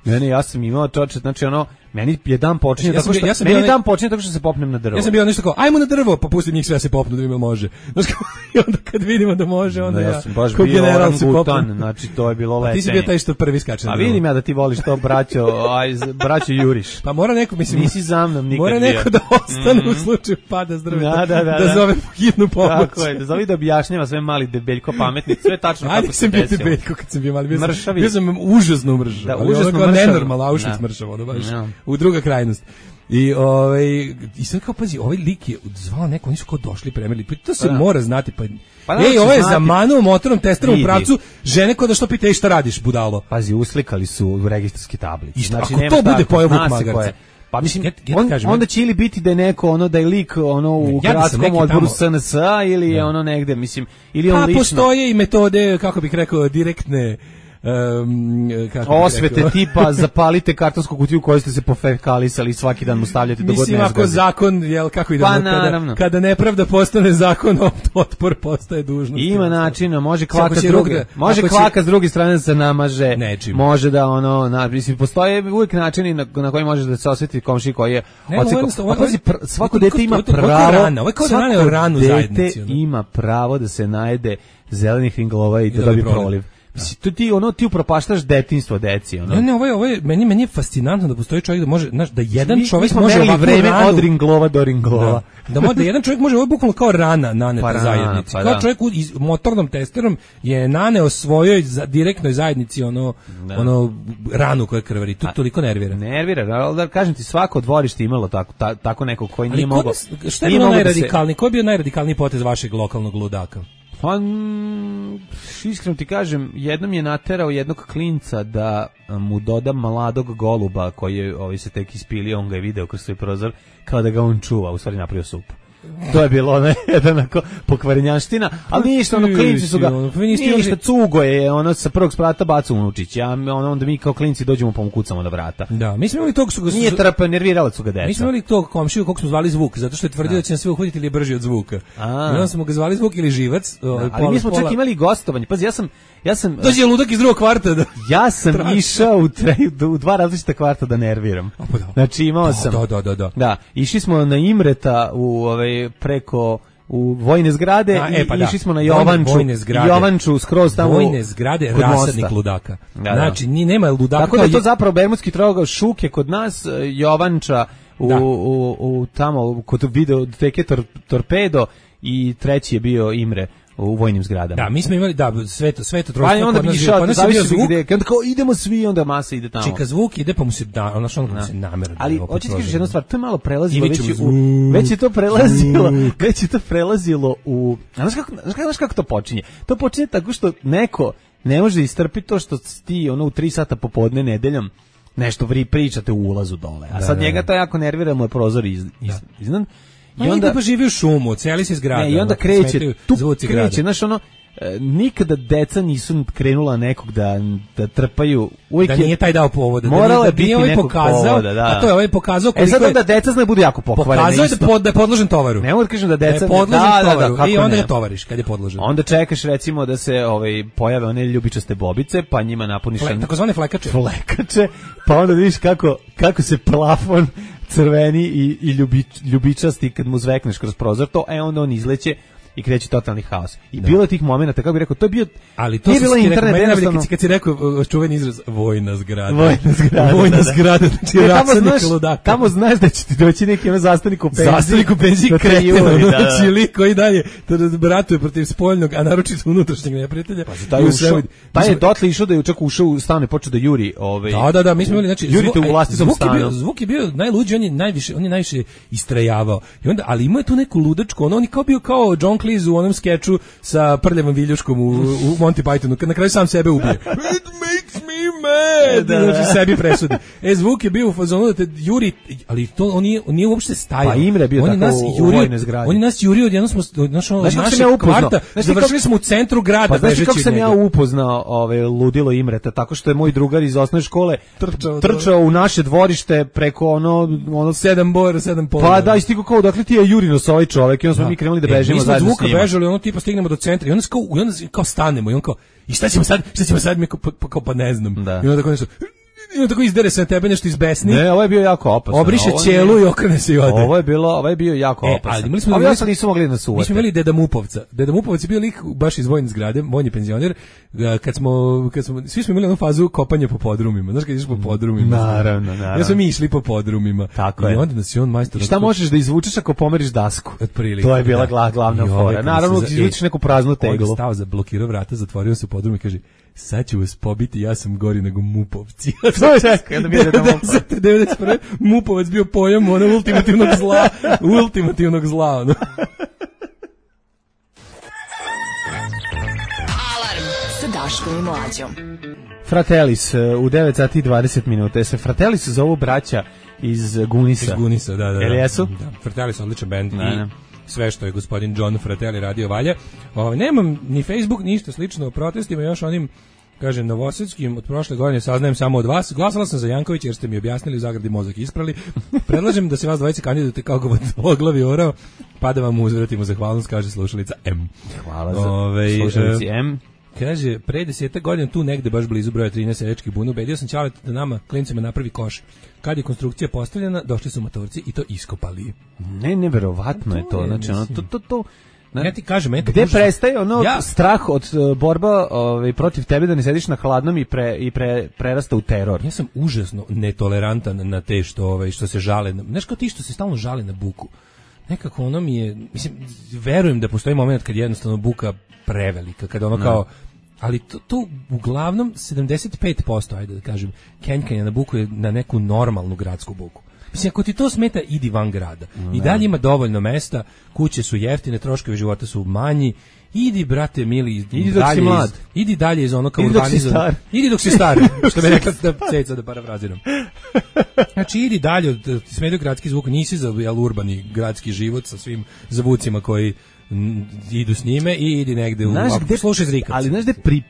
Ne, ne, ja sam imao čoče, znači ono, Meni je dan počinje ja tako što ja sam meni bio, dan počinje tako što se popnem na drvo. Ja sam bio nešto kao ajmo na drvo, pa pustim njih sve da se popnu da vidimo može. Znači i onda kad vidimo da može, onda no, ja, ja sam baš kao bio general se popnem. znači to je bilo letenje. Ti si bio taj što prvi skače. A vidim ja da ti voliš to braćo, aj braćo juriš. Pa mora neko, mislim, nisi za mnom nikad. Mora neko bio. da ostane mm-hmm. u slučaju pada s drveta. Da, da, da, da, da zove hitnu pomoć. Tako je, da zove da objašnjava sve mali debeljko pametni, sve tačno kako se desilo. Ajde, sam bio debeljko kad sam bio mali, bio sam, mršavi. Bio sam užasno mržav. Da, užasno mršav. Nenormalno, Auschwitz mršav, ono baš. No. U druga krajnost. I ovaj i sad kao pazi, ovaj lik je zvao neko, oni su kao došli premeli. Pa to se da. mora znati, pa. Pa ej, ovo je za manu motorom testerom u pravcu, žene ko da što pita ej šta radiš budalo. Pazi, uslikali su u registarski tablici. Znači, ako to bude pojavuk magarca. Pa mislim, ja, ja on, kažem, onda će ili biti da je neko ono da je lik ono u ja gradskom odboru S N S-a ili je ono negde, mislim, ili on pa, lično. Postoje i metode, kako bih rekao, direktne Um, kako osvete tipa zapalite kartonsku kutiju koju ste se pofekalisali i svaki dan mu stavljate do godine. Mislim ako zakon, jel kako ide, pa, kada, kada nepravda postane zakon, otpor postaje dužnost. Ima načina, može klaka s druge, može klaka s druge strane da se namaže, nečim. Može da ono, na, mislim postoje uvijek načini na, na koji možeš da se osveti komši koji je oceko. Svako dete ima pravo, svako ranu zajednici. Ima pravo da se najede zelenih ringlova i da dobije proliv. Mislim, to ti ono ti upropaštaš detinjstvo deci, ono. Ne, ne, ovo je, ovo je meni meni je fascinantno da postoji čovjek da može, znaš, da jedan mi, čovjek mi može ovako vreme ranu, od ringlova do ringlova. Da, da, može, da jedan čovjek može ovo bukvalno kao rana naneta pa zajednici. Pa kao da. Čovjek iz motornom testerom je naneo svojoj za, direktnoj zajednici ono da. ono ranu koja krvari. To toliko nervira. Nervira, ali da kažem ti svako dvorište imalo tako ta, tako neko koji nije mogao. Šta je bilo najradikalniji? Koji je bio najradikalniji potez vašeg lokalnog ludaka? Pa, iskreno ti kažem, jednom je naterao jednog klinca da mu doda mladog goluba koji je ovaj, se tek ispilio, on ga je video kroz svoj prozor, kao da ga on čuva, u stvari napravio supu. To je bilo ono jedan onako pokvarenjanština, ali ništa, ono klinci su ga, ništa, cugo je, ono sa prvog sprata baca unučić, ja, ono, onda mi kao klinci dođemo pa mu kucamo na vrata. Da, mi smo imali tog su ga... Nije trpa, nervirala su ga deca. Mi smo imali tog komšiju, kog smo zvali Zvuk, zato što je tvrdio da će nas sve uhvatiti ili je brži od Zvuka. A. I onda smo ga zvali Zvuk ili Živac. Da, ali pola, mi smo čak imali gostovanje, pazi, ja sam... Ja sam dođe ludak iz drugog kvarta da ja sam traži. išao u, tre, u dva različita kvarta da nerviram. Pa da. Znači imao da, sam da, da, da, da. Da, išli smo na Imreta u ovaj preko u vojne zgrade da, e, pa i da. išli smo na Jovanču, Jovanču skroz tamo vojne zgrade, rasadnik ludaka. Da, da. Znači ni nema ludaka. Tako da je to zapravo Bermudski trougao, Šuke kod nas, Jovanča u, u, u, u tamo kod videoteke tor, Torpedo i treći je bio Imre u vojnim zgradama. Da, mi smo imali da sve to sve to trojstvo. Pa onda bi išao, da zavisi gde, kad kao idemo svi, onda masa ide tamo. Čeka Zvuk ide pa mu se da, ona što se namerno. Ali hoćeš ti kažeš jednu stvar, to je malo prelazilo već u već je to prelazilo, već je to prelazilo u, znaš kako, znaš kako to počinje? To počinje tako što neko ne može istrpiti to što ti ono u tri sata popodne nedeljom nešto vi pričate u ulazu dole. A sad njega to jako nervira, mu je prozor iz, iz, iznad. I onda pa živi u šumu, celi se zgrada. Ne, i onda kreće, tu kreće, znaš ono, e, nikada deca nisu krenula nekog da, da trpaju. Uvijek da nije taj dao povoda. Morala da biti nije ovaj pokazao, povoda, da. A to je ovaj pokazao koliko je... E sad onda deca znaju budu jako pokvarene. Pokazao je da, pod, da je podložen tovaru. Ne mogu da kažem da deca... Da je podložen da, tovaru da, da, i onda ne? ga tovariš kad je podložen. Onda čekaš recimo da se ovaj, pojave one ljubičaste bobice, pa njima napuniš... Fle, takozvane flekače. Flekače, pa onda vidiš kako, kako se plafon crveni i, i ljubič, ljubičasti kad mu zvekneš kroz prozor, to e onda on izleće i kreće totalni haos. I da. Bilo je tih momenata, kako bih rekao, to je bio... Ali to je bilo internet, jednostavno... Kad si rekao čuveni izraz, vojna zgrada. Vojna zgrada, Vojna da, zgrada, znači ne, tamo, znaš, tamo znaš da će ti doći neki ono zastavnik u penziji. Zastavnik u penziji kreteno, da, da. znači lik koji dalje bratuje protiv spoljnog, a naročito unutrašnjeg neprijatelja. Pa taj, ušao, taj je dotle išao da je čak ušao u stan i počeo da juri. Ovaj, da, da, da, mi smo imali, znači, jurite u vlastitom stanu. Zvuk je bio najluđi, on je najviše, on je najviše istrajavao. I onda, ali ima je tu neku ludačku, ono, on je kao bio kao John Cleese u onom skeču sa prljavom viljuškom u, u Monty Pythonu, kad na kraju sam sebe ubije. It makes me mad! Da, da. Znači sebi presudi. E, Zvuk je bio u fazonu da te juri, ali to on nije, on nije uopšte stajao. Pa Imre bio on tako u vojne zgrade. On je nas jurio, odjednom smo, znaš, ono, našeg ja kvarta, završili smo u centru grada. Pa znaš kako sam ja upoznao ove, ludilo Imreta, tako što je moj drugar iz osnovne škole trčao, trčao u naše dvorište preko ono, ono sedam bora, sedam pola. Pa da, istigo kao, dakle ti je Jurino sa ovaj čovek i onda smo mi krenuli da bežimo e, zajedno s njima. Bežali, ono tipa stignemo do centra i onda kao, i onda kao stanemo i on kao, i šta ćemo sad, šta ćemo sad, mi kao, pa, kao pa ne znam. Da. I onda tako nešto, I on tako izdere se na tebe nešto izbesni. Ne, ovo je bio jako opasno. Obriše ovo ćelu i okrene se i ode. Ovo je bilo, ovo je bio jako E, opasno. ali imali smo, ali imali ja sam nisu mogli da suvate. Mi smo imali Deda Mupovca. Deda Mupovac je bio lik baš iz vojne zgrade, vojni penzioner. Kad smo, kad smo, svi smo imali onu fazu kopanja po podrumima. Znaš kad ideš po podrumima? Naravno, naravno. Ja smo mi išli po podrumima. Tako I je. onda nas je on majstor. I šta možeš da izvučeš ako pomeriš dasku? Otprilike. To je bila da. glavna I fora. ovaj, Naravno, kad se izvučeš neku praznu teglu. On stao za blokirao vrata, zatvorio se u podrum i kaže: sad ću vas pobiti, ja sam gori nego Mupovci. To je čekaj, da mi je devedeset devedeset prve Mupovac bio pojam ono ultimativnog zla, ultimativnog zla. Ono. Alarm sa Daškom i Mlađom. Fratellis u devet sati i dvadeset minuta. Se Fratellis zovu braća iz Gunisa. Iz Gunisa, da, da. Jel jesu? Da, Fratellis odličan bend i da. sve što je gospodin John Fratelli radio valja. Ovaj nemam ni Facebook, ništa slično o protestima, još onim kažem novosadskim od prošle godine saznajem samo od vas. Glasala sam za Jankovića jer ste mi objasnili u zagradi mozak isprali. Predlažem da se vas dvojice kandidujete kao oglavi orao, pa da vam uzvratimo zahvalnost, kaže slušalica M. Hvala za Ove, slušalici M. Kaže, pre desetak godina tu negde baš blizu broja trinaest seljačkih buna, ubedio sam Ćaleta da nama, klincima, napravi koš. Kad je konstrukcija postavljena, došli su motorci i to iskopali. Ne, neverovatno je to. Znači, ono, to, to, to, ja ti kažem, eto, gde prestaje ono ja, strah od uh, borba ovaj, protiv tebe da ne sediš na hladnom i, pre, i pre, prerasta u teror. Ja sam užasno netolerantan na te što, ovaj, što se žale. Na, znaš kao ti što se stalno žale na buku. Nekako ono mi je, mislim, verujem da postoji moment kad je jednostavno buka prevelika, kada ono kao, ali to, to uglavnom sedamdeset pet posto, ajde da kažem, kenjkanja na buku je na neku normalnu gradsku buku. Mislim, ako ti to smeta, idi van grada. I dalje ima dovoljno mesta, kuće su jeftine, troškovi života su manji, idi, brate, mili, idi dok si mlad. Iz, idi dalje iz ono kao urbanizam. Idi dok si star. Idi dok si star, što bi rekla da ceca da parafraziram. Znači, idi dalje, od, smetaju gradski zvuk, nisi za jel, urbani gradski život sa svim zvucima koji m, idu s njime i idi negde u... Znaš, gde, slušaj zrikac. ali znaš gde pri...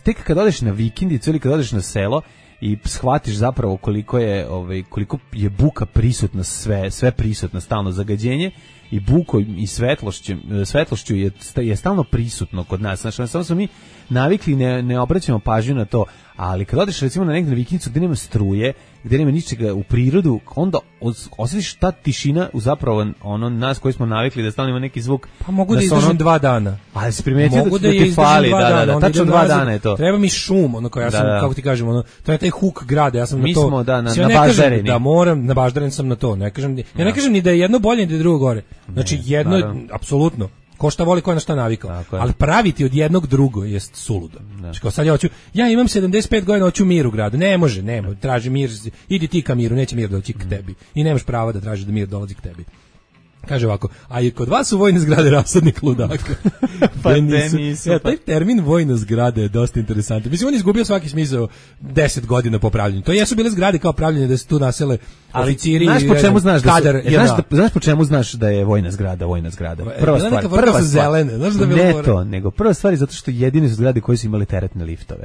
Tek kad odeš na vikendicu ili kad odeš na selo i shvatiš zapravo koliko je ovaj koliko je buka prisutna, sve sve prisutno, stalno zagađenje i bukom i svetlošću svetlošću je je stalno prisutno kod nas. Znači, samo smo mi navikli, ne ne obraćamo pažnju na to, ali kad odeš recimo na negde na vikendicu gde nema struje, gde nema ničega u prirodu, onda osjetiš ta tišina u zapravo ono nas koji smo navikli da stalno ima neki zvuk. Pa mogu da izdržim ono, dva dana. Ali se primetio mogu da, da, da ti fali, da, da, da, tačno dva nazad, dana je to. Treba mi šum, ono kao ja sam, da, da. kako ti kažem, ono, to je taj huk grada, ja sam mi na to. Smo, da, na, ja na baždareni. Da moram, na baždaren sam na to, ne kažem, ja ne kažem ni da je jedno bolje ni da je drugo gore. Znači, jedno, naravno. Apsolutno. Ko šta voli, ko je na šta navikao. Ali praviti od jednog drugo jest suludo. Znači, kao sad ja hoću, ja imam sedamdeset pet godina, hoću mir u gradu. Ne može, nema, traži mir, idi ti ka miru, neće mir doći k tebi. I nemaš prava da tražiš da mir dolazi k tebi. Kaže ovako, a i kod vas su vojne zgrade rasadnik ludaka. Pa ne nisu. Ja, taj termin vojna zgrada je dosta interesantan. Mislim, on je izgubio svaki smisao deset godina po pravljenju. To jesu bile zgrade kao pravljenje da se tu nasele oficiri. Znaš po čemu znaš da, kadar, su, znaš, da, znaš po čemu znaš da je vojna zgrada, vojna zgrada. Prva stvar, prva, prva stvar, zelene, znaš da ne to, nego prva stvar je zato što jedine su zgrade koje su imale teretne liftove.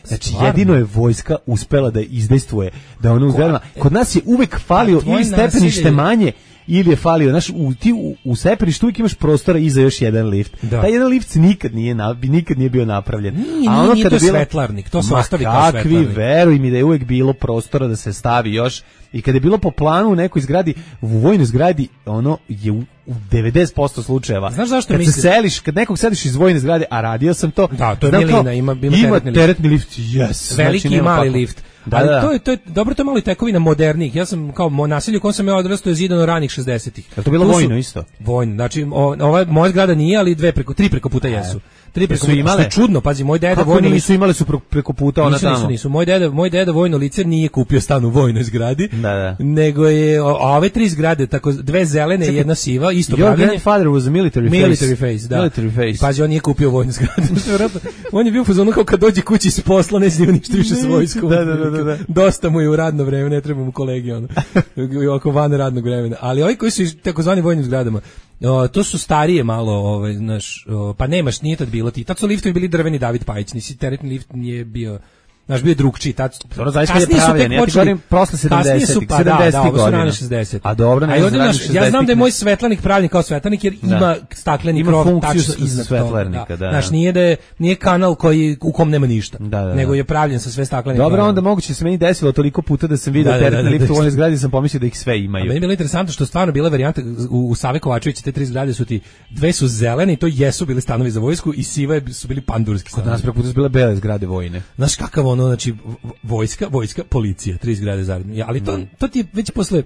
Znači, stvarno? Jedino je vojska uspela da izdejstvuje, da ono uzgledama. Kod nas je uvek falio ili stepenište manje, ili je falio, znaš, u, ti u, u stepeništu uvijek imaš prostora i za još jedan lift. Da. Taj jedan lift nikad nije, na, nikad nije bio napravljen. Nije, a ono nije, kada to bilo, svetlarnik, to se ostavi kao svetlarnik. Kakvi, veruj mi da je uvijek bilo prostora da se stavi još. I kada je bilo po planu u nekoj zgradi, u vojnoj zgradi, ono je u, u devedeset posto slučajeva. Znaš zašto kad misli? se seliš, kad nekog sediš iz vojne zgrade, a radio sam to. Da, to je milina, kao, ima, ima, ima teretni, teretni lift. Yes. Veliki znači, i mali kako. lift. Da, ali da. to je to je dobro, to je malo i tekovina modernih. Ja sam kao naselje u kom sam ja odrastao je zidano ranih šezdesetih. Je to bilo tu vojno su, isto? Vojno. Znači o, ova moja zgrada nije, ali dve preko tri preko puta jesu. Tri preko su imale. Što je čudno, pazi, moj deda kako vojno nisu imali su preko puta ona nisu, tamo. Nisu, nisu. Moj deda, moj deda vojno lice nije kupio stan u vojnoj zgradi. Da, da. Nego je a ove tri zgrade, tako dve zelene i jedna siva, isto pravljenje. Your grandfather was a military, military face. face, da. Military face. Pazi, on nije kupio vojnu zgradu. On je bio fazonu kao kad dođe kući s posla, ne snima ništa više s vojskom. Da, da, da, da. Dosta mu je u radno vreme, ne treba mu kolegi ono. Oko van radnog vremena. Ali ovi koji su iz takozvani vojnim zgradama, o, to su starije malo, ovaj, znaš, o, pa nemaš, nije tad bilo ti. Tad su liftovi bili drveni David Pajić, nisi teretni lift nije bio. Naš bio je drugčiji, tad. Dobro, zaista je pravljen, ja ti govorim posle sedamdesetih, pa, da, da, ovo su rane godina. šezdesetih. A dobro, ne, ne ja znam da je moj svetlanik pravljen kao svetlanik jer Da. ima stakleni Ima krov funkciju tačno iznad svetlarnika, toga. da, da. Znaš, nije da je, nije kanal koji u kom nema ništa, Da, da, da. nego je pravljen sa sve staklenim. Dobro, krovima. onda moguće se meni desilo toliko puta da sam video Da, da, teretne da, da, lifte u da. onoj zgradi, sam pomislio da ih sve A imaju. meni je bilo interesantno što stvarno bila varijanta u, u Save Kovačevića, te tri zgrade su ti, dve su zelene i to jesu bili stanovi za vojsku i sive su bili pandurski Kod stanovi. nas preko puta su bile bele zgrade vojne. Znaš kakav ono, znači, v- vojska, vojska, policija, tri zgrade zaredno. Ja, ali to, to ti je već posle,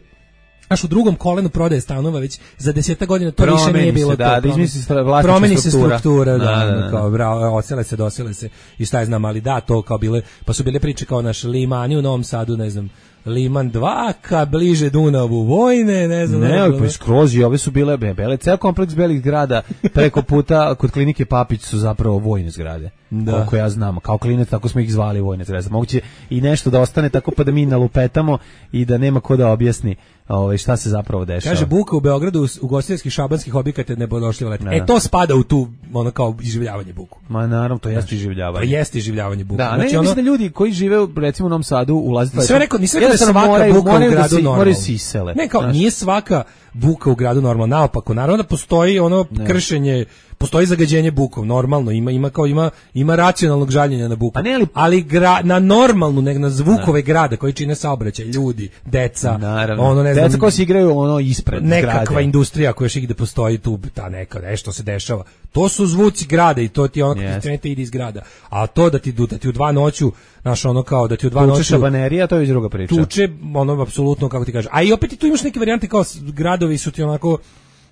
znaš, u drugom kolenu prodaje stanova, već za deseta godina to više Promeni nije se, bilo da, to. da izmisli se vlasnička Promeni se struktura. struktura, da, Da, da, ono, da. kao, bravo, ocele se, dosele se i šta je znam, ali da, to kao bile, pa su bile priče kao naš Limani u Novom Sadu, ne znam, Liman dva, ka bliže Dunavu vojne, ne znam. Ne, znam, pa skroz i ove su bile be- bele, ceo kompleks belih zgrada preko puta kod klinike Papić su zapravo vojne zgrade. Da. Koliko ja znam, kao klinac tako smo ih zvali vojne zgrade. Moguće i nešto da ostane tako pa da mi nalupetamo i da nema ko da objasni ovaj šta se zapravo dešava. Kaže buka u Beogradu u ugostiteljskih šabanskih objekata ne bodošljiva leta. Da, E da. to spada u tu ono kao iživljavanje buku. Ma naravno, to jeste To iživljavanje. jeste iživljavanje buku. Da, ne, Znači, ja ono, mislim da ljudi koji žive recimo u Novom Sadu ulaze Nisam rekao, nisam rekao da je jednostavno svaka moraju- buka u moraju da gradu se- normalna. moraju se isele. Ne, kao, Znaš. nije svaka buka u gradu normalna, naopako. Naravno da postoji ono kršenje, postoji zagađenje bukom, normalno, ima ima kao ima ima racionalnog žaljenja na buku. Pa ne, ali- gra- na normalnu, nego na zvukove grada koji čine saobraćaj, ljudi, deca, Naravno. ono ne znam, Deca koji se igraju ono ispred nekakva zgrade. industrija koja još igde postoji tu, ta neka, nešto se dešava. To su zvuci grada i to ti ono Jeste. kad krenete ide iz grada. A to da ti, da ti u dva noću, znaš, ono kao da ti u dva Tuče noću šabanerija, to je već druga priča. tuče, ono, apsolutno, kako ti kažeš. A i opet i tu imaš neke varijante kao s- gradovi su ti onako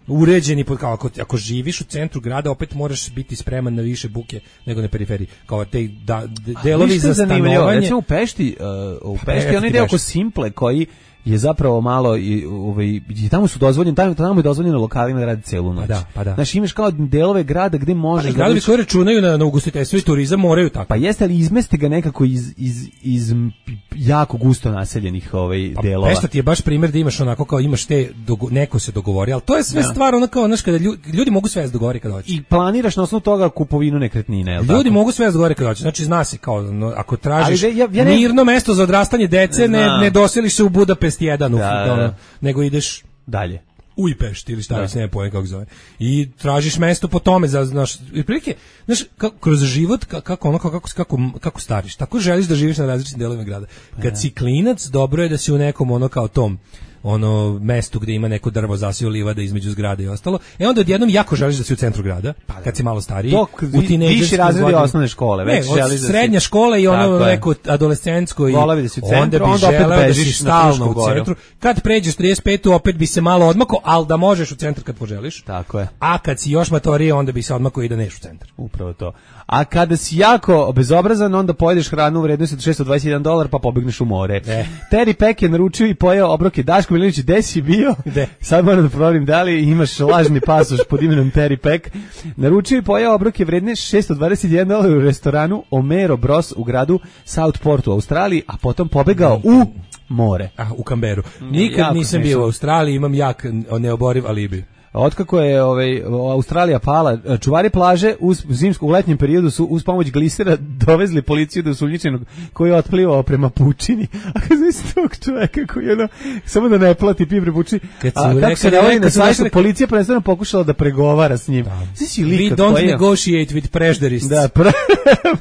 uređeni, pod- kao ako, ako živiš u centru grada, opet moraš biti spreman na više buke nego na periferiji. Kao te da, de- delovi Viš što za je zanimljivo? stanovanje. Recimo u Pešti, uh, u Pešti eto onaj ti deo Pešta. oko Simple koji je zapravo malo i ovaj i tamo su dozvoljeni tamo, tamo je dozvoljeno lokalima da rade celu noć. Pa da, pa da. Znači imaš kao delove grada gde možeš Ali da gradovi budeš- koji računaju na, na ugostiteljstvo i turizam moraju tako. pa jeste ali izmeste ga nekako iz, iz, iz m- jako gusto naseljenih ovaj Pa delova. Pešta ti je baš primjer da imaš onako kao imaš te, dogo- neko se dogovori, ali to je sve stvar ono kao, znaš, kada ljudi, ljudi mogu sve da se dogovori kada hoće. I planiraš na osnovu toga kupovinu nekretnine, je li Ljudi tako? mogu sve da se dogovore kada hoće. Znači zna se kao no, ako tražiš Ali ja- ja ne- mirno mesto za odrastanje dece, ne, Znam. ne doseliš se u Budapest jedan, u, Da, da, ono, da. nego ideš dalje. u Pešti ili šta već, ne pojem kako se zove. I tražiš mesto po tome za znaš, i prilike, znaš, kako, kroz život ka- kako ono kako kako kako stariš, tako želiš da živiš na različitim delovima grada. Kad si klinac, dobro je da si u nekom ono kao tom ono mestu gde ima neko drvo zasio livada između zgrade i ostalo. E onda odjednom jako želiš da si u centru grada, kad si malo stariji, To, u tinejdžerskim viši razredi godinama. osnovne škole, Ne, već od želiš da si- srednja škola i ono Tako je. neko adolescentsko i Voleo bi da si u onda centru, bi onda opet želeo da si bežiš na stalno Frušku u goru. centru. Kad pređeš trideset petu opet bi se malo odmako, ali da možeš u centar kad poželiš. Tako je. A kad si još matorije, onda bi se odmako i da neš u centar. Upravo to. A kada si jako bezobrazan, onda pojedeš hranu u vrednosti od šessto dvadeset jedan dolar pa pobegneš u more. E. Terry Peck je naručio i pojeo obroke. Daško Milinović, gde si bio? Gde? Sad moram da proverim da li imaš lažni pasoš pod imenom Terry Peck. Naručio i pojeo obroke vredne šessto dvadeset jedan dolar u restoranu Omero Bros u gradu Southport u Australiji, a potom pobegao u more. A, u Kamberu. Nikad jako nisam smešno. bio u Australiji, imam jak neoboriv alibi. Otkako je ovaj Australija pala, čuvari plaže uz zimsku u letnjem periodu su uz pomoć glisera dovezli policiju do osumnjičenog koji je otplivao prema pučini. A kad znači tog čoveka koji je ono, samo da ne plati pibre pučini. Kad su A kako rekli- se navodi na kad su sajtu, rekli- policija prvenstveno pokušala da pregovara s njim. Znači We lika don't koji je- negotiate with prejudice. Da, pre,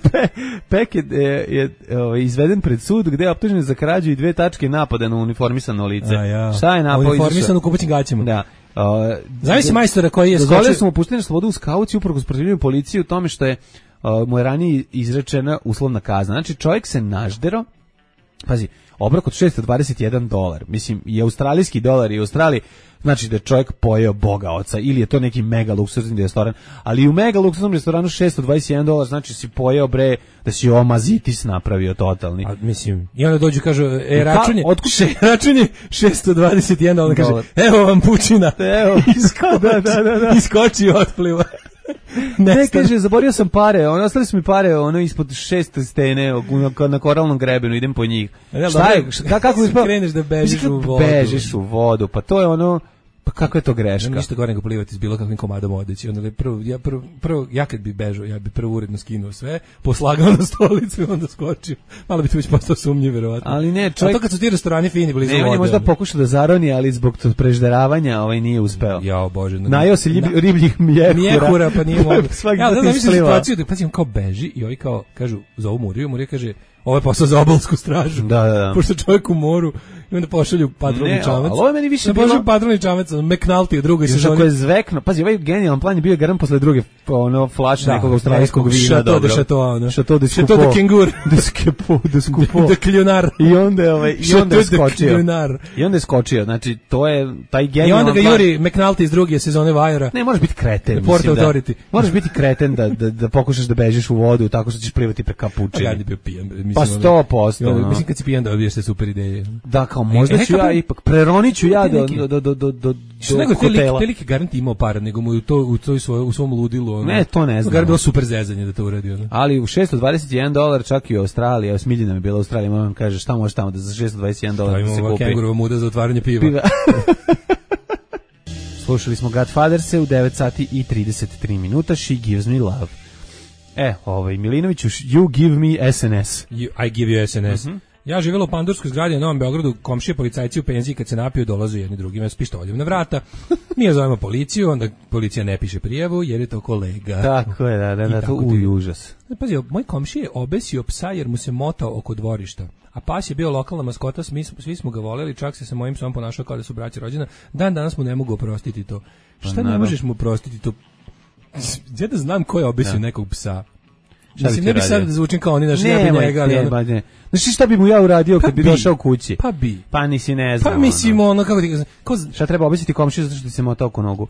pe, Pek je, je, je ovaj, izveden pred sud gde je optužen za krađu i dve tačke napada na uniformisano lice. A, ja. Šta je napao? Uniformisan u kupaćim gaćima. Da. Uh, Zavisi majstora koji je dozvolili skočio. su mu puštanje na slobodu u skauciji uprkos protivljenju policije u tome što je uh, mu je ranije izrečena uslovna kazna. Znači čovjek se naždero, pazi, obrok od šessto dvadeset jedan dolar, mislim i australijski dolar i u Australiji, znači da je čovjek pojeo Boga oca ili je to neki mega luksuzni restoran, ali i u mega luksuznom restoranu šessto dvadeset jedan dolar, znači si pojeo bre da si omazitis napravio totalni. A, mislim, i onda dođu i kažu, e, Pa, račun je, otkud- še, račun je šessto dvadeset jedan, onda kaže, Dolar. evo vam pučina. Evo, Iskoči, da, da, da, da. iskoči i otpliva. Ne, Nestane. kaže, zaborio sam pare, ono, ostali su mi pare, ono, ispod šest stene, na, na koralnom grebenu, idem po njih. Ne, Šta dobro, je, šta, kako bi kreneš da bežiš Mislim, u vodu. Bežiš u vodu, pa to je ono, Pa kako je to greška? Ništa gore nego plivati s bilo kakvim komadom odeći. Onda prvo, ja, prvo, prvo, ja kad bi bežao, ja bi prvo uredno skinuo sve, poslagao na stolicu i onda skočio. Malo bi to već postao sumnjiv, verovatno. Ali ne, čovjek... A to kad su ti restorani fini blizu ne, vode. on je možda pokušao da zaroni, ali zbog tog prežderavanja ovaj nije uspeo. Jao Bože. No, najeo se ljibi, ribljih mjehura. Mjehura, pa nije mogu. Svaki ja, da, put da, ispliva. situaciju da pazi, on kao beži i ovi kao, kažu, zovu Muriju, Murija kaže, ovo je posao za obalsku stražu. Da, da, da. Pošto čovjek u moru i onda pošalju patrolni čamac. Ali ovo je meni više bilo... bilo... patrolni čamac, McNulty u drugoj sezoni. Ako je zvekno, pazi, ovaj genijalan plan je bio garan posle druge ono, flaše da, nekog australijskog vina. Šato de šato, ono. Šato de skupo. Šato de kengur. De skupo, de skupo. De kljunar. I onda je, ovaj, i onda je skočio. Kljunar. I onda je skočio, znači, to je taj genijalan plan. I onda ga plan... juri McNulty iz druge sezone Vajera. Ne, možeš biti kreten, Port mislim Authority. da. Možeš biti kreten da, da, da pokušaš da bežiš u vodu tako što ćeš plivati pre kapučini. Ja bi bio pijan. Mislim, pa sto posto. No. Mislim, kad si pijan da dobiješ te super ideje. Da, kao možda e, ću ja ipak, preroniću ja do, do, do, do, do, do nego hotela. Te lik garant imao para, nego mu u, to, u, to svoj, u svom ludilu. Ono, ne, to ne znam. Garant bilo super zezanje da to uradi. Ono. Ali u šesto dvadeset jedan dolar čak i u Australiji, evo Smiljina mi je bila u Australiji, mama mi kaže šta može tamo da za šesto dvadeset jedan dolar da se kupi. Kengurova muda za otvaranje piva. piva. Slušali smo Godfatherse u devet sati i trideset tri minuta, She Gives Me Love. E, ovaj, Milinoviću, You Give Me S N S. You, I Give You S N S. Mm -hmm. Ja živjela u Pandurskoj zgradi na Novom Beogradu, komšije policajci u penziji kad se napiju dolaze jedni drugima s pištoljem na vrata. Mi je zovemo policiju, onda policija ne piše prijavu jer je to kolega. Tako je, da, da, da to uj, užas. Pazi, moj komšije je obesio psa jer mu se motao oko dvorišta. A pas je bio lokalna maskota, svi, svi smo ga voleli, čak se sa mojim psom ponašao kao da su braća rođena. Dan danas mu ne mogu oprostiti to. Šta pa, ne možeš mu oprostiti to? Ja da znam ko je obesio da. nekog psa. Mislim, ne bi sad da zvučim kao oni naši, ja bi njega, ali ne, ono... ne. Znači šta bi mu ja uradio kad pa bi došao kući? Pa bi. Pa nisi ne znam. Pa mislim, ono, kako ti... Ko... Šta treba obesiti komšiju zato što ti se motao oko nogu?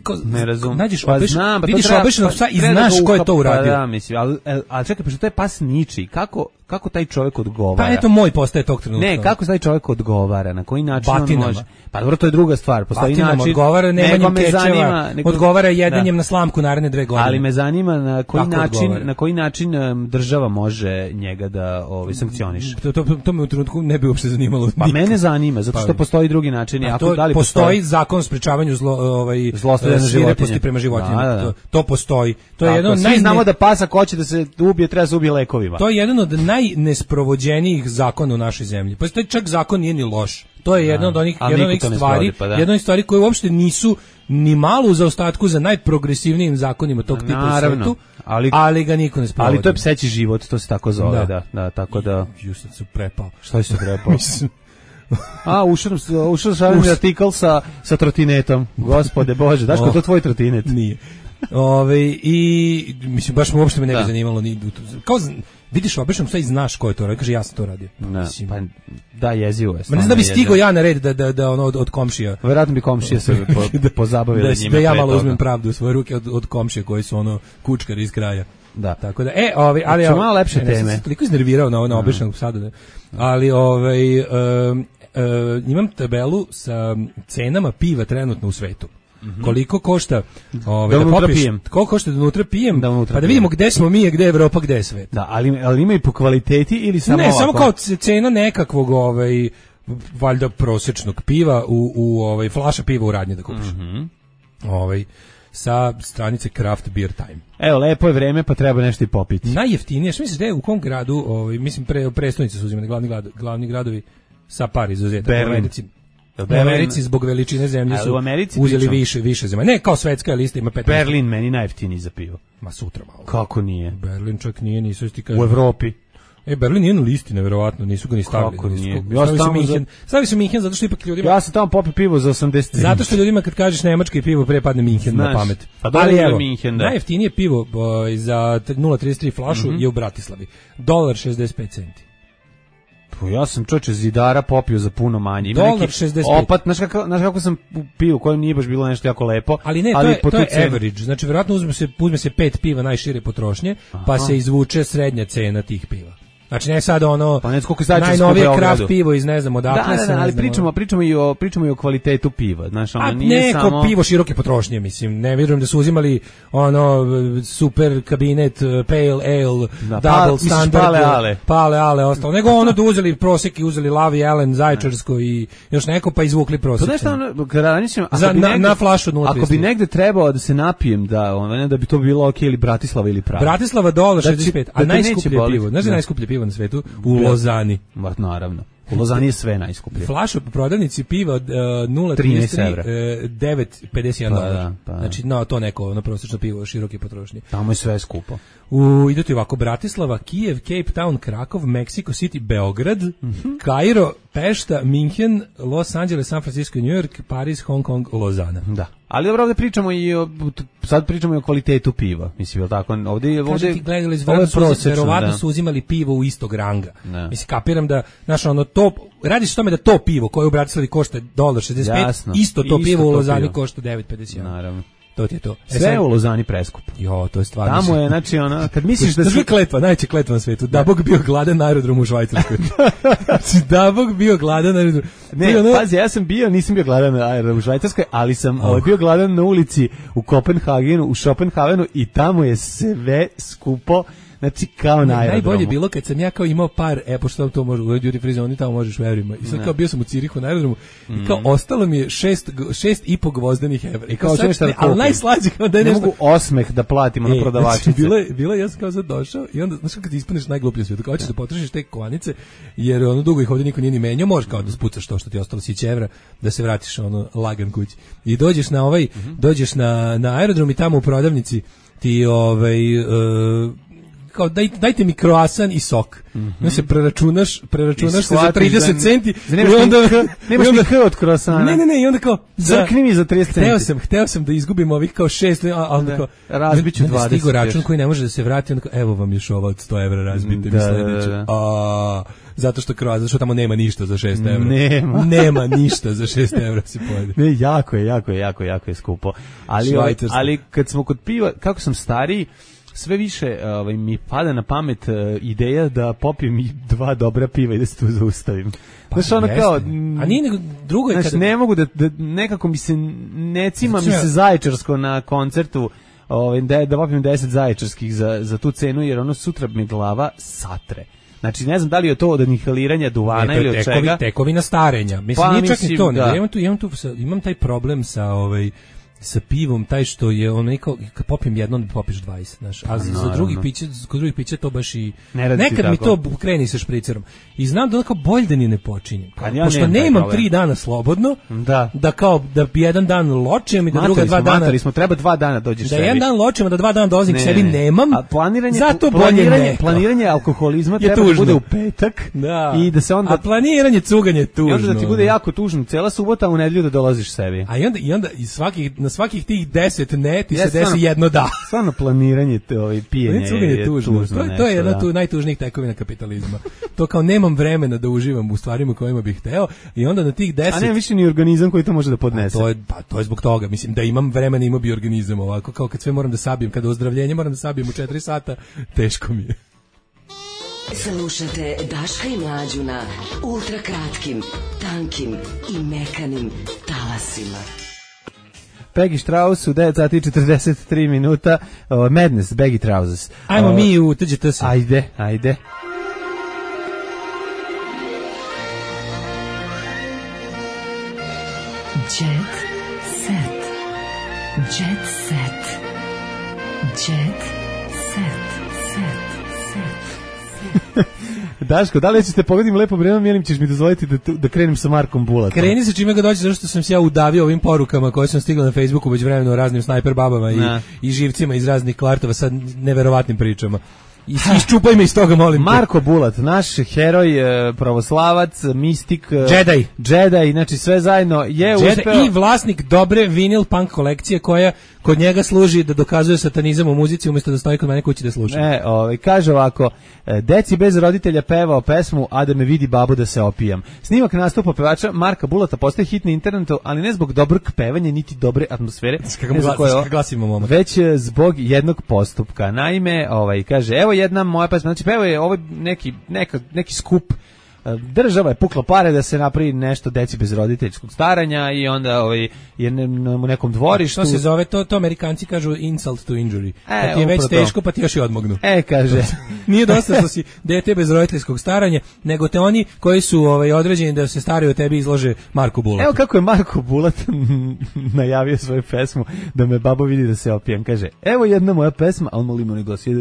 Ko, ne razum. Nađeš pa obeš, znam, pa vidiš treba, obešenog psa i znaš ko je to uradio. Pa da, mislim, ali, ali čekaj, pošto to je pas ničiji, kako, kako taj čovjek odgovara? Pa eto moj postaje tog trenutka. Ne, kako taj čovjek odgovara, na koji način Batinama. on može? Pa dobro, to je druga stvar, postoji Batinama način. Odgovara nemanjem kečeva, nego, odgovara jedenjem da. na slamku naredne dve godine. Ali me zanima na koji kako način, odgovara? na koji način um, država može njega da ovaj sankcioniše. To, to, to me u trenutku ne bi uopšte zanimalo. Pa nikad. Mene zanima, zato što pa, postoji drugi način. Ako to, da li postoji, postoji zakon o sprečavanju zlo, ovaj, zlostavljanja životinja prema životinjama. Da, da, da. To, to postoji. To je jedno svi najne... znamo da pas ako hoće da se ubije, treba se ubije lekovima. To je jedan od najnesprovođenijih zakona u našoj zemlji. Pa taj čak zakon nije ni loš. To je jedna od onih, jedna od onih stvari, pa jedna od stvari koje uopšte nisu ni malo u zaostatku za najprogresivnijim zakonima tog tipa naravno, u svetu, ali, ali ga niko ne sprovodi. Ali to je pseći život, to se tako zove, da, da, da tako da... Ju sam se prepao. Šta je se prepao? A, ušao ušao šalim artikl sa, sa trotinetom. Gospode Bože, daš ko to tvoj trotinet? Nije. Ove, i mislim baš mu uopšte me ne bi zanimalo ni kao vidiš obično sve i znaš ko je to radio, kaže ja sam to radio. Mislim, pa da jezivo je. Ma ne znam da bi stigao ja na red da da da ono od, od komšija. Verovatno bi komšije se po, pozabavili da, njime. Da ja malo uzmem pravdu u svoje ruke od, od komšije koji su ono kučkari iz kraja. Da. Tako da e, ovaj ali ja malo lepše ne, teme. Ne, toliko iznervirao na ono običnog psa da. Ali ovaj um, um, imam tabelu sa cenama piva trenutno u svetu. Mm-hmm. Koliko košta ovaj da, da popiš, pijem. Koliko košta da unutra pijem, da unutra pa da vidimo gde smo mi, gde je Evropa, gde je svet. Da, ali ali ima i po kvaliteti ili samo ne, ovako? samo kao cena nekakvog ovaj valjda prosječnog piva u u ovaj flaša piva u radnji da kupiš. Mhm. Ovaj sa stranice Craft Beer Time. Evo, lepo je vreme, pa treba nešto i popiti. Najjeftinije, što misliš da je u kom gradu, ovaj mislim pre prestonice su uzimane glavni grad, glavni gradovi sa par izuzetaka. U Americi zbog veličine zemlje su uzeli pričam. više više zemalja. Ne, kao svetska lista ima pet. Berlin meni najjeftiniji za pivo. Ma sutra malo. Kako nije? Berlin čak nije, nisu ti kažu. U Evropi. E, Berlin je na listi, neverovatno, nisu ga ni stavili. Kako nije? Ja stavili su Minhen, stavili su Minhen zato što ipak ljudima... Ja sam tamo popio pivo za osamdeset. Zato što ljudima kad kažeš nemački i pivo pre padne Minhen na pamet. Pa ali evo, Minhen, da. Najjeftinije pivo bo, za nula trideset tri flašu mm-hmm. je u Bratislavi. Dolar šezdeset pet centi. Ja sam čoče zidara popio za puno manje. Ima dolar neki šezdeset pet. Opat, znaš kako, znaš kako sam pio, kojem nije baš bilo nešto jako lepo. Ali ne, ali to je, to je average. Znači, vjerojatno uzme se, uzme se pet piva najšire potrošnje, aha, pa se izvuče srednja cena tih piva. Znači ne sad ono pa koliko je najnovije kraft pivo iz ne znam odakle da, se. Da, da, ali pričamo, pričamo i o pričamo i o kvalitetu piva, znaš, ono a nije neko samo pivo široke potrošnje, mislim. Ne vjerujem da su uzimali ono super kabinet pale ale, da, double pa, standard, pale ale, pale ale ostalo. Nego ono da uzeli prosek i uzeli Lavi Ellen, Zaječarsko i još neko pa izvukli prosek. To nešto ono, kada mislim, ako Za, bi na, negde, na flašu nula ako bi negde trebao da se napijem, da ono da bi to bilo okej, ili Bratislava ili Praga. Bratislava dolar šezdeset pet, a da najskuplje pivo. Znaš da je najskuplje pivo na svetu? U Lozani. Ma, naravno. U Lozani je sve najskuplje. Flaša po prodavnici piva od uh, nula trinaest tri, devet pedeset jedan pa, dolar. da, pa, znači, no, to neko, ono prosječno pivo široke potrošnje. Tamo je sve skupo. U, idete ovako, Bratislava, Kijev, Cape Town, Krakov, Mexico City, Beograd, mm-hmm. Kairo, Pešta, Minhen, Los Angeles, San Francisco, New York, Paris, Hong Kong, Lozana. Da. Ali dobro, ovdje pričamo i o, sad pričamo i o kvalitetu piva, mislim, je li tako? Ovdje, ovdje, ti gledali, verovatno su uzimali pivo u istog ranga. Da. Mislim, kapiram da, znaš, ono, to, radi se o tome da to pivo koje u Bratislavi košta dolar šezdeset pet, Jasno. isto to isto pivo to u Lozani pivo. Košta devet pedeset jedan. Naravno. To ti je to. E, sve je u Lozani preskup. Jo, to je stvarno. Tamo je, znači, ono, kad misliš da se... To kletva, najveća kletva na svetu. Da Bog bio gladan na aerodromu u Švajcarskoj. Znači, da Bog bio gladan na aerodromu. Ne, ono... pazi, ja sam bio, nisam bio gladan na aerodromu u Švajcarskoj, ali sam oh. ovaj, bio gladan na ulici u Kopenhagenu, u Schopenhavenu i tamo je sve skupo. Znači kao na aerodromu. Najbolje bilo kad sam ja kao imao par, e, pošto to može, u duty free zoni tamo možeš u evrima. I sad ne. Kao bio sam u Cirihu na aerodromu mm. i kao ostalo mi je šest, šest i po gvozdenih evra. I kao, kao sad, ne, ali najslađe kao da je ne nešto... mogu osmeh da platimo e, na prodavačice. Znači, bilo je, bilo je, ja sam kao sad došao i onda, znaš kad ispuniš najgluplju svijetu, kao ćeš da potrošiš te kovanice, jer ono dugo ih ovdje niko nije ni menjao, možeš kao da spucaš to što ti ostalo sić evra, da se vratiš ono lagan kući. I dođeš na ovaj, mm-hmm. dođeš na, na aerodrom i tamo u prodavnici ti ovaj... Uh, kao daj, dajte mi kroasan i sok. Mm-hmm. No se preračunaš, preračunaš se za trideset centi i onda nemaš ni k od kroasana. Ne, ne, ne, i onda kao crkni mi za trideset centi. Hteo sam, hteo sam da izgubim ovih kao šest, a onda kao razbiću dvadeset. Stigo račun koji ne može da se vrati, onda kao evo vam još ovo od sto evra, razbite mi sledeće. A zato što kroasan, zato što tamo nema ništa za šest evra. Nema. Nema ništa za šest evra se pojede. Ne, jako je, jako je, jako, jako je skupo. Ali, ali kad smo kod piva, kako sam stariji, sve više ovaj, mi pada na pamet uh, ideja da popijem i dva dobra piva i da se tu zaustavim. Pa, znaš, ono kao... A nije nego drugo je znaš, kada... ne mogu da, da nekako mi se, ne cima mi se Zaječarsko na koncertu, ovaj, da, da popijem deset Zaječarskih za, za tu cenu, jer ono sutra mi glava satre. Znači, ne znam da li je to od inhaliranja duvana ili od tekovi, čega. Tekovina starenja. Mislim, pa, nije čak mislim, ni to. Da. Ja imam, tu, imam, tu, imam taj problem sa... Ovaj, sa pivom, taj što je ono kao kad popijem jedno, onda popiš dvadeset, znaš. A za, za drugi piće, kod drugih pića to baš i ne nekad mi to kreni sa špricerom. I znam da onako bolje da ni ne počinjem. Pa ja pošto nemam tri dana slobodno, da. da kao da jedan dan ločem i da matari druga dva smo, dana. Matari smo, treba dva dana dođeš da sebi. Da jedan dan ločem, da dva dana dolazim ne, k sebi nemam. A planiranje, zato planiranje, bolje planiranje alkoholizma treba tužno. Da bude u petak da. I da se onda... A planiranje cuganje je tužno. I onda da ti bude jako tužno cela subota, a u nedelju da dolaziš sebi. A i onda, i onda i svakih, na svakih tih deset ne, ti se desi stvarno, jedno da. Stvarno planiranje te ovaj pijenje je, je tužno. tužno to, to je jedna tu najtužnijih tekovina kapitalizma. To kao nemam vremena da uživam u stvarima kojima bih hteo i onda na tih deset... A nema više ni organizam koji to može da podnese. A to je, pa to je zbog toga. Mislim, da imam vremena imao bi organizam ovako. Kao kad sve moram da sabijem, kada ozdravljenje moram da sabijem u četiri sata, teško mi je. Slušate Daška i Mlađu na ultrakratkim, tankim i mekanim talasima. Peggy Strauss u devet sati i četrdeset tri minuta, uh, Madness, Baggy Trousers. Ajmo uh, mi u T G T S. Ajde, ajde. Jet set. Jet set. Jet set. Set. Set. Daško, da li ćete pogodim lepo vreme ili ćeš mi dozvoliti da, da krenem sa Markom Bulatom? Kreni se čime ga dođe, zato što sam se ja udavio ovim porukama koje sam stigla na Facebooku već vremeno raznim snajper babama i, i živcima iz raznih kvartova sa neverovatnim pričama. I iščupaj me iz toga, molim te. Marko Bulat, naš heroj, pravoslavac, mistik, Jedi, Jedi, znači sve zajedno je Jedi uspeo. I vlasnik dobre vinil punk kolekcije koja kod njega služi da dokazuje satanizam u muzici umjesto da stoji kod mene kući da sluša. E, ovaj, kaže ovako, deci bez roditelja pevao pesmu A da me vidi babo da se opijam. Snimak nastupa pevača Marka Bulata postaje hit na internetu, ali ne zbog dobrog pevanja, niti dobre atmosfere, ne zbog koje, već zbog jednog postupka. Naime, ovaj, kaže, evo evo jedna moja pesma, znači pevao je ovo neki, neka, neki skup, država je pukla pare da se napravi nešto deci bez roditeljskog staranja i onda ovaj, je u nekom dvorištu. To se zove, to, to Amerikanci kažu insult to injury. E, pa ti je već teško, pa ti još i odmognu. E, kaže. Nije dosta što si dete bez roditeljskog staranja, nego te oni koji su ovaj, određeni da se staraju o tebi izlože Marko Bulat. Evo kako je Marko Bulat najavio svoju pesmu da me babo vidi da se opijem. Kaže, evo jedna moja pesma, a on moli mu ne glasi. Evo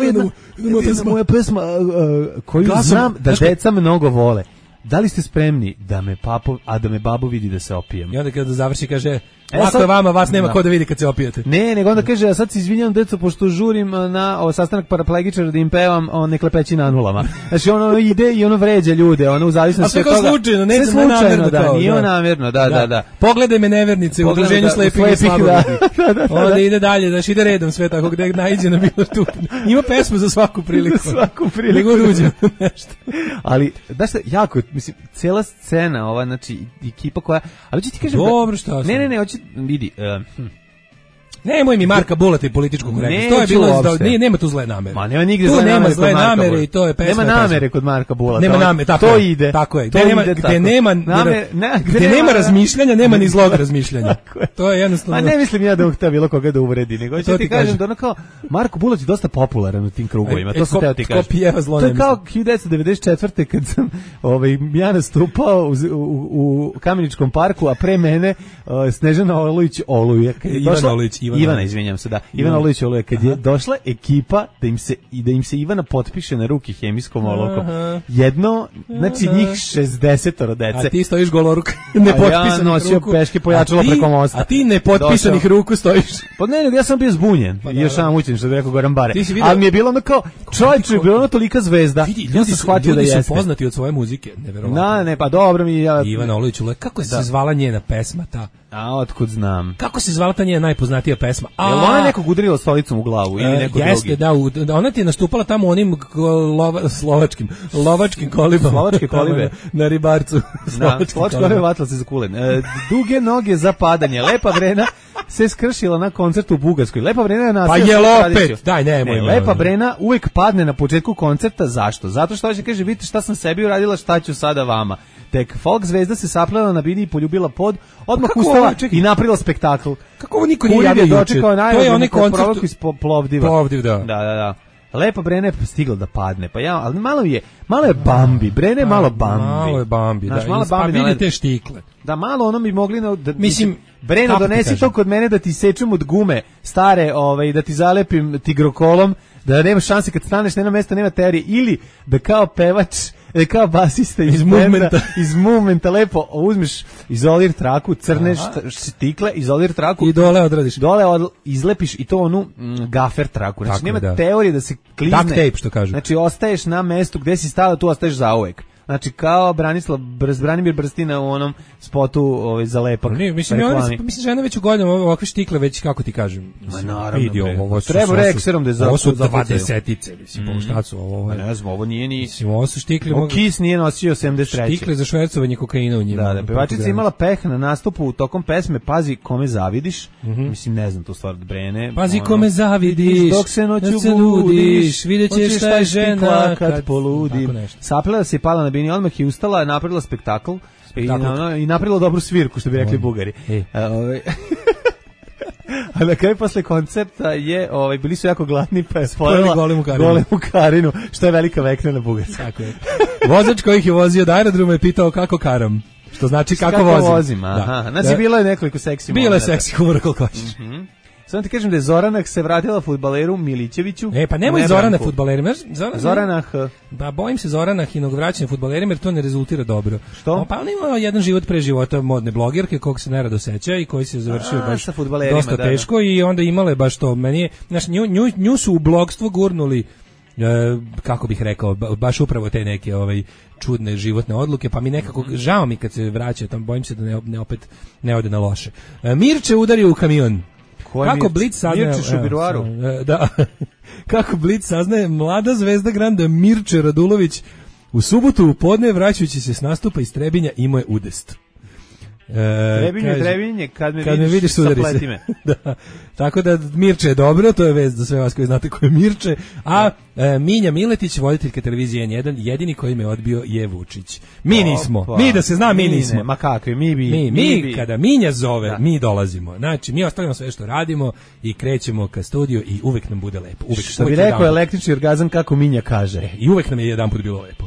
jedna, jedna, jedna moja pesma uh, koju Glasom, znam da deca mnogo vole. Da li ste spremni da me papo, a da me babo vidi da se opijem? I onda kada završi kaže, lako je vama, vas nema da. Ko da vidi kad se opijete. Ne, nego onda kaže, a sad se izvinjam deco, pošto žurim na ovo sastanak paraplegičara da im pevam o neklepeći na nulama. Znači ono ide i ono vređa ljude, ono u zavisnosti od toga. A sve slučajno, ne sve slučajno, da, to, nije da. namjerno, da, da, da. Pogledaj me nevernice u udruženju slepih i slabovidi. Da, da, onda da. Ide dalje, znači ide redom sve tako, gde naiđe na bilo tu. Ima pesmu za svaku priliku. Za svaku priliku. Nego ruđe nešto. Ali, da šta, jako, mislim, cijela scena, ova, znači, ekipa koja, ali ću ti kažem, dobro, šta ne, ne, ne, hoće, vidi, uh, hm. Nemoj mi Marka Bulata i političku korektnost. To je bilo da nije nema tu zle namere. Ma nema nigde tu zle nema namere. Zle namere i to je pesma. Nema namere kod Marka Bulata. Nema namere, tako to je. ide. Tako je. To Gde nema ide gde tako. nema Namer, ne, gde, gde nema, nema razmišljanja, nema ni zlog razmišljanja. To je jednostavno. Ma ne mislim ja da hteo bilo koga da uvredi, nego ću ti kažem da ono kao Marko Bulać je dosta popularan u tim krugovima. To sam teo ti kažem. To je kao hiljadu devetsto devedeset četvrte kad sam ovaj ja nastupao u Kameničkom parku, a pre mene Snežana Olujić Oluje. Ivana Olujić, Ivana, izvinjavam se, da. Ivana Olujić Oluje, kad je došla ekipa da im se i da im se Ivana potpiše na ruki hemijskom olovkom. Jedno, znači njih šezdeset dece. A ti stojiš goloruk, nepotpisanih ja nosio ruku. Peške pojačalo preko mosta. A ti nepotpisanih Došao. Ruku stojiš. Pa ne, nego ja sam bio zbunjen. Pa, I još sam mučen, što bi rekao Goran Bare. Ali mi je bilo ono kao, čovječe, je bilo ono tolika zvezda. Vidi, ljudi, ja sam shvatio da jeste. Ljudi su poznati od svoje muzike, neverovatno. Na, ne, pa dobro mi ja. Ivana Olujić Oluje, kako se zvala njena pesma ta? A otkud znam. Kako se zvala ta njena najpoznatija pesma? A jel ona nekog udarila stolicom u glavu ili neko drugi? Jeste, da, u, ona ti je nastupala tamo onim lova, slovačkim, lovačkim kolibama. Slovačke kolibe. Na, na ribarcu. Na, slovačke kolibe vatla se za kulen. E, duge noge za padanje. Lepa Brena se skršila na koncertu u Bugarskoj. Lepa Brena je nastavila. Pa je opet. Daj, nemoj. Ne, Lepa Brena uvek padne na početku koncerta. Zašto? Zato što hoće kaže, vidite šta sam sebi uradila, šta ću sada vama. Tek folk zvezda se saplela na bini i poljubila pod, odmah ustala i napravila spektakl. Kako ovo niko nije javio juče? To je onaj koncert iz Plovdiva. Plovdiv, da. Da, da, da. Lepa Brena je stigla da padne, pa ja, ali malo je, malo je Bambi, Brena je malo Bambi. Malo je Bambi, Znaš, da. Malo pa Bambi, vidite štikle. Da, malo ono bi mogli, na, da, mislim, Breno, donesi to kod mene da ti sečem od gume stare, ovaj, da ti zalepim tigrokolom, da nema šanse kad staneš, nema mesta, nema teorije, ili da kao pevač, da kao basista iz, iz movementa, iz movementa lepo uzmeš izolir traku, crneš stikle, izolir traku i dole odradiš. Dole od, izlepiš i to onu mm, gafer traku. Znači tako, nema da. Teorije da se klizne. Duct tape, što kažu. Znači ostaješ na mestu gde si stala, tu ostaješ zauvek. Znači kao Branislav Brz, Branimir Brstina u onom spotu ovaj, za lepak. Ne, mislim, ja, mislim, žena već u godinama ovakve štikle već, kako ti kažem. Ma naravno. Vidi, ovo su, treba rekserom da je za ovo su dvadesetice, mislim, mm. šta su ovo? Ne znam, ovo nije ni... Mislim, ovo su štikle... Ovo Kiss nije nosio sedamdeset treće. Štikle za švercovanje kokaina u njima. Da, da, pevačica imala peh na nastupu tokom pesme Pazi kome zavidiš. Mm -hmm. Mislim, ne znam tu stvar od Brene. Pazi ono, kome zavidiš, dok se noću se budiš, vidjet ćeš šta je žena kad poludi. Saplela se i pala na bini, odmah i ustala, napravila spektakl i, na, i napravila dobru svirku, što bi rekli Bugari. E. A, ovaj, a na kraju posle koncerta je, ovaj, bili su jako gladni, pa je spojila golemu karinu. golemu karinu, što je velika vekna na Bugarska. Tako je. Vozač koji ih je vozio od aerodroma je pitao kako karam. Što znači kako, kako vozim. vozim aha. Da. Znači, da. Bilo je nekoliko seksi momenta. Bilo je seksi humor koliko hoćeš. Mm -hmm. Samo ti kažem da je Zoranak se vratila fudbaleru Milićeviću. E, pa nemoj Zorana fudbalerima. Zoran, Zoranah. Pa bojim se Zoranah i vraćanje fudbalerima jer to ne rezultira dobro. Što? O, pa on ima jedan život pre života modne blogerke kog se nerado seća i koji se završio A, baš da, dosta teško da. I onda imale baš to. Meni je, znaš, nju, nju, nju su u blogstvo gurnuli, e, kako bih rekao, baš upravo te neke ovaj, čudne životne odluke, pa mi nekako, žao mi kad se vraća, tam bojim se da ne, ne opet ne ode na loše. E, Mirče udario u kamion. Kako Blic saznaje, da, kako Blic saznaje mlada zvezda Granda Mirče Radulović u subotu u podne vraćajući se s nastupa iz Trebinja imao je udest. E, Trebinje, kaže, trebinje, kad me kad vidiš, me vidiš sudari se. sapleti me. Da. Tako da Mirče je dobro, to je vest za sve vas koji znate ko je Mirče. A e, Minja Miletić, voditeljka televizije N jedan, jedini koji me odbio je Vučić. Mi nismo. Opa. Mi da se zna, mi, Mi nismo. ne, ma kakvi, mi bi. Mi, mi, mi bi. kada Minja zove, Da. mi dolazimo. Znači, mi ostavljamo sve što radimo i krećemo ka studiju i uvek nam bude lepo. Uvek, Što bi uvek rekao jedanput. električni orgazam kako Minja kaže. I uvek nam je jedan put bilo lepo.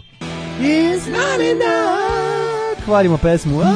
It's not enough. Hvalimo pesmu. A?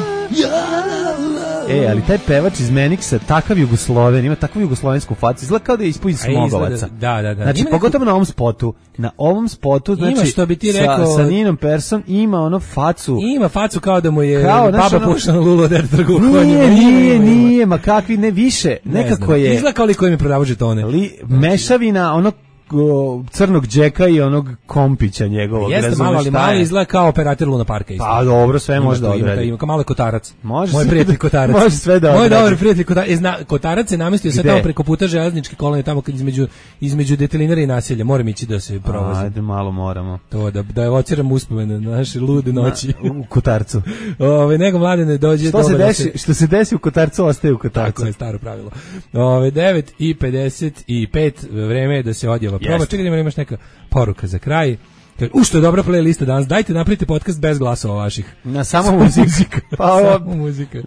E, ali taj pevač iz Meniksa, takav Jugosloven, ima takvu jugoslovensku facu, izgleda kao da je ispod iz A izgleda- Smogovaca. da, da, da. Znači, Ima pogotovo na ovom spotu. Na ovom spotu, znači, Ima, što bi ti sa- rekao- sa, Ninom Persson ima ono facu. Ima facu kao da mu je Kao, znaš, baba ono- pušla na lulu od trgu. Nije, nije, nije, ma kakvi, ne više, Ne nekako znam. je Izgleda kao liko im je prodavao žetone. li, mešavina onog o, crnog džeka i onog kompića njegovog. Jeste razumeš malo, ali šta malo je? izgleda kao operator Luna Parka. Isto. Pa dobro, sve Ima može da to, ima taj- odradi. Ima kao malo je Kotarac. Može Moj sve prijatelj da- Kotarac. može sve da Moj odradi. dobar prijatelj Kotarac. E, zna, Kotarac se namestio sad Gde? tamo preko puta železničke kolone, tamo kad između, između detelinara i naselja. Moram ići da se provozim. Ajde, malo moramo. To, da, da evociram uspomene na naše lude noći. Na- u Kotarcu. Ove, nego mladene dođe... Što se dobar da desi, što se desi u Kotarcu, ostaje u Kotarcu. Tako je staro pravilo. Ove, devet i pedeset pet, vreme je da se odjeva proba. Jeste. Čekaj da imaš neka poruka za kraj. Kaže, U, što je dobra playlista danas. Dajte napravite podcast bez glasova vaših. Na samo muzika. Pa ovo, Samo muzika.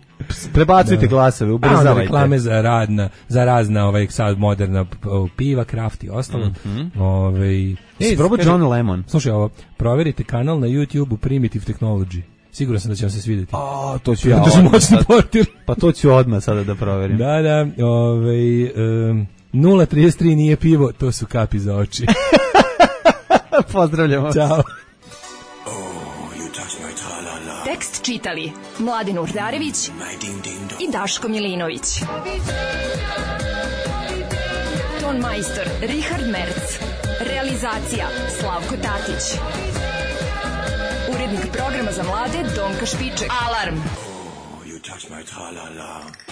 prebacujte Da. glasove, A onda ubrzavajte. reklame za radna, za razna ovaj sad moderna p- piva, kraft i ostalo. Mhm. Ovaj Si probao kaže- John Lemon? Slušaj ovo, proverite kanal na YouTubeu Primitive Technology. Siguran sam da će vam se svidjeti. A, to ću ja Da su odmah moćni sad. portir. Pa to ću odmah sada da proverim. Da, da, ovaj um, nula trideset tri nije pivo, to su kapi za oči. Pozdravljamo. Ćao. Tekst čitali Mladin Urdarević i Daško Milinović. Ton majstor Richard Merc. Realizacija Slavko Tatić. Urednik programa za mlade Donka Špiček. Alarm! You touch my tra-la-la.